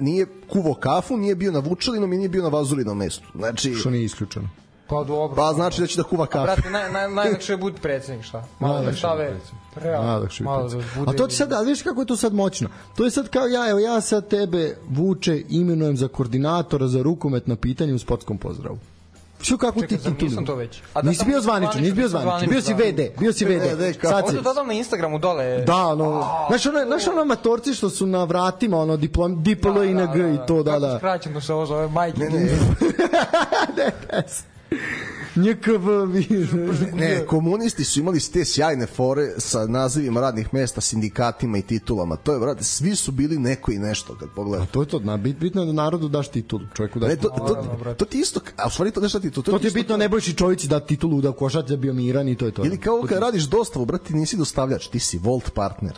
[SPEAKER 5] Nije kuvo kafu, nije bio na Vučelinom i nije bio na Vazulinom mestu. Znači...
[SPEAKER 3] Što nije isključeno.
[SPEAKER 4] Pa dobro.
[SPEAKER 5] Pa znači da će da kuva
[SPEAKER 4] A
[SPEAKER 5] kafe.
[SPEAKER 4] brate, naj, naj, najlakše je budi predsjednik, šta? Malo da stave,
[SPEAKER 3] Najlakše je
[SPEAKER 4] malo
[SPEAKER 3] biti.
[SPEAKER 4] da bude...
[SPEAKER 3] A to ti sad, ali viš kako je to sad moćno? To je sad kao ja, evo ja sad tebe, Vuče, imenujem za koordinatora za rukomet na pitanju u sportskom pozdravu. Što kako
[SPEAKER 4] Čekaj,
[SPEAKER 3] ti
[SPEAKER 4] zar
[SPEAKER 3] titulu?
[SPEAKER 4] nisam to već? A da
[SPEAKER 3] Nisi
[SPEAKER 4] sam
[SPEAKER 3] bio
[SPEAKER 4] zvaničan,
[SPEAKER 3] zvaničan, nisi bio zvaničan,
[SPEAKER 4] zvaničan,
[SPEAKER 3] bio si ve de, bio si ve de. Sad
[SPEAKER 4] Ovo
[SPEAKER 3] si...
[SPEAKER 4] to dodam na Instagramu dole.
[SPEAKER 3] Da, no, znaš ono, znaš ono matorci što su na vratima, ono, diplom, diplo i na g i to, da, da.
[SPEAKER 4] Kako skraćeno se ovo zove, majke.
[SPEAKER 5] Ne, ne,
[SPEAKER 3] Ne, ne. N K V.
[SPEAKER 5] ne, komunisti su imali te sjajne fore sa nazivima radnih mesta, sindikatima i titulama. To je, brate, svi su bili neko i nešto kad pogledaš.
[SPEAKER 3] To je to, na, bit, bitno je da narodu daš titulu, čovjeku daš
[SPEAKER 5] Ne, to,
[SPEAKER 3] titulu.
[SPEAKER 5] to, to ti isto, a u stvari to nešto ti to,
[SPEAKER 3] To ti je
[SPEAKER 5] isto
[SPEAKER 3] bitno, Nebojši Čovići da titulu da košač da bio miran i to je to.
[SPEAKER 5] Ili kao kad radiš dostavu, brate, ti nisi dostavljač, ti si Volt partner.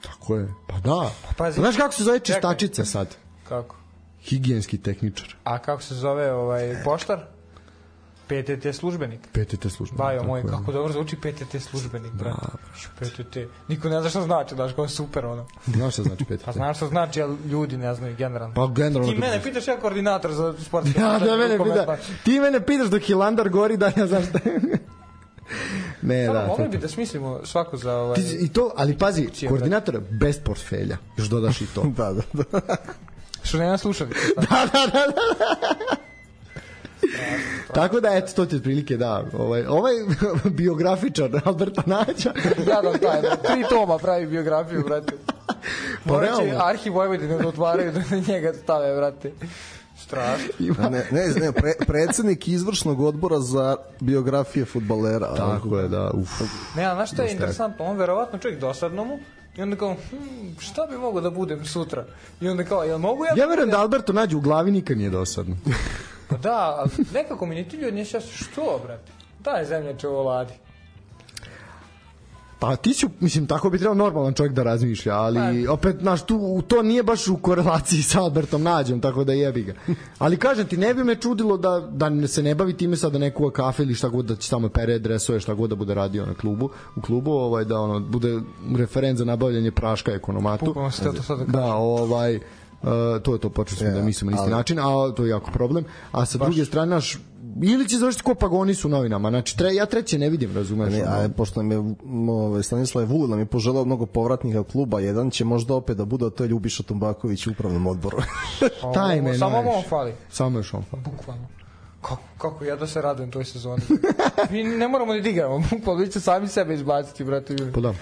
[SPEAKER 3] Tako je. Pa da.
[SPEAKER 4] pazi.
[SPEAKER 3] Znaš kako se zove
[SPEAKER 4] Čekaj.
[SPEAKER 3] čistačica sad?
[SPEAKER 4] Kako?
[SPEAKER 3] Higijenski tehničar.
[SPEAKER 4] A kako se zove ovaj poštar? P T T službenik.
[SPEAKER 3] P T T službenik.
[SPEAKER 4] Bajo
[SPEAKER 3] tako
[SPEAKER 4] moj,
[SPEAKER 3] je.
[SPEAKER 4] kako dobro zvuči P T T službenik, brate. P T T. Niko ne zna šta znači, daš, kao super ono.
[SPEAKER 3] Znaš šta znači P T T?
[SPEAKER 4] Pa znaš šta znači, ali ljudi ne znaju generalno.
[SPEAKER 3] Pa generalno.
[SPEAKER 4] Ti mene pitaš ja koordinator za sportske.
[SPEAKER 3] Ja, da mene
[SPEAKER 4] rukomet,
[SPEAKER 3] pita,
[SPEAKER 4] pa-
[SPEAKER 3] ti mene pitaš dok Hilandar gori da ja znam šta. Ne,
[SPEAKER 4] Samo,
[SPEAKER 3] da.
[SPEAKER 4] mogli
[SPEAKER 3] to-
[SPEAKER 4] bi da smislimo svako za ovaj...
[SPEAKER 3] Ti, I to, ali pazi,
[SPEAKER 4] Funkcije,
[SPEAKER 3] koordinator bez portfelja. Još dodaš i to.
[SPEAKER 5] Da, da, da.
[SPEAKER 4] Što nema slušalice.
[SPEAKER 3] da, da, da, da. Tako da, eto, to ti otprilike, da. Ovaj, ovaj biografičar Alberta Nađa.
[SPEAKER 4] Jadan taj, da, tri toma pravi biografiju, brate.
[SPEAKER 3] Pa
[SPEAKER 4] Morat će
[SPEAKER 3] realno.
[SPEAKER 4] Arhiv Vojvodine da otvaraju da na njega stave, brate. Strašno.
[SPEAKER 5] Ne, ne, ne pre, predsednik izvršnog odbora za biografije fudbalera.
[SPEAKER 3] Tako je, da. Uf.
[SPEAKER 4] Ne, a znaš šta je interesantno? On verovatno čovjek dosadno mu i onda kao, hm, šta bi mogo da budem sutra? I onda kao, jel mogu ja...
[SPEAKER 3] Ja verujem da Alberto Nađa u glavi nikad nije dosadno.
[SPEAKER 4] Pa da, ali nekako mi ni ti ljudi nije šast, što, brate? Daj zemljače ovo ladi.
[SPEAKER 3] Pa ti si, mislim, tako bi trebao normalan čovjek da razmišlja, ali opet, znaš, tu, to nije baš u korelaciji sa Albertom Nađom, tako da jebi ga. Ali kažem ti, ne bi me čudilo da, da se ne bavi time sad da ne kuva kafe ili šta god, da će tamo pere dresove, šta god da bude radio na klubu, u klubu, ovaj, da ono, bude referent za nabavljanje praška ekonomatu.
[SPEAKER 4] Bukvalno se to sad da kažem.
[SPEAKER 3] Da, ovaj, Uh, to je to, počeli smo
[SPEAKER 5] Ja,
[SPEAKER 3] da mislimo na isti
[SPEAKER 5] ali-
[SPEAKER 3] način, a to je jako problem. A sa druge strane, naš, ili će završiti ko Pagonis u novinama, znači tre, ja treće ne vidim, razumeš?
[SPEAKER 5] Ne,
[SPEAKER 3] ono.
[SPEAKER 5] a pošto nam je ovaj, Stanislav Vulin nam je poželao mnogo povratnika kluba, jedan će možda opet da bude, a to je Ljubiša Tumbaković u upravnom odboru.
[SPEAKER 3] Taj me
[SPEAKER 4] Samo
[SPEAKER 3] najviše.
[SPEAKER 4] on fali.
[SPEAKER 3] Samo još on fali.
[SPEAKER 4] Bukvalno. Kako, kako ja da se radujem toj sezoni. Mi ne moramo ni da igramo, bukvalno vi će sami sebe izbaciti, brate.
[SPEAKER 3] Pa da.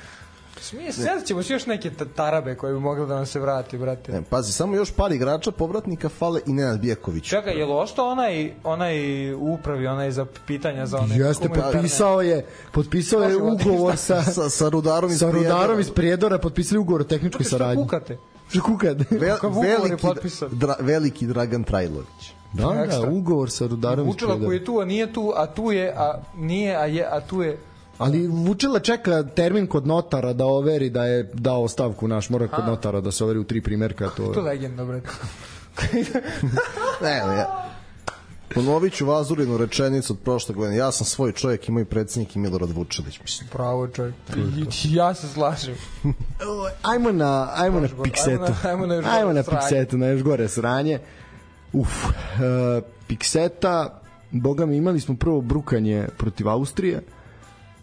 [SPEAKER 4] Smije, sjedat ćemo se još neke ta- tarabe koje bi mogli da nam se vrati, brate.
[SPEAKER 5] Ne, pazi, samo još par igrača povratnika fale i Nenad Bijeković.
[SPEAKER 4] Čekaj, je li ostao onaj, onaj u upravi, onaj za pitanja za one...
[SPEAKER 3] Jeste,
[SPEAKER 4] humanitarne-
[SPEAKER 3] potpisao je, potpisao je
[SPEAKER 4] Može,
[SPEAKER 3] ugovor sa,
[SPEAKER 5] Sa, sa Rudarom iz
[SPEAKER 3] sa Rudarom
[SPEAKER 5] Prijedora.
[SPEAKER 3] iz Prijedora, potpisali ugovor o tehničkoj
[SPEAKER 4] Što
[SPEAKER 3] saradnji.
[SPEAKER 4] kukate?
[SPEAKER 3] Što kukate?
[SPEAKER 5] Vel,
[SPEAKER 4] Kakav ugovor je
[SPEAKER 5] veliki,
[SPEAKER 4] potpisan?
[SPEAKER 5] dra, veliki Dragan Trajlović.
[SPEAKER 3] Da, da,
[SPEAKER 4] Ekstra.
[SPEAKER 3] ugovor sa Rudarom iz
[SPEAKER 4] Vučela koji
[SPEAKER 3] Prijedora.
[SPEAKER 4] je tu, a nije tu, a tu je, a nije, a je, a tu je...
[SPEAKER 3] Ali Vučela čeka termin kod notara da overi da je dao ostavku naš, mora kod notara da se overi u tri primerka. To...
[SPEAKER 4] To je legenda, brate.
[SPEAKER 5] Ne, ne, ja. Ponovit ću Vazurinu rečenicu od prošle godine. Ja sam svoj čovjek i moj predsjednik i Milorad Vučelić, mislim.
[SPEAKER 4] Pravo čovjek. I- Ja se slažem.
[SPEAKER 3] Ajmo na, ajmo na
[SPEAKER 4] gore,
[SPEAKER 3] Piksetu.
[SPEAKER 4] ajmo na- ajmo na još gore
[SPEAKER 3] Ajmo na
[SPEAKER 4] sranje.
[SPEAKER 3] Piksetu, na još gore sranje. Uf, uh, Pikseta, boga mi, imali smo prvo brukanje protiv Austrije,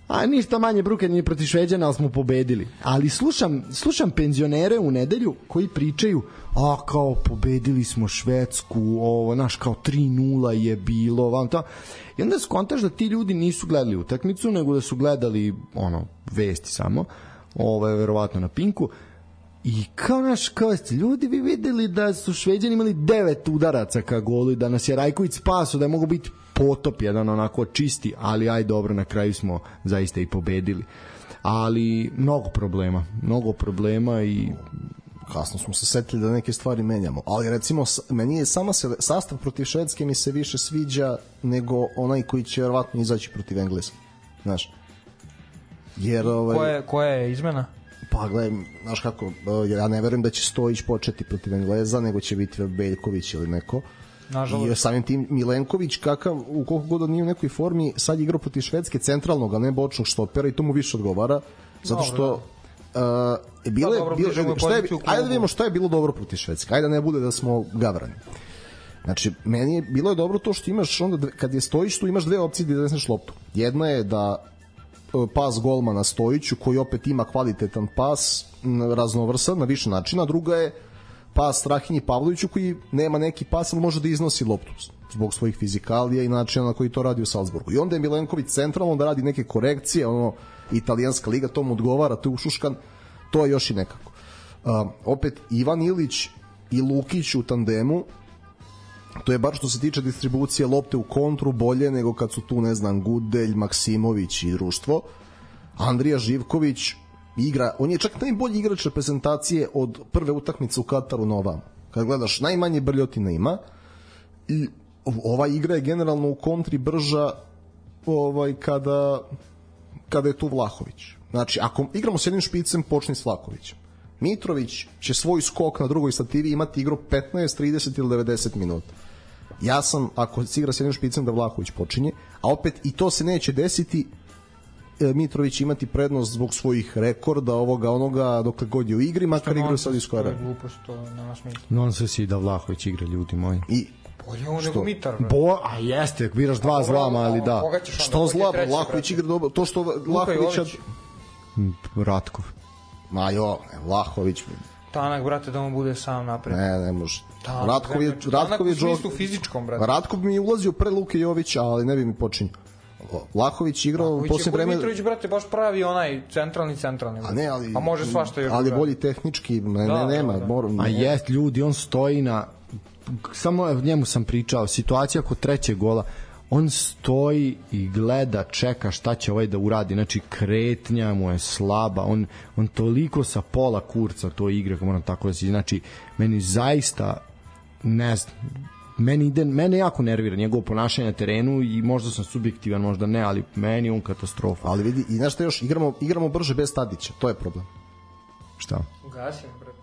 [SPEAKER 3] a ništa manje brukanje ni protiv Šveđana, ali smo pobedili. Ali slušam, slušam penzionere u nedelju koji pričaju, a kao pobedili smo Švedsku, ovo, naš, kao tri nula je bilo, vam to. I onda skontaš da ti ljudi nisu gledali utakmicu, nego da su gledali, ono, vesti samo, ovo je verovatno na Pinku, i kao naš, kao ste ljudi vi videli da su Šveđani imali devet udaraca ka golu i da nas je Rajković spaso, da je mogo biti potop jedan onako čisti, ali aj dobro, na kraju smo zaista i pobedili. Ali mnogo problema, mnogo problema i
[SPEAKER 5] Kasno smo se setili da neke stvari menjamo. Ali recimo, s- meni je sama se, sastav protiv Švedske mi se više sviđa nego onaj koji će vjerovatno izaći protiv Engleske. Znaš? Jer ovaj...
[SPEAKER 4] Koja je, koja je izmena?
[SPEAKER 5] Pa gledaj, znaš kako, uh, ja ne verujem da će Stojić početi protiv Engleza, nego će biti Beljković ili neko.
[SPEAKER 4] Nažalost.
[SPEAKER 5] I samim tim Milenković, kakav, u koliko god on nije u nekoj formi, sad igrao protiv Švedske centralnog, a ne bočnog štopera i to mu više odgovara, zato što uh, je bilo,
[SPEAKER 4] Da, dobro,
[SPEAKER 5] bilo,
[SPEAKER 4] bliže mu je
[SPEAKER 5] šta je,
[SPEAKER 4] poziciju u klubu.
[SPEAKER 5] ajde da vidimo šta je bilo dobro protiv Švedske, ajde da ne bude da smo gavrani. Znači, meni je bilo je dobro to što imaš onda, dve, kad je Stojić tu imaš dve opcije da izneseš loptu. Jedna je da pas golmana Stojiću koji opet ima kvalitetan pas, raznovrsan na više načina, druga je pas Strahinji Pavloviću koji nema neki pas, ali može da iznosi loptu zbog svojih fizikalija i načina na koji to radi u Salzburgu. I onda je Milenković centralno da radi neke korekcije, ono, italijanska liga, to mu odgovara, to je ušuškan, to je još i nekako. Uh, opet, Ivan Ilić i Lukić u tandemu, to je bar što se tiče distribucije lopte u kontru bolje nego kad su tu, ne znam, Gudelj, Maksimović i društvo. Andrija Živković igra, on je čak najbolji igrač reprezentacije od prve utakmice u Kataru na ovam. Kad gledaš, najmanje brljotina ima i ova igra je generalno u kontri brža ovaj, kada, kada je tu Vlahović. Znači, ako igramo s jednim špicem, počni s Vlahovićem. Mitrović će svoj skok na drugoj stativi imati igru petnaest, trideset ili devedeset minuta. Ja sam, ako se igra s jednim špicem, da Vlahović počinje, a opet i to se neće desiti, Mitrović imati prednost zbog svojih rekorda, ovoga, onoga, dokle god je u igri, makar igra sad iz koja.
[SPEAKER 4] To je glupost, to nema smisla.
[SPEAKER 3] Non se si da Vlahović igra, ljudi moji.
[SPEAKER 5] I
[SPEAKER 4] bolje on nego Mitar.
[SPEAKER 3] Bo, a jeste, biraš dva a, zlama, ali da.
[SPEAKER 5] Što zla, Vlahović igra dobro, to što Vlahović...
[SPEAKER 3] Ratkov.
[SPEAKER 5] Ma jo, Vlahović...
[SPEAKER 4] Tanak, brate, da mu bude sam napred.
[SPEAKER 5] Ne, ne može.
[SPEAKER 4] Tanak,
[SPEAKER 5] Ratkov je, Ratkov je
[SPEAKER 4] u smislu fizičkom, brate.
[SPEAKER 5] Ratkov mi je ulazio pre Luke Jovića, ali ne bi mi počinio. Vlahović igrao u posljednje vreme...
[SPEAKER 4] Mitrović, brate, baš pravi onaj centralni, centralni.
[SPEAKER 5] A ne, ali...
[SPEAKER 4] A može svašta još.
[SPEAKER 5] Ali bolji tehnički, ne, da, ne, nema.
[SPEAKER 4] Da, da.
[SPEAKER 5] Moram,
[SPEAKER 3] a jest, ljudi, on stoji na... Samo njemu sam pričao, situacija kod trećeg gola, on stoji i gleda, čeka šta će ovaj da uradi, znači kretnja mu je slaba, on, on toliko sa pola kurca to igra, kako moram tako da si, znači meni zaista ne znam, meni, ide, mene jako nervira njegovo ponašanje na terenu i možda sam subjektivan, možda ne, ali meni je on katastrofa.
[SPEAKER 5] Ali vidi, i znaš šta još, igramo, igramo brže bez Tadića, to je problem.
[SPEAKER 3] Šta?
[SPEAKER 4] Ugasim, brate.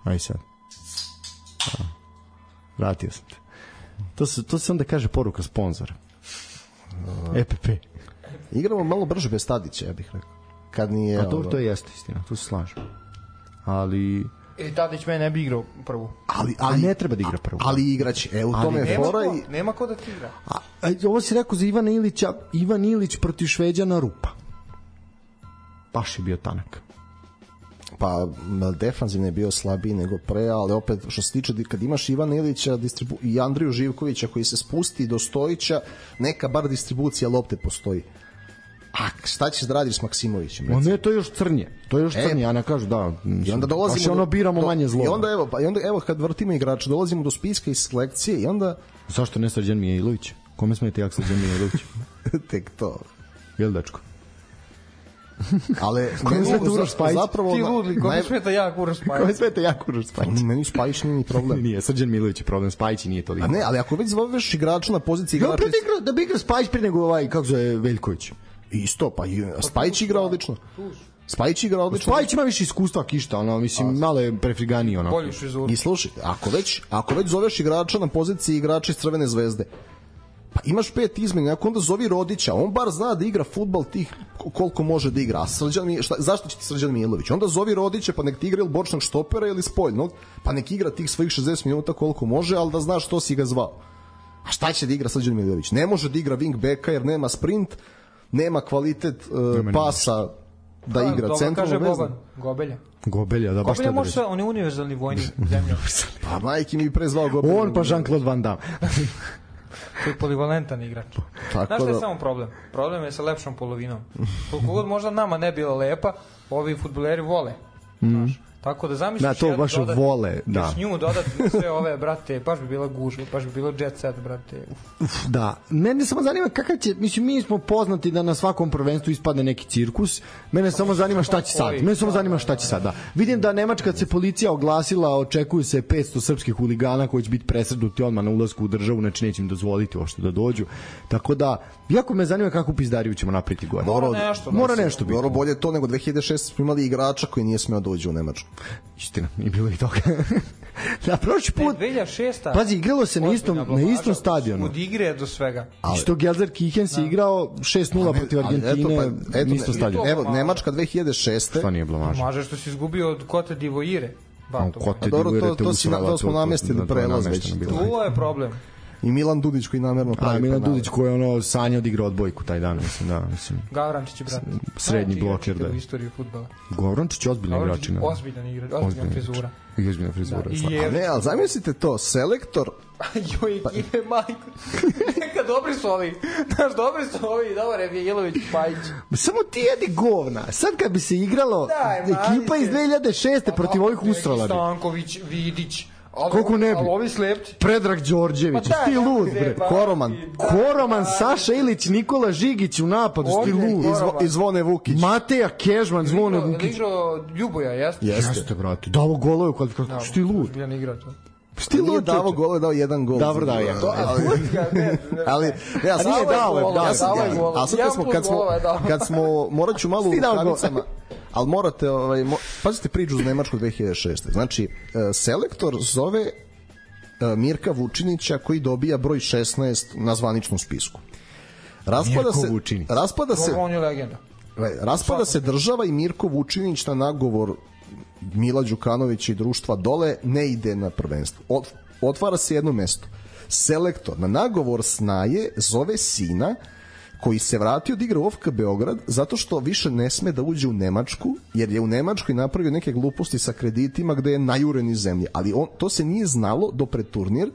[SPEAKER 3] Aj sad. A, vratio sam te. To se, to se onda kaže poruka sponzora. E P P.
[SPEAKER 5] Igramo malo brže bez Tadića, ja bih rekao. Kad nije...
[SPEAKER 3] A to, to jeste istina, tu se slažem. Ali...
[SPEAKER 4] E, Tadić me ne bi igrao prvu.
[SPEAKER 5] Ali, ali,
[SPEAKER 3] a ne treba da igra prvu.
[SPEAKER 5] Ali igraće. E, u tome je
[SPEAKER 4] nema
[SPEAKER 5] fora
[SPEAKER 4] ko,
[SPEAKER 5] i...
[SPEAKER 4] Nema ko da ti igra.
[SPEAKER 3] A, a, ovo si rekao za Ivana Ilića. Ivan Ilić protiv Šveđana rupa. Baš je bio tanak.
[SPEAKER 5] Pa defanzivno je bio slabiji nego pre, ali opet što se tiče kad imaš Ivana Ilića distribu... i Andriju Živkovića koji se spusti do Stojića, neka bar distribucija lopte postoji. A šta ćeš da radiš s Maksimovićem?
[SPEAKER 3] On ne, to je još crnje. To je još crnje, e, ja ne kažu da.
[SPEAKER 5] I onda dolazimo
[SPEAKER 3] do, ono biramo do, manje zlo.
[SPEAKER 5] I onda evo, pa i onda evo kad vrtimo igrača, dolazimo do spiska i selekcije i onda
[SPEAKER 3] zašto ne Srđan Mijailović? Kome smete jak Srđan Mijailović?
[SPEAKER 5] Tek to.
[SPEAKER 3] Jel dečko?
[SPEAKER 5] Ale
[SPEAKER 3] kome smeta Uroš Spajić?
[SPEAKER 4] Ti ludli, kome smeta jak Uroš Spajić?
[SPEAKER 3] Kome smeta jak Uroš Spajić?
[SPEAKER 5] Meni Spajić nije ni problem.
[SPEAKER 3] Nije, Srđan Mijailović je problem, Spajić nije toliko.
[SPEAKER 5] A ne, ali ako već zoveš igrača na poziciji igrača...
[SPEAKER 3] Da, igra, da bi igra Spajić prije nego ovaj, kako zove, Veljković.
[SPEAKER 5] Isto, pa i Spajić igra odlično. Spajić igra odlično.
[SPEAKER 3] Spajić ima više iskustva kišta, ono, mislim, malo je prefriganiji, ono.
[SPEAKER 4] Bolju šizuru.
[SPEAKER 5] I slušaj, ako već, ako već zoveš igrača na poziciji igrača iz Crvene zvezde, pa imaš pet izmena, ako onda zovi Rodića, on bar zna da igra fudbal tih koliko može da igra. A Srđan mi, šta, zašto će ti Srđan Mijailović? Onda zovi Rodića, pa nek ti igra ili bočnog štopera ili spoljnog, pa nek igra tih svojih šezdeset minuta koliko može, ali da znaš što si ga zvao. A šta će da igra Srđan Mijailović? Ne može da igra wing backa jer nema sprint, nema kvalitet uh, pasa da
[SPEAKER 4] a,
[SPEAKER 5] igra centralno vezan.
[SPEAKER 4] Gobelja.
[SPEAKER 3] Gobelja, da baš
[SPEAKER 4] Gobelja može sve, on je univerzalni vojnik zemlja.
[SPEAKER 5] Pa majke mi prezvao Gobelja.
[SPEAKER 3] On pa Jean-Claude Van Damme.
[SPEAKER 4] To je polivalentan igrač. Tako znaš šta je da... samo problem? Problem je sa lepšom polovinom. Koliko god možda nama ne bila lepa, ovi fudbaleri vole. Mm. Znaš. Tako da zamisliš
[SPEAKER 3] da, to baš
[SPEAKER 4] dodati,
[SPEAKER 3] vole, da.
[SPEAKER 4] Još nju dodati sve ove, brate, baš bi bila gužva, baš bi bilo jet set, brate. Uf.
[SPEAKER 3] Uf, da. Mene samo zanima kakav će, mislim, mi smo poznati da na svakom prvenstvu ispadne neki cirkus. Mene pa samo zanima šta će sad. Mene samo zanima šta će sad, da. Vidim da Nemačka se policija oglasila, očekuju se petsto srpskih huligana koji će biti presretnuti odmah na ulasku u državu, znači neće im dozvoliti uopšte da dođu. Tako da, jako me zanima kakvu pizdariju ćemo napraviti gore.
[SPEAKER 4] Mora nešto.
[SPEAKER 3] Mora nešto biti.
[SPEAKER 5] Dobro, bolje to nego dve hiljade šeste smo imali igrača koji nije smeo doći u Nemačku.
[SPEAKER 3] Istina, i bilo i toga. Na prošli put...
[SPEAKER 4] dve hiljade šeste
[SPEAKER 3] Pazi, igralo se na istom, na istom stadionu.
[SPEAKER 4] Od igre do svega.
[SPEAKER 3] Ali, što Gelsenkirchen se igrao šest nula protiv Argentine
[SPEAKER 5] eto, pa, eto,
[SPEAKER 3] na istom stadionu.
[SPEAKER 5] Evo, Nemačka dve hiljade šeste
[SPEAKER 3] Šta nije blamaža?
[SPEAKER 4] Blamaža što si izgubio od Cote d'Ivoire. Bato.
[SPEAKER 3] Kote
[SPEAKER 5] dobro, to-
[SPEAKER 3] digujete
[SPEAKER 5] to
[SPEAKER 3] u
[SPEAKER 5] si na- to
[SPEAKER 3] Sravacu,
[SPEAKER 5] smo namestili
[SPEAKER 3] to je
[SPEAKER 5] prelaz
[SPEAKER 3] namešteno
[SPEAKER 5] već.
[SPEAKER 3] bilo.
[SPEAKER 4] To je problem.
[SPEAKER 5] I Milan Dudić koji namerno pravi
[SPEAKER 3] A Milan
[SPEAKER 5] penale.
[SPEAKER 3] Dudić koji je ono sanjao da igra odbojku taj dan, mislim, da, mislim.
[SPEAKER 4] Gavrančić, brate.
[SPEAKER 3] Srednji
[SPEAKER 4] Najveći
[SPEAKER 3] bloker,
[SPEAKER 4] igrač
[SPEAKER 3] da.
[SPEAKER 4] u istoriji fudbala.
[SPEAKER 3] Govrančić je ozbiljni igrač.
[SPEAKER 4] Gavrančić,
[SPEAKER 3] ne?
[SPEAKER 4] ozbiljan igrač, ozbiljna frizura.
[SPEAKER 3] I ozbiljna frizura.
[SPEAKER 4] Da, i
[SPEAKER 3] stvarno.
[SPEAKER 4] je-
[SPEAKER 5] A ne, ali zamislite to, selektor,
[SPEAKER 4] Joj, ekipe, majko. Neka dobri su ovi. Znaš, dobri su ovi. Dobar je Vijelović, Pajić.
[SPEAKER 3] Ma samo ti jedi govna. Sad kad bi se igralo
[SPEAKER 4] Daj,
[SPEAKER 3] ekipa iz
[SPEAKER 4] majke.
[SPEAKER 3] dve hiljade šeste protiv ovih
[SPEAKER 4] Neki
[SPEAKER 3] usrala bi.
[SPEAKER 4] Stanković, Vidić. Ali,
[SPEAKER 3] Koliko ne bi?
[SPEAKER 4] Ali ovi slepci.
[SPEAKER 3] Predrag Đorđević,
[SPEAKER 4] Pa daj,
[SPEAKER 3] ti lud,
[SPEAKER 4] ajde,
[SPEAKER 3] bre.
[SPEAKER 4] ba-
[SPEAKER 5] Koroman.
[SPEAKER 4] Da,
[SPEAKER 3] Koroman,
[SPEAKER 4] da,
[SPEAKER 3] Saša Ilić, Nikola Žigić u napadu, ti
[SPEAKER 4] Ovdje je
[SPEAKER 3] lud.
[SPEAKER 4] Koroman.
[SPEAKER 5] izvo, izvone Vukić.
[SPEAKER 3] Mateja Kežman, Zvone
[SPEAKER 4] Igrao-
[SPEAKER 3] Vukić.
[SPEAKER 4] igrao Ljuboja, jeste?
[SPEAKER 5] Jeste.
[SPEAKER 3] Jeste, brate. Davo golove u kvalifikaciju. Što ti lud?
[SPEAKER 4] Ozbiljan igrač.
[SPEAKER 3] Što ti
[SPEAKER 5] Nije
[SPEAKER 3] lud?
[SPEAKER 5] davo
[SPEAKER 3] čoveče?
[SPEAKER 5] gole, dao jedan gol.
[SPEAKER 3] Dobro, dao jedan.
[SPEAKER 5] Ali, ali ne, ja sam
[SPEAKER 3] nije
[SPEAKER 5] dao,
[SPEAKER 3] dao,
[SPEAKER 5] ja
[SPEAKER 3] dao,
[SPEAKER 5] sam
[SPEAKER 3] dao je
[SPEAKER 5] dao.
[SPEAKER 4] golova.
[SPEAKER 5] A sad kad smo, kad smo,
[SPEAKER 4] Jedan plus golova je dao.
[SPEAKER 5] kad smo, morat ću malo u
[SPEAKER 3] Ti dao gol.
[SPEAKER 5] rukavicama, ali morate, ovaj, mo, pazite priču za Nemačku dve hiljade šeste. Znači, e, selektor zove e, Mirka Vučinića koji dobija broj šesnaest na zvaničnom spisku. Raspada
[SPEAKER 3] Mirko
[SPEAKER 5] se,
[SPEAKER 3] Vučinić.
[SPEAKER 5] raspada se,
[SPEAKER 4] On je legenda.
[SPEAKER 5] raspada se država i Mirko Vučinić na nagovor Mila Đukanovića i društva dole ne ide na prvenstvo. Ot, otvara se jedno mesto. Selektor na nagovor snaje zove sina koji se vratio od igra u O F K Beograd zato što više ne sme da uđe u Nemačku jer je u Nemačkoj napravio neke gluposti sa kreditima gde je najuren iz zemlje. Ali on, to se nije znalo do pred turnir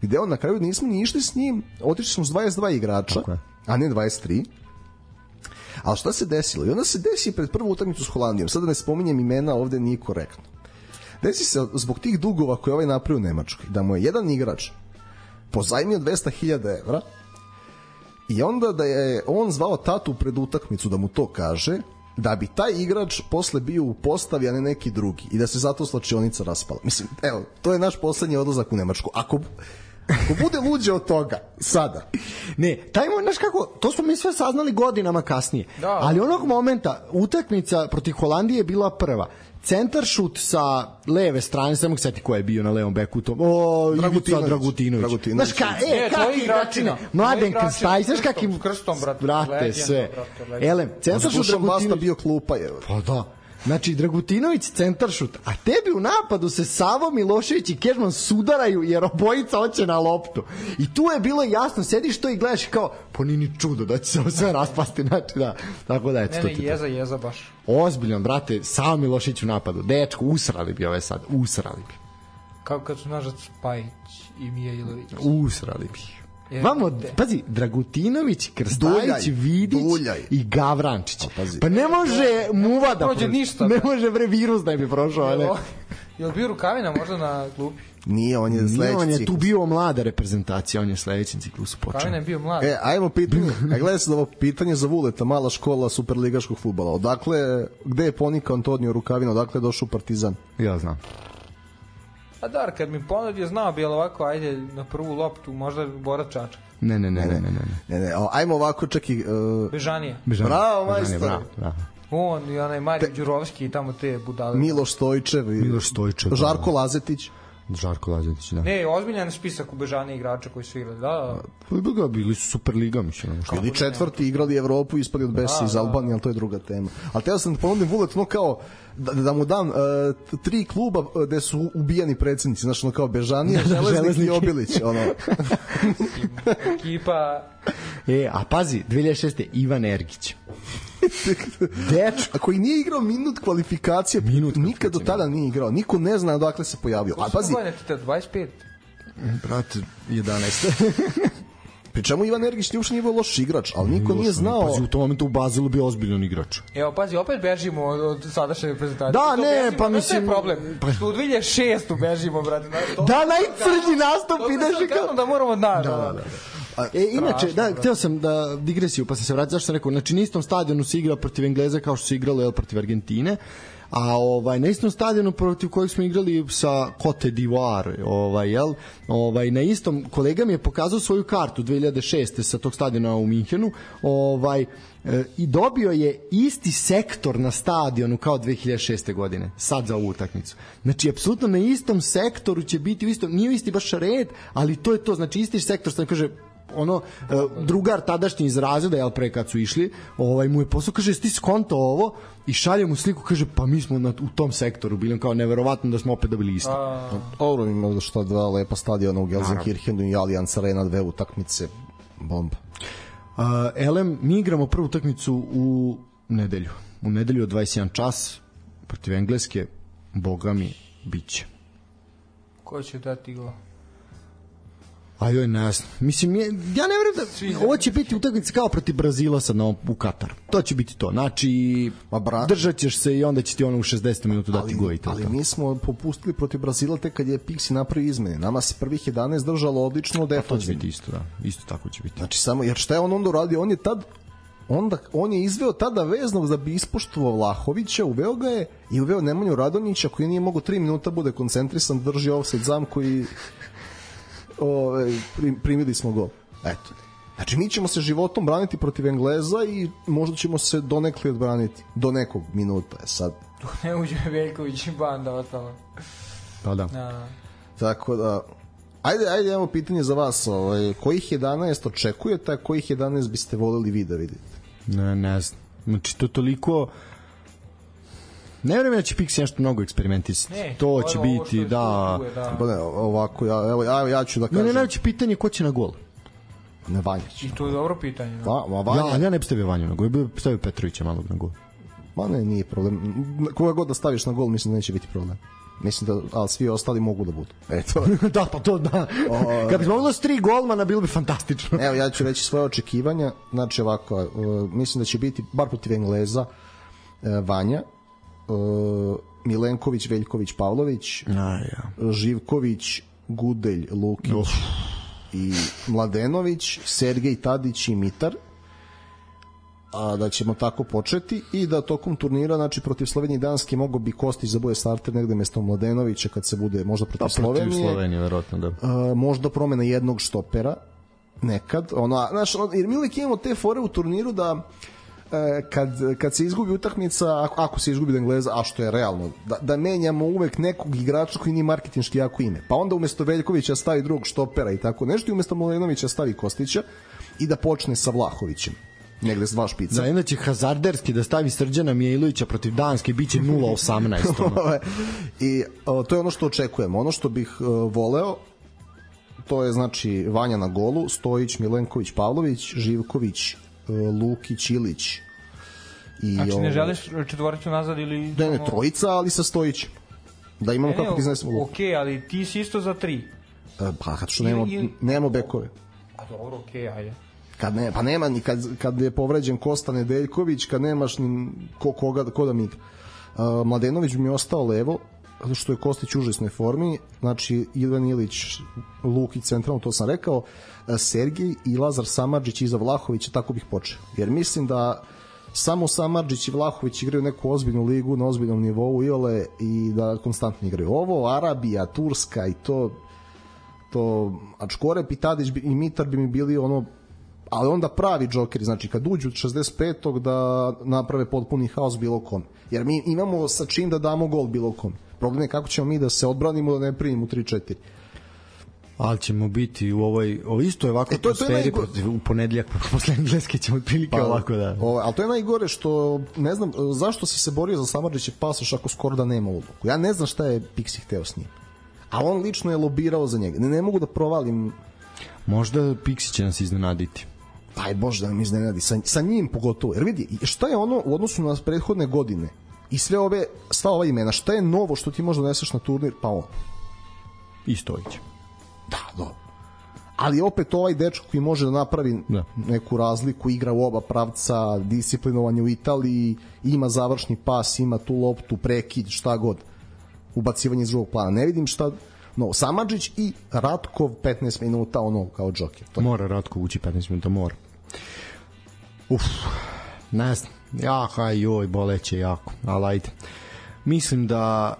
[SPEAKER 5] gde on na kraju nismo ni išli s njim, otišli smo s dvadeset dva igrača,
[SPEAKER 3] Tako je.
[SPEAKER 5] a ne dvadeset tri. Ali šta se desilo? I onda se desi pred prvu utakmicu s Holandijom. Sada ne spominjem imena, ovde nije korektno. Desi se zbog tih dugova koje ovaj napravio u Nemačkoj, da mu je jedan igrač pozajmio dvesta hiljada evra i onda da je on zvao tatu pred utakmicu da mu to kaže, da bi taj igrač posle bio u postavi, a ne neki drugi. I da se zato slačionica raspala. Mislim, evo, to je naš poslednji odlazak u Nemačku. Ako, ako bude luđe od toga, sada,
[SPEAKER 3] Ne, taj moment, znaš kako, to smo mi sve saznali godinama kasnije.
[SPEAKER 4] Da.
[SPEAKER 3] Ali onog momenta, utakmica protiv Holandije je bila prva. Centar šut sa leve strane, samo seti ko je bio na levom beku tom. O, Ivica
[SPEAKER 5] Dragutinović.
[SPEAKER 3] Dragutinović.
[SPEAKER 5] Dragutinović.
[SPEAKER 3] Znaš ka, e,
[SPEAKER 4] E,
[SPEAKER 3] kak
[SPEAKER 4] tvoji
[SPEAKER 3] igračina.
[SPEAKER 4] igračina.
[SPEAKER 3] Mladen
[SPEAKER 4] Tvoji igračina
[SPEAKER 3] Krstaj,
[SPEAKER 4] s
[SPEAKER 3] znaš
[SPEAKER 4] krstom,
[SPEAKER 3] kakim...
[SPEAKER 4] s krstom, brate,
[SPEAKER 3] Brate,
[SPEAKER 4] legenda,
[SPEAKER 3] sve.
[SPEAKER 4] brate, legenda.
[SPEAKER 3] Elem, centar šut
[SPEAKER 5] Dušan Basta
[SPEAKER 3] Dragutinović.
[SPEAKER 5] bio klupa je.
[SPEAKER 3] Pa da. Znači, Dragutinović centar šut, a tebi u napadu se Savo Milošević i Kežman sudaraju jer obojica hoće na loptu. I tu je bilo jasno, sediš to i gledaš kao, po nije ni čudo da će se ovo sve raspasti. Znači, da, tako da, eto,
[SPEAKER 4] Ne,
[SPEAKER 3] to
[SPEAKER 4] ne,
[SPEAKER 3] ti to.
[SPEAKER 4] jeza, jeza baš.
[SPEAKER 3] Ozbiljan, brate, Savo Milošević u napadu. Dečko, usrali bi ove sad, usrali bi.
[SPEAKER 4] Kao kad su nažac Pajić i Mija Ilović.
[SPEAKER 3] Usrali bi.
[SPEAKER 4] Je,
[SPEAKER 3] Vamo,
[SPEAKER 4] te.
[SPEAKER 3] pazi, Dragutinović, Krstajić,
[SPEAKER 5] Duljaj,
[SPEAKER 3] Vidić
[SPEAKER 5] Duljaj.
[SPEAKER 3] i Gavrančić.
[SPEAKER 5] Pa, pazi.
[SPEAKER 3] Pa ne može muva da
[SPEAKER 4] prođe
[SPEAKER 3] prođe.
[SPEAKER 4] ništa,
[SPEAKER 3] Ne
[SPEAKER 4] bre.
[SPEAKER 3] može, bre, virus da bi prošao. Ne.
[SPEAKER 4] Jel bio Rukavina možda na klupi?
[SPEAKER 5] Nije, on je
[SPEAKER 3] Nije,
[SPEAKER 5] sledeći
[SPEAKER 3] on je tu
[SPEAKER 5] ciklus.
[SPEAKER 3] bio mlada reprezentacija, on je sledećem ciklusu počeo.
[SPEAKER 4] Rukavina je bio mlad.
[SPEAKER 5] E, ajmo pitanje. A gledaj se ovo pitanje za Vuleta, mala škola superligaškog fudbala. Odakle, gde je ponikao Antonio Rukavina, odakle je došao u Partizan?
[SPEAKER 3] Ja znam.
[SPEAKER 4] A dar, kad mi ponudio, znao bi, ali ovako, ajde na prvu loptu, možda Borac Čačak.
[SPEAKER 3] Ne, ne, ne, ne, ne, ne.
[SPEAKER 5] Ne, ne, o, ajmo ovako čak i... Uh,
[SPEAKER 4] Bežanija.
[SPEAKER 3] Bežan.
[SPEAKER 5] Bravo,
[SPEAKER 3] Bežan je,
[SPEAKER 5] majstor.
[SPEAKER 3] Bravo, bravo.
[SPEAKER 4] On i onaj Mario Đurovski i tamo te budale.
[SPEAKER 5] Miloš Stojčev i
[SPEAKER 3] Miloš Stojčev,
[SPEAKER 5] Žarko
[SPEAKER 3] da.
[SPEAKER 5] Lazetić.
[SPEAKER 3] Žarko Lazetić, da.
[SPEAKER 4] Ne, ozbiljan spisak u Bežaniji igrača koji su igrali. Da, da.
[SPEAKER 3] Pa bi ga bili su Superliga, mislim. Što?
[SPEAKER 5] Ili četvrti igrali Evropu, ispali od Besa iz Albanije, ali to je druga tema. Ali teo sam da ponudim Vulet, no kao da, da mu dam uh, tri kluba uh, gde su ubijani predsednici, znači ono kao Bežanija,
[SPEAKER 3] Da, da,
[SPEAKER 5] Železnik
[SPEAKER 3] Železnik.
[SPEAKER 5] i Obilić. Ono.
[SPEAKER 4] Ekipa...
[SPEAKER 3] E, a pazi, dve hiljade šeste. Ivan Ergić. Dečko.
[SPEAKER 5] A koji nije igrao minut kvalifikacije,
[SPEAKER 3] Minut
[SPEAKER 5] nikad do tada nije igrao. Niko ne zna odakle se pojavio. A pazi,
[SPEAKER 4] Koje ti te, dvadeset pet?
[SPEAKER 3] Brate, jedanaest.
[SPEAKER 5] pri čemu Ivan Ergić nije uopšte nije bio loš igrač, ali niko nije znao...
[SPEAKER 3] Pazi, u tom momentu u Bazilu bio ozbiljan igrač.
[SPEAKER 4] Evo, pazi, opet bežimo od, od sadašnje reprezentacije.
[SPEAKER 3] Da,
[SPEAKER 4] Što
[SPEAKER 3] ne,
[SPEAKER 4] bežimo,
[SPEAKER 3] pa
[SPEAKER 4] znaš šta je
[SPEAKER 3] mislim-
[SPEAKER 4] problem.
[SPEAKER 3] pa-
[SPEAKER 4] Što u dve hiljade šeste bežimo, brate. znaš, to-
[SPEAKER 3] Da, najcrđi nastup,
[SPEAKER 4] to
[SPEAKER 3] ideš
[SPEAKER 4] sam
[SPEAKER 3] i kao...
[SPEAKER 4] kažem da moramo da, da, da.
[SPEAKER 3] E, inače, da,
[SPEAKER 4] Strašno,
[SPEAKER 3] htio sam da digresiju, pa sam se vratio, zašto sam rekao, znači na istom stadionu se igra protiv Engleza kao što se igralo jel, protiv Argentine, a ovaj na istom stadionu protiv kojeg smo igrali sa Cote d'Ivoire, ovaj jel, ovaj na istom kolega mi je pokazao svoju kartu dve hiljade šeste sa tog stadiona u Minhenu, ovaj e, i dobio je isti sektor na stadionu kao dve hiljade šeste godine, sad za ovu utakmicu. Znači apsolutno na istom sektoru će biti u istom, nije isti baš red, ali to je to, znači isti sektor, što kaže ono drugar tadašnji iz razreda, jel, pre kad su išli, ovaj mu je posao, kaže, ti skonto ovo, i šalje mu sliku, kaže, pa mi smo na, u tom sektoru bili, kao neverovatno da smo opet dobili isto.
[SPEAKER 5] Dobro, ima da što dva lepa stadiona u Gelsenkirchenu i Allianz Arena, dve utakmice, bomba.
[SPEAKER 3] Uh, Elem, mi igramo prvu utakmicu u nedelju. U nedelju od dvadeset jedan čas protiv Engleske, boga mi, bit će.
[SPEAKER 4] Ko će dati go?
[SPEAKER 3] A joj, ne znam. Mislim, je, ja ne verujem da ovo će biti utakmica kao protiv Brazila sad na, u Kataru. To će biti to. Znači, bra... držat ćeš se i onda će ti ono u šezdesetom minutu dati go i to.
[SPEAKER 5] Ali mi smo popustili protiv Brazila tek kad je Pixi napravio izmene. Nama se prvih jedanaest držalo odlično defanzivno.
[SPEAKER 3] To će biti isto, da. Isto tako će biti.
[SPEAKER 5] Znači, samo, jer šta je on onda uradio? On je tad onda on je izveo tada veznog da bi ispoštovao Vlahovića, uveo ga je i uveo Nemanju Radonjića koji nije mogao tri minuta bude koncentrisan, drži offside zamku i o, primili smo gol. Eto. Znači mi ćemo se životom braniti protiv Engleza i možda ćemo se donekli odbraniti do nekog minuta. E sad
[SPEAKER 4] tu ne uđe Veljković i banda ostalo.
[SPEAKER 3] Pa da.
[SPEAKER 4] Da.
[SPEAKER 5] Tako da Ajde, ajde, imamo pitanje za vas. Ovaj, kojih jedanaest očekujete, a kojih jedanaest biste voleli vi da vidite?
[SPEAKER 3] Ne, ne znam. Znači, to toliko... Ne vjerujem da će Pixi nešto mnogo eksperimentisati. Ne, to će biti, da...
[SPEAKER 5] da. Pa ne, ovako, ja, evo, ja, ja ću da kažem...
[SPEAKER 3] Ne, ne, najveće pitanje ko će na gol.
[SPEAKER 5] Ne, Vanjić.
[SPEAKER 4] I to je dobro pitanje. Da.
[SPEAKER 5] Va, ma, Vanja...
[SPEAKER 3] Ja, ja ne bi stavio Vanju na gol, ja bi stavio Petrovića malog na gol.
[SPEAKER 5] Ma ne, nije problem. Koga god da staviš na gol, mislim da neće biti problem. Mislim da, ali svi ostali mogu da budu. Eto.
[SPEAKER 3] Da, pa to da. O, kad bismo mogli s tri golmana, bilo bi fantastično.
[SPEAKER 5] Evo, ja ću reći svoje očekivanja. Znači ovako, uh, mislim da će biti, bar protiv Engleza, uh, Vanja, uh, Milenković, Veljković, Pavlović,
[SPEAKER 3] A, ja.
[SPEAKER 5] Živković, Gudelj, Lukić Uf. i Mladenović, Sergej Tadić i Mitar. A da ćemo tako početi i da tokom turnira, znači protiv Slovenije i Danske mogo bi Kostić da bude starter negde mesto Mladenovića kad se bude možda protiv
[SPEAKER 3] pa,
[SPEAKER 5] Slovenije.
[SPEAKER 3] Protiv Slovenije, verovatno, da.
[SPEAKER 5] A, možda promena jednog štopera nekad. Ono, znaš, jer mi uvijek imamo te fore u turniru da kad, kad se izgubi utakmica, ako, ako se izgubi od Engleza, a što je realno, da, da menjamo uvek nekog igrača koji nije marketinški jako ime. Pa onda umesto Veljkovića stavi drugog štopera i tako nešto i umesto Mladenovića stavi Kostića i da počne sa Vlahovićem. Negde s dva špica.
[SPEAKER 3] Da, inače hazarderski da stavi Srđana Mijailovića protiv Danske biće nula osamnaest.
[SPEAKER 5] I o, to je ono što očekujemo. Ono što bih o, voleo, to je znači Vanja na golu, Stojić, Milenković, Pavlović, Živković, o, Lukić, Ilić.
[SPEAKER 4] I, znači ne želiš četvoricu nazad ili...
[SPEAKER 5] Ne, ne, trojica, ali sa Stojićem. Da imamo ne, kako ti iznesemo gol.
[SPEAKER 4] Okej, okay, ali ti si isto za tri.
[SPEAKER 5] E, pa, kad što nemamo, ili... nemamo bekove.
[SPEAKER 4] A dobro, okej, okay, ajde.
[SPEAKER 5] Kad ne, pa nema ni kad, kad je povređen Kosta Nedeljković, kad nemaš ni ko, koga, ko da mi igra. Uh, Mladenović mi je ostao levo, zato što je Kostić u užasnoj formi, znači Ivan Ilić, Lukić centralno, to sam rekao, uh, Sergij i Lazar Samardžić iza Vlahovića, tako bih počeo. Jer mislim da samo Samardžić i Vlahović igraju neku ozbiljnu ligu na ozbiljnom nivou iole i da konstantno igraju. Ovo, Arabija, Turska i to, to Ačkorep i Tadić i Mitar bi mi bili ono, ali onda pravi džokeri, znači kad uđu od šezdeset petog da naprave potpuni haos bilo kom. Jer mi imamo sa čim da damo gol bilo kom. Problem je kako ćemo mi da se odbranimo da ne primimo tri četiri.
[SPEAKER 3] Ali ćemo biti u ovoj, o isto je ovako e, to, to je najgore, u ponedljak posle Engleske ćemo otprilike pa, ovako da.
[SPEAKER 5] O, ali to je najgore što ne znam zašto si se borio za Samardžića pasoš ako skoro da nema ulogu. Ja ne znam šta je Pixi hteo s njim. A on lično je lobirao za njega. Ne, ne mogu da provalim.
[SPEAKER 3] Možda Pixi će nas iznenaditi.
[SPEAKER 5] Aj Bože da nam iznenadi, sa, sa njim pogotovo. Jer vidi, šta je ono u odnosu na prethodne godine i sve ove, sva ova imena, šta je novo što ti možda doneseš na turnir, pa on.
[SPEAKER 3] I Stojić.
[SPEAKER 5] Da, dobro. Ali opet ovaj dečko koji može da napravi da. neku razliku, igra u oba pravca, disciplinovan je u Italiji, ima završni pas, ima tu loptu, prekid, šta god. Ubacivanje iz drugog plana. Ne vidim šta... No, Samardžić i Ratkov petnaest minuta ono kao džoker. To
[SPEAKER 3] mora Ratkov ući petnaest minuta, mora. Uf, ne znam. Jaka, joj, boleće jako. Ali ajde. Mislim da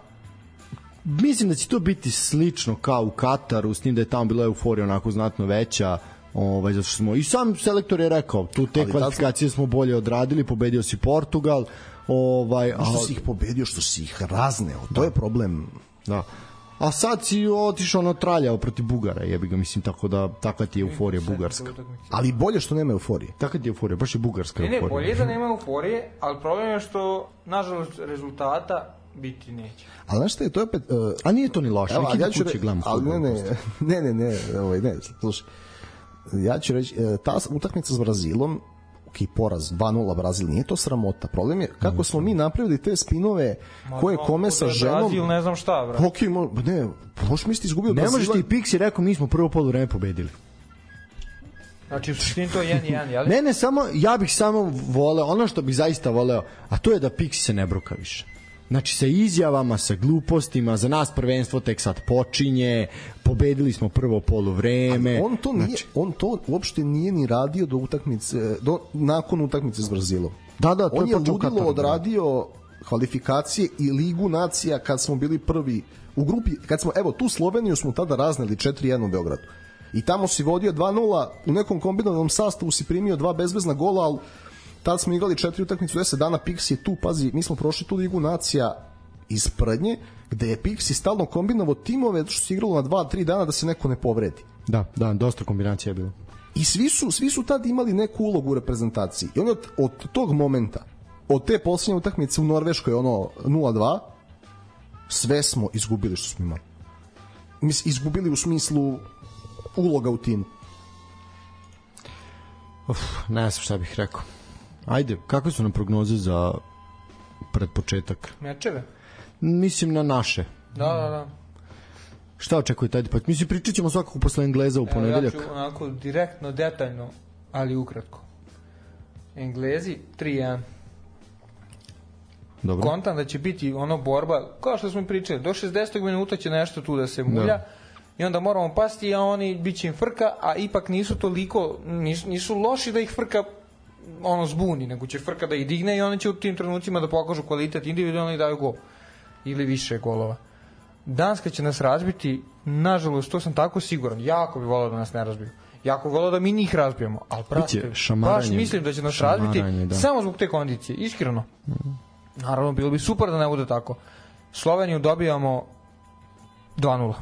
[SPEAKER 3] mislim da će to biti slično kao u Kataru, s tim da je tamo bila euforija onako znatno veća. Ovaj, zato što smo, i sam selektor je rekao, tu te ali kvalifikacije smo bolje odradili, pobedio si Portugal. Ovaj,
[SPEAKER 5] što si ih pobedio, što si ih razneo, to da. je problem.
[SPEAKER 3] Da. A sad si otišao ono traljao protiv Bugara, jebi ga, mislim, tako da takva ti je euforija bugarska.
[SPEAKER 5] Ali bolje što nema euforije.
[SPEAKER 3] Takva ti je euforija, baš je bugarska
[SPEAKER 4] ne, ne,
[SPEAKER 3] euforija.
[SPEAKER 4] bolje da nema euforije, ali problem je što, nažalost, rezultata biti neće.
[SPEAKER 5] Ali znaš šta je, to je opet... Uh,
[SPEAKER 3] A nije to ni loše,
[SPEAKER 5] evo,
[SPEAKER 3] neki
[SPEAKER 5] ja
[SPEAKER 3] da
[SPEAKER 5] ću
[SPEAKER 3] kuće
[SPEAKER 5] re...
[SPEAKER 3] gledam.
[SPEAKER 5] Ali ne, ne, ne, ne, ne, ovaj, ne, slušaj. Ja ću reći, ta utakmica s Brazilom, ok, poraz, dva nula Brazil, nije to sramota. Problem je kako smo mi napravili te spinove koje kome sa ženom...
[SPEAKER 4] Brazil, ne znam šta, bro.
[SPEAKER 5] Ok, mo, ne, loš mi ste izgubili od
[SPEAKER 3] Ne
[SPEAKER 5] Brazila.
[SPEAKER 3] možeš ti Pixi rekao, mi smo prvo poluvreme pobedili.
[SPEAKER 4] Znači, u suštini to je jedan jedan, jel?
[SPEAKER 3] Ne, ne, samo, ja bih samo voleo, ono što bih zaista voleo, a to je da Pixi se ne bruka više. Znači, sa izjavama, sa glupostima, za nas prvenstvo tek sad počinje, pobedili smo prvo poluvreme.
[SPEAKER 5] On to nije,
[SPEAKER 3] znači,
[SPEAKER 5] on to uopšte nije ni radio do utakmice, do, nakon utakmice s Brazilom.
[SPEAKER 3] Da, da, to
[SPEAKER 5] on
[SPEAKER 3] je
[SPEAKER 5] je
[SPEAKER 3] počeo
[SPEAKER 5] ludilo
[SPEAKER 3] Katar,
[SPEAKER 5] odradio kvalifikacije i Ligu nacija kad smo bili prvi u grupi, kad smo, evo, tu Sloveniju smo tada razneli četiri jedan u Beogradu. I tamo si vodio dva nula, u nekom kombinovanom sastavu si primio dva bezvezna gola, ali tad smo igrali četiri utakmice u deset dana, Pixi je tu, pazi, mi smo prošli tu Ligu nacija iz prednje, gde je Pixi stalno kombinovao timove, što se igralo na dva tri dana da se neko ne povredi.
[SPEAKER 3] Da, da, dosta kombinacija je bilo.
[SPEAKER 5] I svi su, svi su tad imali neku ulogu u reprezentaciji. I onda od, od tog momenta, od te posljednje utakmice u Norveškoj, ono nula dva, sve smo izgubili što smo imali. Mis, izgubili u smislu uloga u timu.
[SPEAKER 3] Uf, ne znam šta bih rekao. Ajde, kakve su nam prognoze za pred početak?
[SPEAKER 4] Mečeve?
[SPEAKER 3] Mislim na naše.
[SPEAKER 4] Da, da, da.
[SPEAKER 3] Šta očekujete? Ajde, pa mislim, pričat ćemo svakako posle Engleza u ponedeljak.
[SPEAKER 4] Evo, ja ću onako direktno, detaljno, ali ukratko. Englezi tri jedan.
[SPEAKER 3] Dobro.
[SPEAKER 4] Kontam da će biti ono borba, kao što smo i pričali, do šezdesetog minuta će nešto tu da se mulja, da. I onda moramo pasti, a oni bit će im frka, a ipak nisu toliko, nisu, nisu loši da ih frka ono zbuni, nego će frka da ih digne i oni će u tim trenucima da pokažu kvalitet individualno i daju gol. Ili više golova. Danska će nas razbiti, nažalost, to sam tako siguran, jako bi volao da nas ne razbiju. Jako bi volao da mi njih razbijemo, ali prate, baš mislim da će nas razbiti da. Samo zbog te kondicije, iskreno. Mm. Naravno, bilo bi super da ne bude tako. Sloveniju dobijamo dva nula.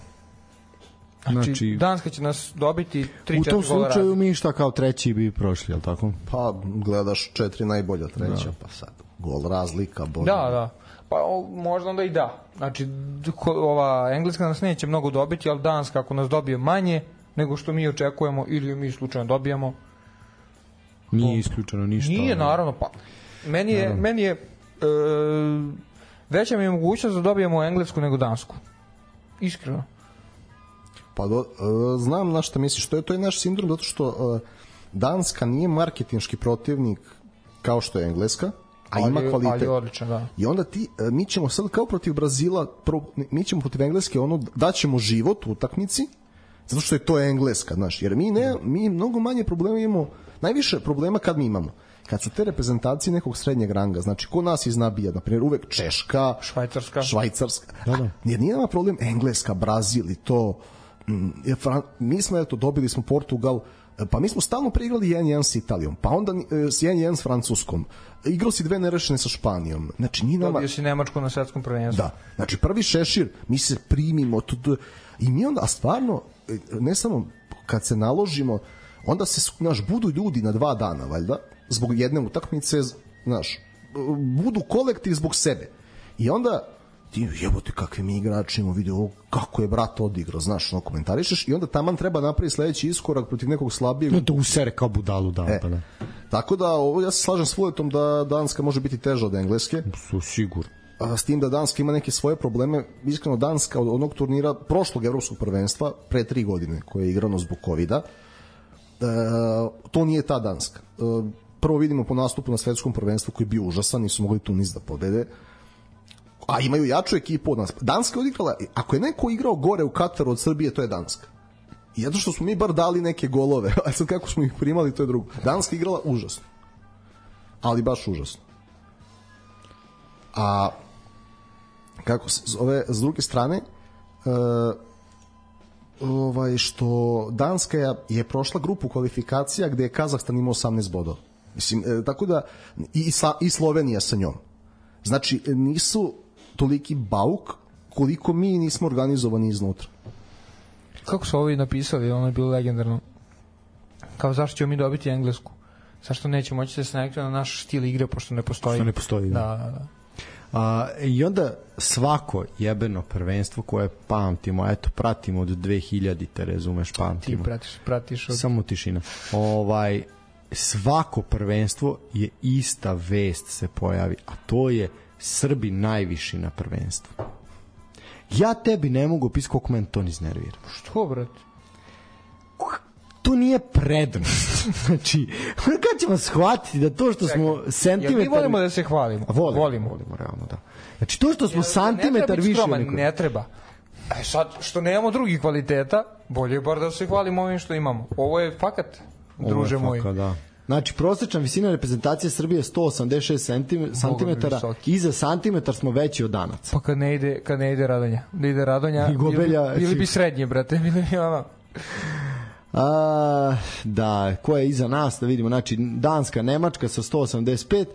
[SPEAKER 4] Znači, znači, Danska će nas dobiti tri četiri gola.
[SPEAKER 3] U tom slučaju razli. Mi šta kao treći bi prošli, je li tako?
[SPEAKER 5] Pa gledaš četiri najbolja treća, da. Pa sad gol razlika. Bolje.
[SPEAKER 4] Da, da. Pa o, možda onda i da. Znači, ova Engleska nas neće mnogo dobiti, ali Danska ako nas dobije manje nego što mi očekujemo ili mi slučajno dobijamo.
[SPEAKER 3] Nije isključeno ništa.
[SPEAKER 4] Nije, naravno. Pa, meni je, naravno. Meni je e, veća mi je mogućnost da dobijemo Englesku nego Dansku. Iskreno.
[SPEAKER 5] Pa do, uh, znam na šta misliš, to je to je naš sindrom zato što uh, Danska nije marketinški protivnik kao što je Engleska, a ali, ima kvalitet. Ali
[SPEAKER 4] odličan, da.
[SPEAKER 5] I onda ti uh, mi ćemo sad kao protiv Brazila, pro, mi ćemo protiv Engleske ono daćemo život u utakmici zato što je to Engleska, znaš, jer mi ne mi mnogo manje problema imamo, najviše problema kad mi imamo. Kad su te reprezentacije nekog srednjeg ranga, znači ko nas iznabija, na primjer uvek Češka,
[SPEAKER 4] Švajcarska,
[SPEAKER 5] Švajcarska. Da, da. Jer nije nama problem Engleska, Brazil i to. Mi smo, eto, dobili smo Portugal, pa mi smo stalno preigrali jedan jedan s Italijom, pa onda jedan jedan s Francuskom, igrao si dve nerešene sa Španijom, znači nije nama...
[SPEAKER 4] Dobio si Nemačku na svetskom prvenstvu.
[SPEAKER 5] Da, znači prvi šešir, mi se primimo, to, to, i mi onda, a stvarno, ne samo kad se naložimo, onda se, znaš, budu ljudi na dva dana, valjda, zbog jedne utakmice, znaš, budu kolektiv zbog sebe. I onda ti jebote kakve mi igrači imamo, vidio kako je brat odigrao, znaš, ono komentarišeš i onda taman treba napraviti sledeći iskorak protiv nekog slabijeg.
[SPEAKER 3] No, da usere kao budalu, da,
[SPEAKER 5] e,
[SPEAKER 3] pa da.
[SPEAKER 5] Tako da, ovo, ja se slažem s Vuletom da Danska može biti teža od Engleske.
[SPEAKER 3] Su sigurno.
[SPEAKER 5] A, s tim da Danska ima neke svoje probleme. Iskreno, Danska od onog turnira prošlog evropskog prvenstva, pre tri godine, koje je igrano zbog kovida, e, to nije ta Danska. E, prvo vidimo po nastupu na svetskom prvenstvu koji je bio užasan, nisu mogli Tunis da pobede. A imaju jaču ekipu od nas. Danska je odigrala, ako je neko igrao gore u Kataru od Srbije, to je Danska. I zato što smo mi bar dali neke golove, a sad kako smo ih primali, to je drugo. Danska je igrala užasno. Ali baš užasno. A kako se zove, s druge strane, uh, ovaj, što Danska je, je prošla grupu kvalifikacija gde je Kazahstan imao osamnaest bodova. Mislim, e, tako da, i, i Slovenija sa njom. Znači, nisu toliki bauk koliko mi nismo organizovani iznutra.
[SPEAKER 4] Kako su ovi napisali, ono je bilo legendarno. Kao zašto ćemo mi dobiti Englesku? Zašto neće moći da se navikne na naš stil igre, pošto ne postoji?
[SPEAKER 3] Što ne postoji, da.
[SPEAKER 4] Da, da, da.
[SPEAKER 3] A, I onda svako jebeno prvenstvo koje pamtimo, eto, pratimo od dve hiljadite, razumeš, pamtimo.
[SPEAKER 4] Ti pratiš, pratiš od...
[SPEAKER 3] Samo tišina. Ovaj, svako prvenstvo je ista vest se pojavi, a to je Srbi najviši na prvenstvu. Ja tebi ne mogu opisati koliko meni to iznervira.
[SPEAKER 4] Što, brate?
[SPEAKER 3] To nije prednost. Znači, kad ćemo shvatiti da to što smo centimetar...
[SPEAKER 4] Ja, mi volimo da se hvalimo.
[SPEAKER 3] Volimo,
[SPEAKER 4] volimo.
[SPEAKER 3] volimo, realno, da. Znači, to što smo
[SPEAKER 4] ja,
[SPEAKER 3] santimetar više...
[SPEAKER 4] Skroman, neko... Ne treba. E sad, što nemamo drugih kvaliteta, bolje je bar da se hvalimo ovim što imamo. Ovo je fakat, druže moji.
[SPEAKER 3] Ovo je fakat, da. Znači, prosječna visina reprezentacije Srbije je sto osamdeset šest centimetara, iza santimetar smo veći od Danaca.
[SPEAKER 4] Pa kad ne ide, kad ne ide Radonja, da ide Radonja,
[SPEAKER 3] I Gobelja,
[SPEAKER 4] bili, bili bi srednje, brate, bili bi ono...
[SPEAKER 3] A, da, ko je iza nas, da vidimo, znači Danska, Nemačka sa sto osamdeset pet,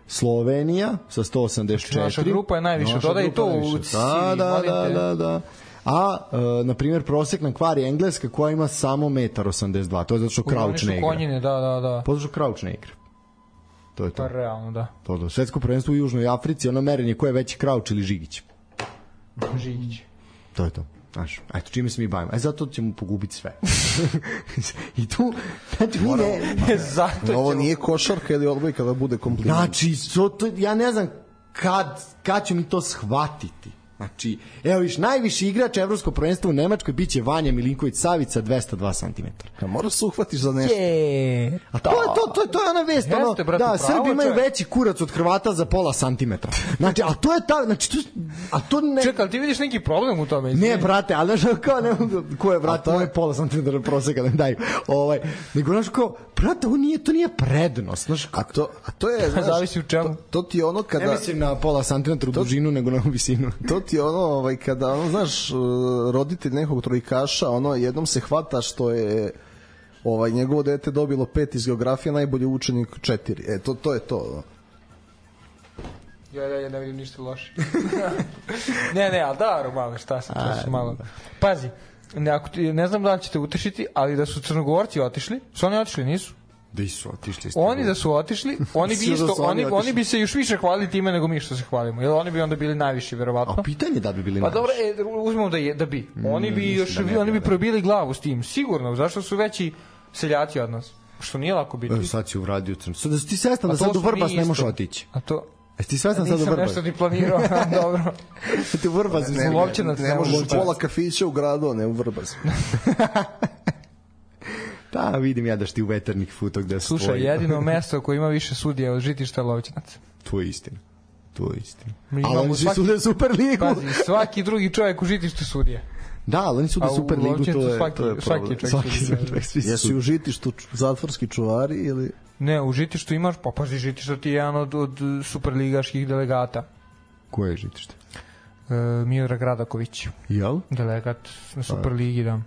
[SPEAKER 3] Slovenija sa sto osamdeset četiri.
[SPEAKER 4] Naša grupa je najviše, dodaj to u cilj.
[SPEAKER 3] Da, da, da, da, da. A, e, na primjer, prosjek na kvari Engleska koja ima samo jedan osamdeset dva, to je zato što Crouch ne igra.
[SPEAKER 4] Konjine, da, da, da.
[SPEAKER 3] Zato što Crouch ne igra. To je to.
[SPEAKER 4] Pa realno, da.
[SPEAKER 3] To je to. Svetsko prvenstvo u Južnoj Africi, ono merenje ko je veći Crouch ili Žigić.
[SPEAKER 4] Žigić.
[SPEAKER 3] To je to. Znaš, eto, čime se mi bavimo. E, zato ćemo pogubiti sve. I tu, znači, mi ne...
[SPEAKER 5] zato ovo nije košarka ili odbojka da bude kompliment.
[SPEAKER 3] Znači, so to, ja ne znam kad, kad ću mi to shvatiti. Znači, evo viš, najviši igrač evropskog prvenstva u Nemačkoj biće Vanja Milinković Savić sa dvesta dva centimetra.
[SPEAKER 5] A moraš se uhvatiš za nešto.
[SPEAKER 3] Je. A to je to, to je to je ona vest,
[SPEAKER 4] Jeste,
[SPEAKER 3] ono,
[SPEAKER 4] brate,
[SPEAKER 3] da, Srbi imaju
[SPEAKER 4] čovjek.
[SPEAKER 3] veći kurac od Hrvata za pola santimetra. Znači, a to je ta, znači to, a to ne.
[SPEAKER 4] Čekaj, ti vidiš neki problem u tome?
[SPEAKER 3] Ne, brate, ali znaš kao ne mogu, ko je brate, moj pola santimetra proseka da mi daju. Ovaj, nego znaš kao, brate, ovo nije, to nije prednost, znaš.
[SPEAKER 5] A to, a to je, znaš,
[SPEAKER 4] zavisi u čemu.
[SPEAKER 5] To, to ti je ono kada...
[SPEAKER 3] Ne mislim na pola santimetra u dužinu, nego na visinu.
[SPEAKER 5] To ti je ono, ovaj, kada, ono, znaš, roditelj nekog trojkaša, ono, jednom se hvata što je ovaj, njegovo dete dobilo pet iz geografije, najbolji učenik četiri. E, to, to je to, no.
[SPEAKER 4] Ja, ja, ja ne vidim ništa loše. ne, ne, ali da, malo, šta sam, to su malo. Pazi, ne, ako ti, ne znam da li ćete utešiti, ali da su Crnogorci otišli, su oni otišli, nisu?
[SPEAKER 3] Da su otišli.
[SPEAKER 4] Oni da su otišli, oni bi isto, oni, oni bi se još više hvalili time nego mi što se hvalimo. Jer oni bi onda bili najviši verovatno.
[SPEAKER 3] A pitanje da bi bili
[SPEAKER 4] pa
[SPEAKER 3] najviši.
[SPEAKER 4] Pa dobro, e, uzmemo da je da bi. Oni bi mm, još da oni bi probili glavu s tim. Sigurno, zašto su veći seljaci od nas? Što nije lako biti.
[SPEAKER 3] Evo sad ću u radio Crno. Sad da si ti svestan da sad u Vrbas ne možeš otići.
[SPEAKER 4] A to
[SPEAKER 3] Jesi ti svestan sad u Vrbas?
[SPEAKER 4] Nisam nešto ni planirao, dobro.
[SPEAKER 3] Ti u Vrbas
[SPEAKER 5] ne, ne, ne, ne možeš pola kafića u gradu, ne u Vrbas.
[SPEAKER 3] Da, vidim ja da šti u Veternik futo gde se
[SPEAKER 4] Slušaj, jedino mesto koje ima više sudija od Žitišta Lovćenac.
[SPEAKER 3] To je istina. To je istina.
[SPEAKER 4] Ali
[SPEAKER 3] oni svi sude Superligu.
[SPEAKER 4] Pazi, svaki drugi čovjek u Žitištu sudija.
[SPEAKER 3] Da, ali oni sude Superligu, to je,
[SPEAKER 4] svaki,
[SPEAKER 3] to je
[SPEAKER 4] svaki čovjek. Svaki
[SPEAKER 3] čovjek, svi
[SPEAKER 5] Jesu u Žitištu zatvorski čuvari ili...
[SPEAKER 4] Ne, u Žitištu imaš, pa pazi, Žitišta ti je jedan od, od superligaških delegata.
[SPEAKER 3] Ko je Žitište?
[SPEAKER 4] E, Miodrag Radaković.
[SPEAKER 3] Jel?
[SPEAKER 4] Delegat na Superligi, da.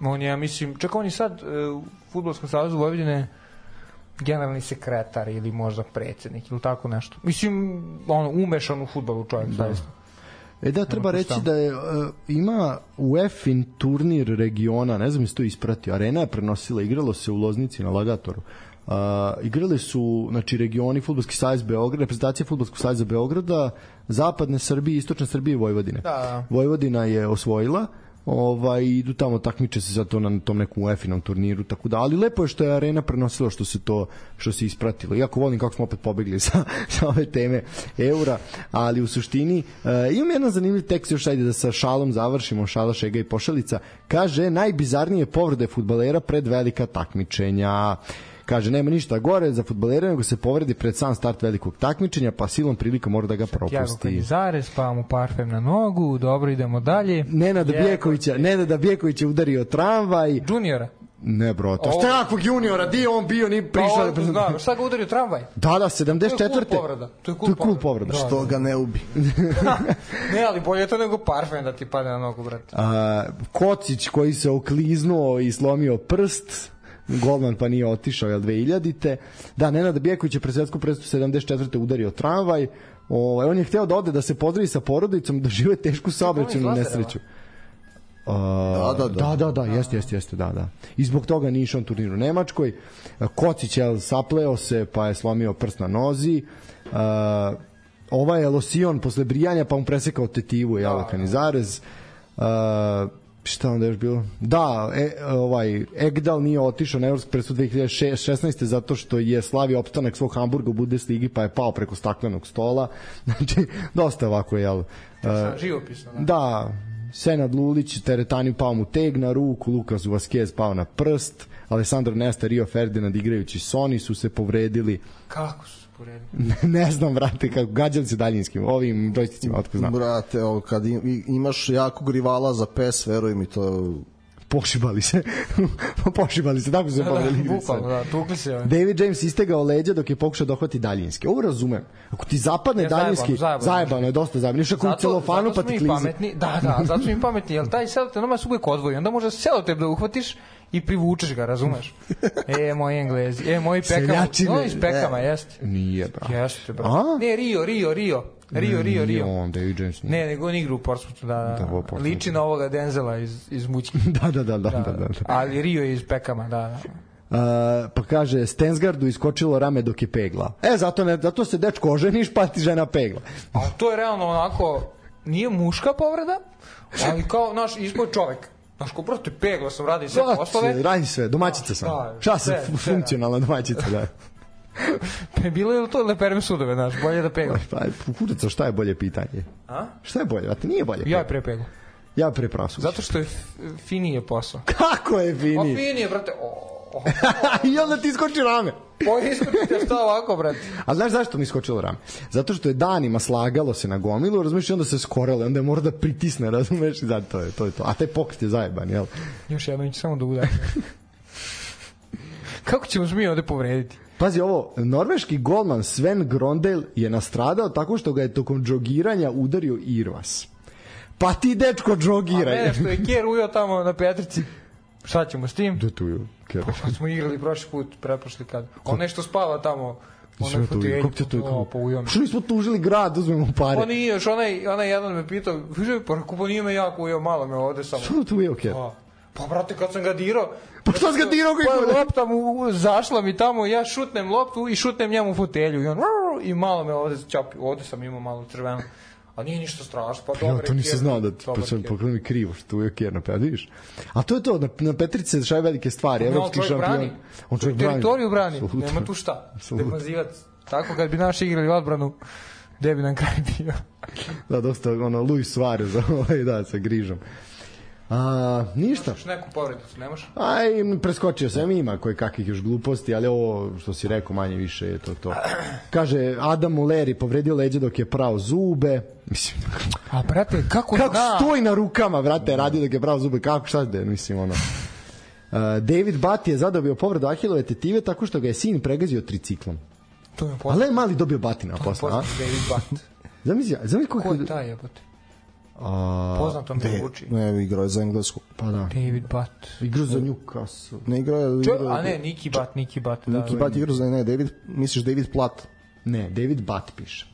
[SPEAKER 4] On je, ja mislim, čak on je sad e, u Fudbalskom savezu Vojvodine generalni sekretar ili možda predsjednik ili tako nešto. Mislim, on umešan u fudbalu čovjek, da. Zaista.
[SPEAKER 3] E da, treba reći da je, uh, ima UEFA-in turnir regiona, ne znam jesi to ispratio, Arena je prenosila, igralo se u Loznici na Lagatoru. Uh, igrali su, znači, regioni Fudbalski savez Beograd, reprezentacija Fudbalskog saveza Beograda, zapadne Srbije, istočne Srbije i Vojvodine.
[SPEAKER 4] Da, da.
[SPEAKER 3] Vojvodina je osvojila, ovaj, idu tamo, takmiče se za to na tom nekom UEFA-inom turniru, tako da, ali lepo je što je Arena prenosila, što se to, što se ispratilo. Iako volim kako smo opet pobegli sa, sa ove teme eura, ali u suštini uh, imam jedan zanimljiv tekst, još ajde da sa šalom završimo, šala, šega i pošalica. Kaže, najbizarnije povrede fudbalera pred velika takmičenja. Kaže, nema ništa gore za fudbalera, nego se povredi pred sam start velikog takmičenja, pa silom prilika mora da ga propusti.
[SPEAKER 4] Tjago Kanizare, spava mu parfem na nogu, dobro, idemo dalje.
[SPEAKER 3] Nenada Bijekovića, Nenada Bijekovića udario tramvaj.
[SPEAKER 4] Juniora?
[SPEAKER 3] Ne, bro, to šta jakvog juniora, di on bio, ni prišao.
[SPEAKER 4] Pa, da, šta ga udario tramvaj?
[SPEAKER 3] Da, da, sedamdeset četvrte
[SPEAKER 4] To je cool povreda. To je cool,
[SPEAKER 3] cool povreda.
[SPEAKER 5] Da, što ga ne ubi.
[SPEAKER 4] Ne, ali bolje je to nego parfem da ti pade na nogu, brate.
[SPEAKER 3] A, Kocić koji se okliznuo i slomio prst, golman pa nije otišao, jel, dve hiljadite. Da, Nenad Bijeković je pred svetsku predstavu sedamdeset četvrte udario tramvaj. Ovaj, on je hteo da ode da se pozdravi sa porodicom, da žive tešku saobraćajnu nesreću. Uh,
[SPEAKER 5] da, da, da.
[SPEAKER 3] Da, da, da, jeste, jeste, jeste, da, da. I zbog toga nije išao na turniru u Nemačkoj. Kocić je sapleo se, pa je slomio prst na nozi. Uh, ovaj je Losion posle brijanja, pa mu presekao tetivu, je da, Kanizarez. Uh, šta onda još bilo? Da, e, ovaj Egdal nije otišao na evropsko prvenstvo dve hiljade šesnaeste zato što je slavio opstanak svog Hamburga u Bundesligi, pa je pao preko staklenog stola. Znači, dosta ovako, jel? Uh,
[SPEAKER 4] živopisno. Da.
[SPEAKER 3] Da, Senad Lulić, Teretani pao mu teg na ruku, Lukas Vazquez pao na prst, Alessandro Nesta, Rio Ferdinand igrajući Sony su se povredili.
[SPEAKER 4] Kako su se povredili?
[SPEAKER 3] Ne znam, brate, kako gađali se daljinskim, ovim džojsticima, otko znam.
[SPEAKER 5] Brate, ovo, kad imaš jakog rivala za P E S, veruj mi, to...
[SPEAKER 3] Pošibali se. Pošibali se, tako su se povredili.
[SPEAKER 4] Da, bukvalno, da, tukli se. Ovaj.
[SPEAKER 3] David James istegao leđa dok je pokušao dohvati daljinski. Ovo razumem. Ako ti zapadne ja, daljinski, zajebano, zajebano je dosta zajebano. Još ako u celofanu pa ti klizi.
[SPEAKER 4] Pametni, da, da, zato su mi pametni, jer taj selotep nama se uvijek odvoji. Onda možda selotep da uhvatiš i privučeš ga, razumeš? E, moji Englezi, e, moji Pekama. No, iz Pekama, e, jeste.
[SPEAKER 3] Nije, bro.
[SPEAKER 4] Jeste, bro. A? Ne, Rio, Rio, Rio. Rio, Rio, Rio.
[SPEAKER 3] On, David James.
[SPEAKER 4] Ne, nego on igra u Portsmouthu, da, da. da liči na ovoga Denzela iz, iz Mućke.
[SPEAKER 3] da, da, da, da, da, da.
[SPEAKER 4] Ali Rio je iz Pekama, da, da.
[SPEAKER 3] Uh, pa kaže, Stensgardu iskočilo rame dok je pegla. E, zato, ne, zato se dečko oženiš, pa ti žena pegla.
[SPEAKER 4] A to je realno onako, nije muška povreda, ali kao naš izboj čovek. Znaš, ko prosto pegla sam, radi sve poslove.
[SPEAKER 3] Radi sve, domaćica sam. Šta sam, funkcionalna domaćica, da.
[SPEAKER 4] Pa je bilo je li to leperem sudove, znaš, bolje da pegla?
[SPEAKER 3] Pa, kudaca, šta je bolje pitanje?
[SPEAKER 4] A?
[SPEAKER 3] Šta je bolje? A ti nije bolje?
[SPEAKER 4] Ja je pre pegla.
[SPEAKER 3] Ja je pre prasuć.
[SPEAKER 4] Zato što je finije posao.
[SPEAKER 3] Kako je finije?
[SPEAKER 4] O, finije, brate. O, o,
[SPEAKER 3] I onda ti iskoči rame.
[SPEAKER 4] Pa iskočite šta ovako, brate.
[SPEAKER 3] A znaš zašto mi iskočilo rame? Zato što je danima slagalo se na gomilu, razumiješ, i onda se skorele, onda je mora da pritisne, razumiješ, i zato to je, to je to. A taj pokret je zajeban, jel?
[SPEAKER 4] Još jedno ću samo da udajem. Kako ćemo se mi ovde povrediti?
[SPEAKER 3] Pazi ovo, norveški golman Sven Grondel je nastradao tako što ga je tokom džogiranja udario Irvas. Pa ti, dečko, džogiraj.
[SPEAKER 4] A mene što je Kjer ujao tamo na Petrici, šta ćemo s tim?
[SPEAKER 3] Da tu je Kjer.
[SPEAKER 4] Pa kad smo igrali prošli put, preprošli kad. On nešto spava tamo.
[SPEAKER 3] Sve to je, kako te to je? Što nismo tužili grad, uzmemo pare.
[SPEAKER 4] Pa nije, još onaj, onaj jedan me pitao, pa kupo nije me jako ujao, malo me ovde samo.
[SPEAKER 3] Što tu je Kjer?
[SPEAKER 4] Pa, brate, kad sam ga dirao...
[SPEAKER 3] Pa što sam ga dirao?
[SPEAKER 4] Pa lopta mu zašla mi tamo, ja šutnem loptu i šutnem njemu fotelju. I on, i malo me ovde čapi. Ovde sam imao malo crveno. A nije ništa strašno. Pa, pa
[SPEAKER 3] ja to nisam znao da ti pa sam pokrenuo mi krivo što tu je Kjer na Petrici, vidiš. A to je to, na, na Petrici se dešavaju velike stvari.
[SPEAKER 4] Pa, evropski šampion. On čovjek brani. Teritoriju brani. Absolutno. Nema tu šta. Demazivac. Tako kad bi naši igrali odbranu, gde bi nam kraj bio.
[SPEAKER 3] Da, dosta ono, Luis Suarez, ovaj, da, sa grižom. A, ništa.
[SPEAKER 4] Imaš neku povredicu, nemaš?
[SPEAKER 3] Aj, preskočio sam, ima koje kakvih još gluposti, ali ovo što si rekao manje više je to to. Kaže, Adam Muleri povredio leđe dok je prao zube. Mislim,
[SPEAKER 4] a brate, kako
[SPEAKER 3] kako
[SPEAKER 4] zna?
[SPEAKER 3] stoji na rukama, brate, radi dok je prao zube, kako, šta da, mislim, ono. Uh, David Butt je zadobio povredu ahilove tetive tako što ga je sin pregazio triciklom.
[SPEAKER 4] To je poznat.
[SPEAKER 3] Ali mali dobio batina posle, a?
[SPEAKER 4] David Butt.
[SPEAKER 3] Zamisli, zamisli
[SPEAKER 4] ko je taj jebote?
[SPEAKER 3] A,
[SPEAKER 4] poznato mi zvuči.
[SPEAKER 5] Ne, igrao je za Englesku.
[SPEAKER 3] Pa da.
[SPEAKER 4] David Butt.
[SPEAKER 3] Igrao za Newcastle.
[SPEAKER 5] Ne igrao je...
[SPEAKER 4] A ne, Nicky Butt, Nicky Butt. Da,
[SPEAKER 5] Nicky Butt igrao za... Ne, David, misliš David Platt?
[SPEAKER 3] Ne, David Butt piše.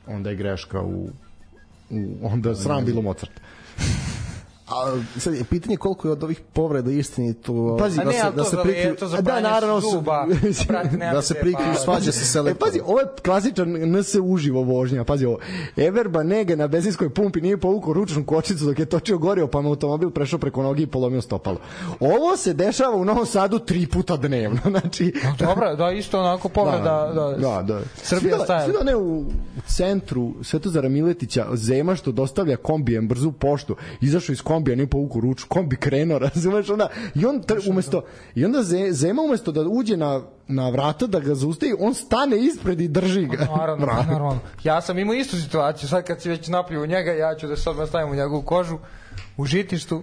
[SPEAKER 3] Onda je greška u... u onda sram bilo Mozart.
[SPEAKER 5] A sad je pitanje koliko je od ovih povreda istinito.
[SPEAKER 3] Pazi,
[SPEAKER 4] da se da se prikriju,
[SPEAKER 3] da naravno
[SPEAKER 4] zuba,
[SPEAKER 5] da se prikriju svađa se selektor.
[SPEAKER 3] E, pazi, ovo je klasičan N S uživo vožnja. Pazi ovo. Ever Banega na benzinskoj pumpi nije povukao ručnu kočnicu dok je točio gorivo, pa mu automobil prešao preko noge i polomio stopalo. Ovo se dešava u Novom Sadu tri puta dnevno. Znači,
[SPEAKER 4] no, dobro, da isto onako povreda da, da,
[SPEAKER 3] da, da.
[SPEAKER 4] Srbija staje.
[SPEAKER 3] Sve da ne u centru Svetozara Miletića Zema što dostavlja kombijem brzu poštu, izašao iz kombija, nije povukao ruču, kombi krenuo, razumeš, onda i on tr, umesto i onda Zema umesto da uđe na na vrata da ga zaustavi, on stane ispred i drži ga.
[SPEAKER 4] Naravno, naravno. Ja sam imao istu situaciju, sad kad si već napio u njega, ja ću da se odmah stavim u njegovu kožu u žitištu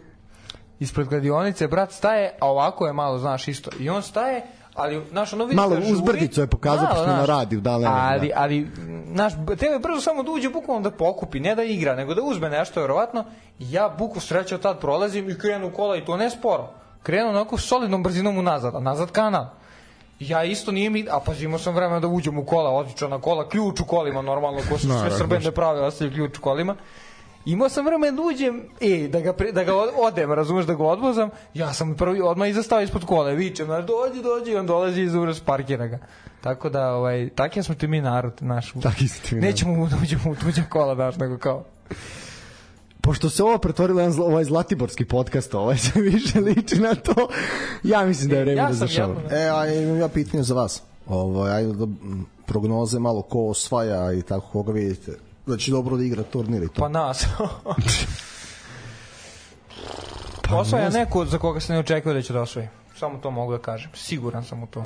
[SPEAKER 4] ispred kladionice, brat staje, a ovako je malo, znaš, isto. I on staje, ali naš ono vidi
[SPEAKER 3] malo uzbrdicu je pokazao pošto na radiju, da,
[SPEAKER 4] ali ali naš tebe brzo samo da uđe bukvalno da pokupi, ne da igra, nego da uzme nešto verovatno. Ja buku srećao tad prolazim i krenu kola i to ne sporo. Krenu onako solidnom brzinom unazad, a nazad kanal. Ja isto nije mi, a pazi, imao sam vremena da uđem u kola, odlično na kola, ključ u kolima, normalno, ko su sve srbende prave, ostavljaju ključ u kolima. Imao sam vremena da uđem, e, da ga, pre, da ga odem, razumeš, da ga odvozam, ja sam prvi odmah izastavio ispod kola, vičem, znaš, dođi, dođi, on dolazi iz uraz, parkira ga. Tako da, ovaj, takvi smo ti mi narod, naš. Nećemo da uđemo u tuđa kola, daš, nego kao...
[SPEAKER 3] Pošto se ovo pretvorilo jedan ovaj zlatiborski podcast, ovaj se više liči na to, ja mislim da je vreme
[SPEAKER 4] ja
[SPEAKER 3] da zašao.
[SPEAKER 5] E, a imam ja pitanje za vas. Ovo, ajde da prognoze malo ko osvaja i tako koga vidite. Da će dobro da igra turnir i to.
[SPEAKER 4] Pa nas. pa osvaja neko za koga se ne očekuje da će da osvoji. Samo to mogu da kažem. Siguran sam u to.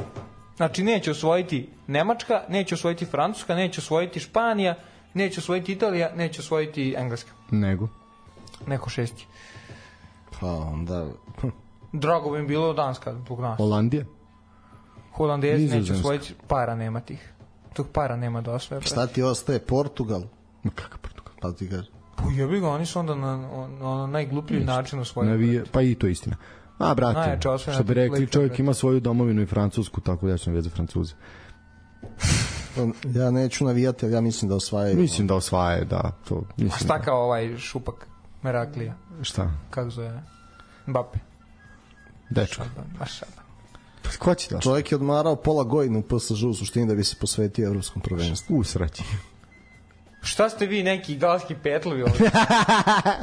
[SPEAKER 4] Znači, neće osvojiti Nemačka, neće osvojiti Francuska, neće osvojiti Španija, neće osvojiti Italija, neće osvojiti Engleska.
[SPEAKER 3] Nego?
[SPEAKER 4] Neko šesti.
[SPEAKER 5] Pa onda...
[SPEAKER 4] Drago bi im bilo Danska zbog nas.
[SPEAKER 3] Holandija?
[SPEAKER 4] Holandijezi neće osvojiti, para nema tih. Tog para nema da osvoje.
[SPEAKER 5] Šta ti ostaje? Portugal?
[SPEAKER 3] Ma kakav Portugal?
[SPEAKER 5] Pa ti kaže.
[SPEAKER 4] Pa jebi ga, oni su onda na, na, na najgluplji način osvojili.
[SPEAKER 3] Pa i to istina. A, brate, što bi rekli, čovjek ima svoju domovinu i Francusku, tako da ja ću navijati za Francuze.
[SPEAKER 5] Ja neću navijati, ali ja mislim da osvajaju.
[SPEAKER 3] Mislim da osvajaju, da. To, mislim
[SPEAKER 4] A šta kao ovaj šupak Meraklija?
[SPEAKER 3] Šta?
[SPEAKER 4] Kako zove? Mbappe.
[SPEAKER 3] Dečko.
[SPEAKER 4] Baš šaban.
[SPEAKER 3] Pa ko će da?
[SPEAKER 5] Čovjek je odmarao pola godine u P S Ž u suštini da bi se posvetio evropskom prvenstvu.
[SPEAKER 3] U sreći.
[SPEAKER 4] Šta ste vi neki galski petlovi ovdje?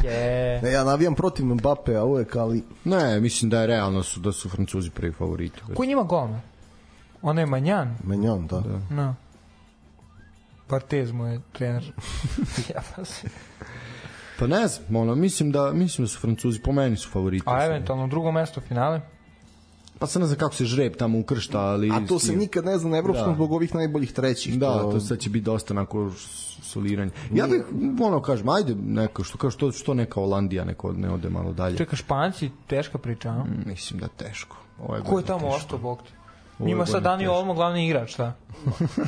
[SPEAKER 5] yeah. Ne, ja navijam protiv Mbappe, a uvek, ali...
[SPEAKER 3] Ne, mislim da je realno su, da su Francuzi prvi favoriti.
[SPEAKER 4] Ko njima golman? Ono je Manjan?
[SPEAKER 5] Manjan, da.
[SPEAKER 3] da.
[SPEAKER 4] No. Partez mu je trener. ja pa se...
[SPEAKER 3] Pa ne znam, ono, mislim da, mislim da su Francuzi, po meni su favoriti.
[SPEAKER 4] A eventualno drugo mesto finale?
[SPEAKER 3] Pa se ne znam kako se žreb tamo ukršta, ali...
[SPEAKER 5] A to se nikad ne zna na evropskom zbog ovih najboljih trećih.
[SPEAKER 3] Da,
[SPEAKER 5] to,
[SPEAKER 3] to sad će biti dosta onako soliranje. Ja bih, ono, kažem, ajde, neko, što, što, što neka Holandija, neko ne ode malo dalje.
[SPEAKER 4] Čeka, Španci, teška priča, a?
[SPEAKER 3] Mm, mislim da teško.
[SPEAKER 4] Ovo je Ko je tamo ostao, bog ti? Njima sad Dani Olmo glavni igrač, šta?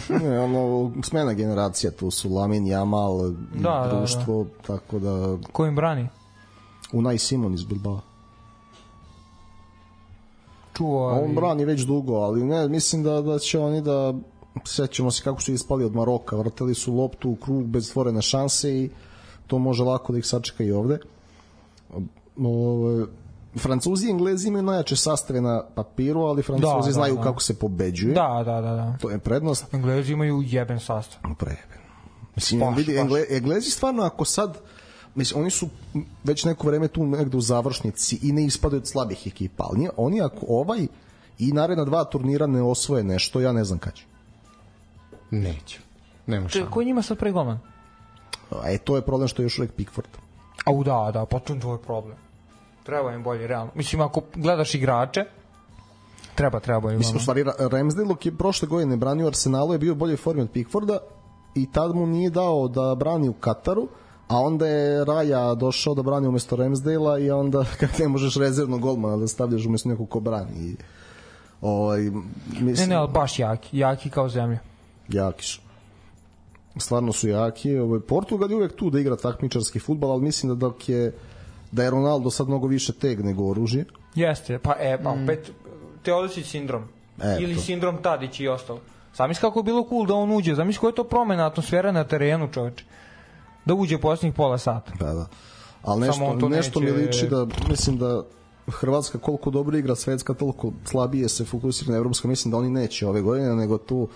[SPEAKER 5] ne, ono, smena generacija, tu su Lamin, Jamal,
[SPEAKER 4] da,
[SPEAKER 5] društvo,
[SPEAKER 4] da, da.
[SPEAKER 5] tako da...
[SPEAKER 4] Ko im brani?
[SPEAKER 5] Unai Simon iz Bilbao.
[SPEAKER 4] Čuo, ali...
[SPEAKER 5] On brani već dugo, ali ne, mislim da, da će oni da... Sjećamo se kako su ispali od Maroka, vrteli su loptu u krug bez stvorene šanse i to može lako da ih sačeka i ovde. O, Francuzi i Englezi imaju najjače sastave na papiru, ali Francuzi da, znaju da, da. kako se pobeđuje.
[SPEAKER 4] Da, da, da, da.
[SPEAKER 5] To je prednost.
[SPEAKER 4] Englezi imaju jeben sastav.
[SPEAKER 5] Prejeben. Mislim, paš, vidi, Engle, Englezi stvarno ako sad, mislim, oni su već neko vreme tu negde u završnici i ne ispadaju od slabih ekipa, ali oni ako ovaj i naredna dva turnira ne osvoje nešto, ja ne znam kada će.
[SPEAKER 3] Neće. Nema šta.
[SPEAKER 4] Ko je njima sad pregoman?
[SPEAKER 5] E, to je problem što je još uvek Pickford.
[SPEAKER 4] Au, da, da, pa to je problem. Treba im bolje, realno. Mislim, ako gledaš igrače, treba, treba im.
[SPEAKER 5] Mislim, u stvari, Ramsdale je prošle godine branio Arsenalu, je bio u boljoj formi od Pickforda i tad mu nije dao da brani u Kataru, a onda je Raja došao da brani umesto Ramsdale-a i onda kad ne možeš rezervnog golmana da stavljaš umesto nekog ko brani. I, ovaj, mislim,
[SPEAKER 4] ne, ne, ali baš jaki. Jaki kao zemlja.
[SPEAKER 5] Jaki su. Stvarno su jaki. Ovaj, Portugal je uvek tu da igra takmičarski fudbal, ali mislim da dok je da je Ronaldo sad mnogo više teg nego oružje.
[SPEAKER 4] Jeste, pa e, pa opet Teodosić sindrom.
[SPEAKER 5] E,
[SPEAKER 4] ili
[SPEAKER 5] to.
[SPEAKER 4] sindrom Tadić i ostalo. Zamisli kako je bilo cool da on uđe, zamisli koja je to promena atmosfera na terenu, čoveče. Da uđe posljednjih pola sata.
[SPEAKER 5] Da, da. Ali nešto, nešto neće... mi liči da, mislim da Hrvatska koliko dobro igra svetska, toliko slabije se fokusira na evropsko, mislim da oni neće ove godine, nego tu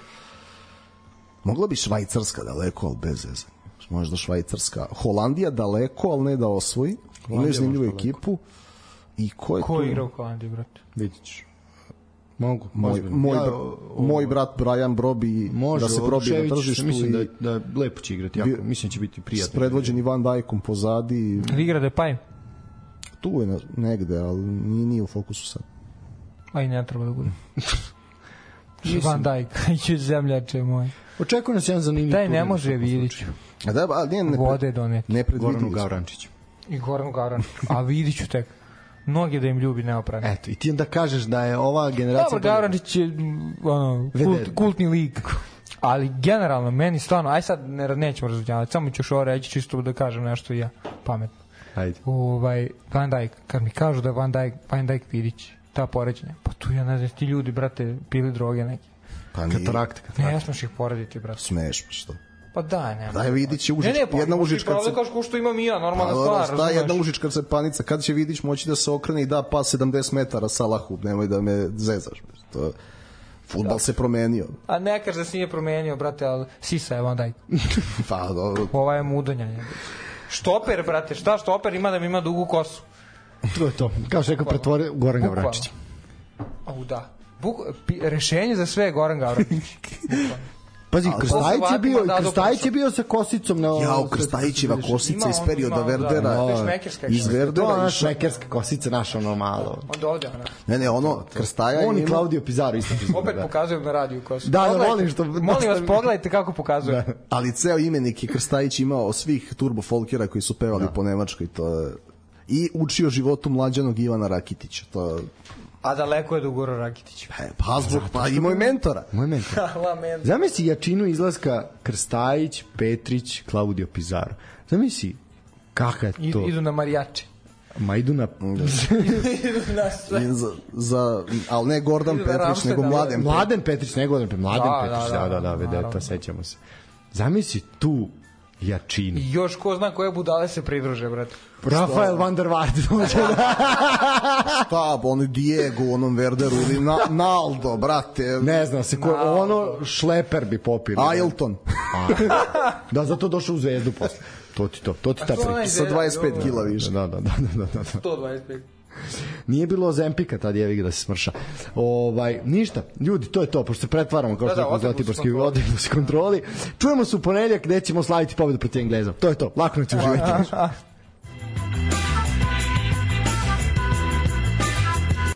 [SPEAKER 5] mogla bi Švajcarska daleko, ali bez zezanja. Možda Švajcarska. Holandija daleko, ali ne da osvoji. Imaju zanimljivu ekipu. I ko je
[SPEAKER 4] ko
[SPEAKER 5] tu?
[SPEAKER 4] Ko igra u Holandiji, brate?
[SPEAKER 3] Vidit ćeš. Mogu.
[SPEAKER 5] Moj, moj, ja, o, moj brat Brian Brobi
[SPEAKER 3] može,
[SPEAKER 5] da se probi na tržištu.
[SPEAKER 3] Mislim
[SPEAKER 5] i
[SPEAKER 3] da, da lepo će igrati. Jako, mislim da će biti prijatno.
[SPEAKER 5] S predvođeni Van Dijkom pozadi.
[SPEAKER 4] Da igra Depay?
[SPEAKER 5] Tu je negde, ali nije, nije u fokusu sad.
[SPEAKER 4] A i ne treba da bude. Van Dijk, iće zemljače moj.
[SPEAKER 3] Očekujem nas jedan zanimljiv.
[SPEAKER 4] Daj, ne može Vidić.
[SPEAKER 5] A da, ali nije ne,
[SPEAKER 4] vode doneti.
[SPEAKER 5] Ne predvidili.
[SPEAKER 3] Goranu Gavrančiću.
[SPEAKER 4] I Goranu Gavrančiću. A Vidiću tek. Mnogi da im ljubi neoprano.
[SPEAKER 3] Eto, i ti onda kažeš da je ova generacija...
[SPEAKER 4] Dobro, Gavrančić je ono, kult, kultni lik. Ali generalno, meni stvarno, aj sad ne, nećemo razvodnjavati, samo ću ovo reći čisto da kažem nešto i ja, pametno.
[SPEAKER 3] Ajde.
[SPEAKER 4] Ovaj, Van Dijk, kad mi kažu da je Van Dijk, Van Dijk Vidić, ta poređenja. Pa tu ja ne znam, ti ljudi, brate, pili droge neke.
[SPEAKER 5] Pa nije.
[SPEAKER 3] Katarakt,
[SPEAKER 4] Ne,
[SPEAKER 3] katarakt.
[SPEAKER 4] ne smiješ ih porediti, brate.
[SPEAKER 5] Smeš, pa što?
[SPEAKER 4] Pa daj, nema.
[SPEAKER 5] Daj Vidić je užička.
[SPEAKER 4] Ne, ne, pa
[SPEAKER 5] jedna
[SPEAKER 4] imaš ti
[SPEAKER 5] užička
[SPEAKER 4] pravo
[SPEAKER 5] se...
[SPEAKER 4] da kažeš ko što imam i ja, normalna
[SPEAKER 5] Pa,
[SPEAKER 4] stvar,
[SPEAKER 5] šta
[SPEAKER 4] razumeš?
[SPEAKER 5] jedna užička cepanica, kad će Vidić moći da se okrene i da pas sedamdeset metara Salahu, nemoj da me zezaš. To, fudbal se promenio.
[SPEAKER 4] A ne kaži da se nije promenio, brate, ali sisa je vam daj.
[SPEAKER 5] Pa, dobro.
[SPEAKER 4] Ova je mudanja. Je. Štoper, brate, šta štoper ima da mi ima dugu kosu?
[SPEAKER 3] To je to. Kao što rekao, pretvori Goran
[SPEAKER 4] Bukvalno.
[SPEAKER 3] Gavrančić.
[SPEAKER 4] Au da. Buk, pi, rešenje za sve je Goran Gavrančić.
[SPEAKER 3] Pazi,
[SPEAKER 5] Ali
[SPEAKER 3] Krstajić je bio,
[SPEAKER 4] da,
[SPEAKER 3] Krstajić je bio sa kosicom na...
[SPEAKER 5] Jao, Krstajićeva kosica
[SPEAKER 4] Ima
[SPEAKER 5] iz
[SPEAKER 4] on,
[SPEAKER 5] perioda
[SPEAKER 4] ima, da,
[SPEAKER 5] Verdera.
[SPEAKER 4] da, to je šmekerska
[SPEAKER 5] Iz
[SPEAKER 4] kosica.
[SPEAKER 3] To je
[SPEAKER 5] Verdera
[SPEAKER 3] ona
[SPEAKER 5] išao.
[SPEAKER 3] šmekerska kosica, naša ono malo.
[SPEAKER 4] Onda ovde, ona.
[SPEAKER 5] Ne, ne, ono, Krstaja
[SPEAKER 3] On i
[SPEAKER 5] ima...
[SPEAKER 3] Claudio Pizarro isto.
[SPEAKER 4] Opet pokazujem na radiju kosu.
[SPEAKER 3] Da, da,
[SPEAKER 4] Pogledajte,
[SPEAKER 3] volim što-
[SPEAKER 4] Molim vas, pogledajte kako pokazujem.
[SPEAKER 5] Ali ceo imenik je Krstajić imao svih turbo folkera koji su pevali po Nemačkoj. To je... I učio životu mlađanog Ivana Rakitića. To...
[SPEAKER 4] A daleko je do Gora Rakitića.
[SPEAKER 5] E, pa zbog, pa imao i mentora.
[SPEAKER 3] Moj mentor.
[SPEAKER 4] Lament.
[SPEAKER 3] Zamisli jačinu izlaska Krstajić, Petrić, Claudio Pizarro. Zamisli kakav je to.
[SPEAKER 4] Idu, idu na marijače.
[SPEAKER 3] Ma idu na...
[SPEAKER 4] Idu na sve.
[SPEAKER 5] I za, za, ali ne Gordon
[SPEAKER 4] Idu na
[SPEAKER 5] Petrić,
[SPEAKER 4] Ramstein,
[SPEAKER 5] nego
[SPEAKER 4] da,
[SPEAKER 5] Mladen Petrić.
[SPEAKER 3] Mladen Petrić, ne Goran Petrić, Mladen
[SPEAKER 4] Da,
[SPEAKER 3] Petrić,
[SPEAKER 4] da,
[SPEAKER 3] da,
[SPEAKER 4] da,
[SPEAKER 3] da, da,
[SPEAKER 4] naravno.
[SPEAKER 3] vedeta, sećamo se. Zamisli tu jačinu.
[SPEAKER 4] I još ko zna koje budale se pridruže, brate.
[SPEAKER 3] Rafael van der Vaart dođe da...
[SPEAKER 5] Šta, on Diego u onom Verderu ili na, Naldo, brate.
[SPEAKER 3] Ne znam se ko, ono šleper bi popili.
[SPEAKER 5] Ailton.
[SPEAKER 3] Da, zato došao u Zvezdu posle. To ti to, to ti ta
[SPEAKER 4] što onaj
[SPEAKER 3] priča.
[SPEAKER 5] Sa dvadeset pet kila više.
[SPEAKER 3] Da, da, da, da, da, da.
[SPEAKER 4] sto dvadeset pet.
[SPEAKER 3] Nije bilo Zempika tad jevi ga da se smrša. Ovaj, ništa, ljudi, to je to, pošto se pretvaramo kao
[SPEAKER 4] Da,
[SPEAKER 3] što
[SPEAKER 4] da,
[SPEAKER 3] je
[SPEAKER 4] odemo se
[SPEAKER 3] Zlatiborski
[SPEAKER 4] kontroli.
[SPEAKER 3] odemo se kontroli. Čujemo se u ponedeljak gde ćemo slaviti pobedu protiv Engleza. To je to, lako noć uživajte.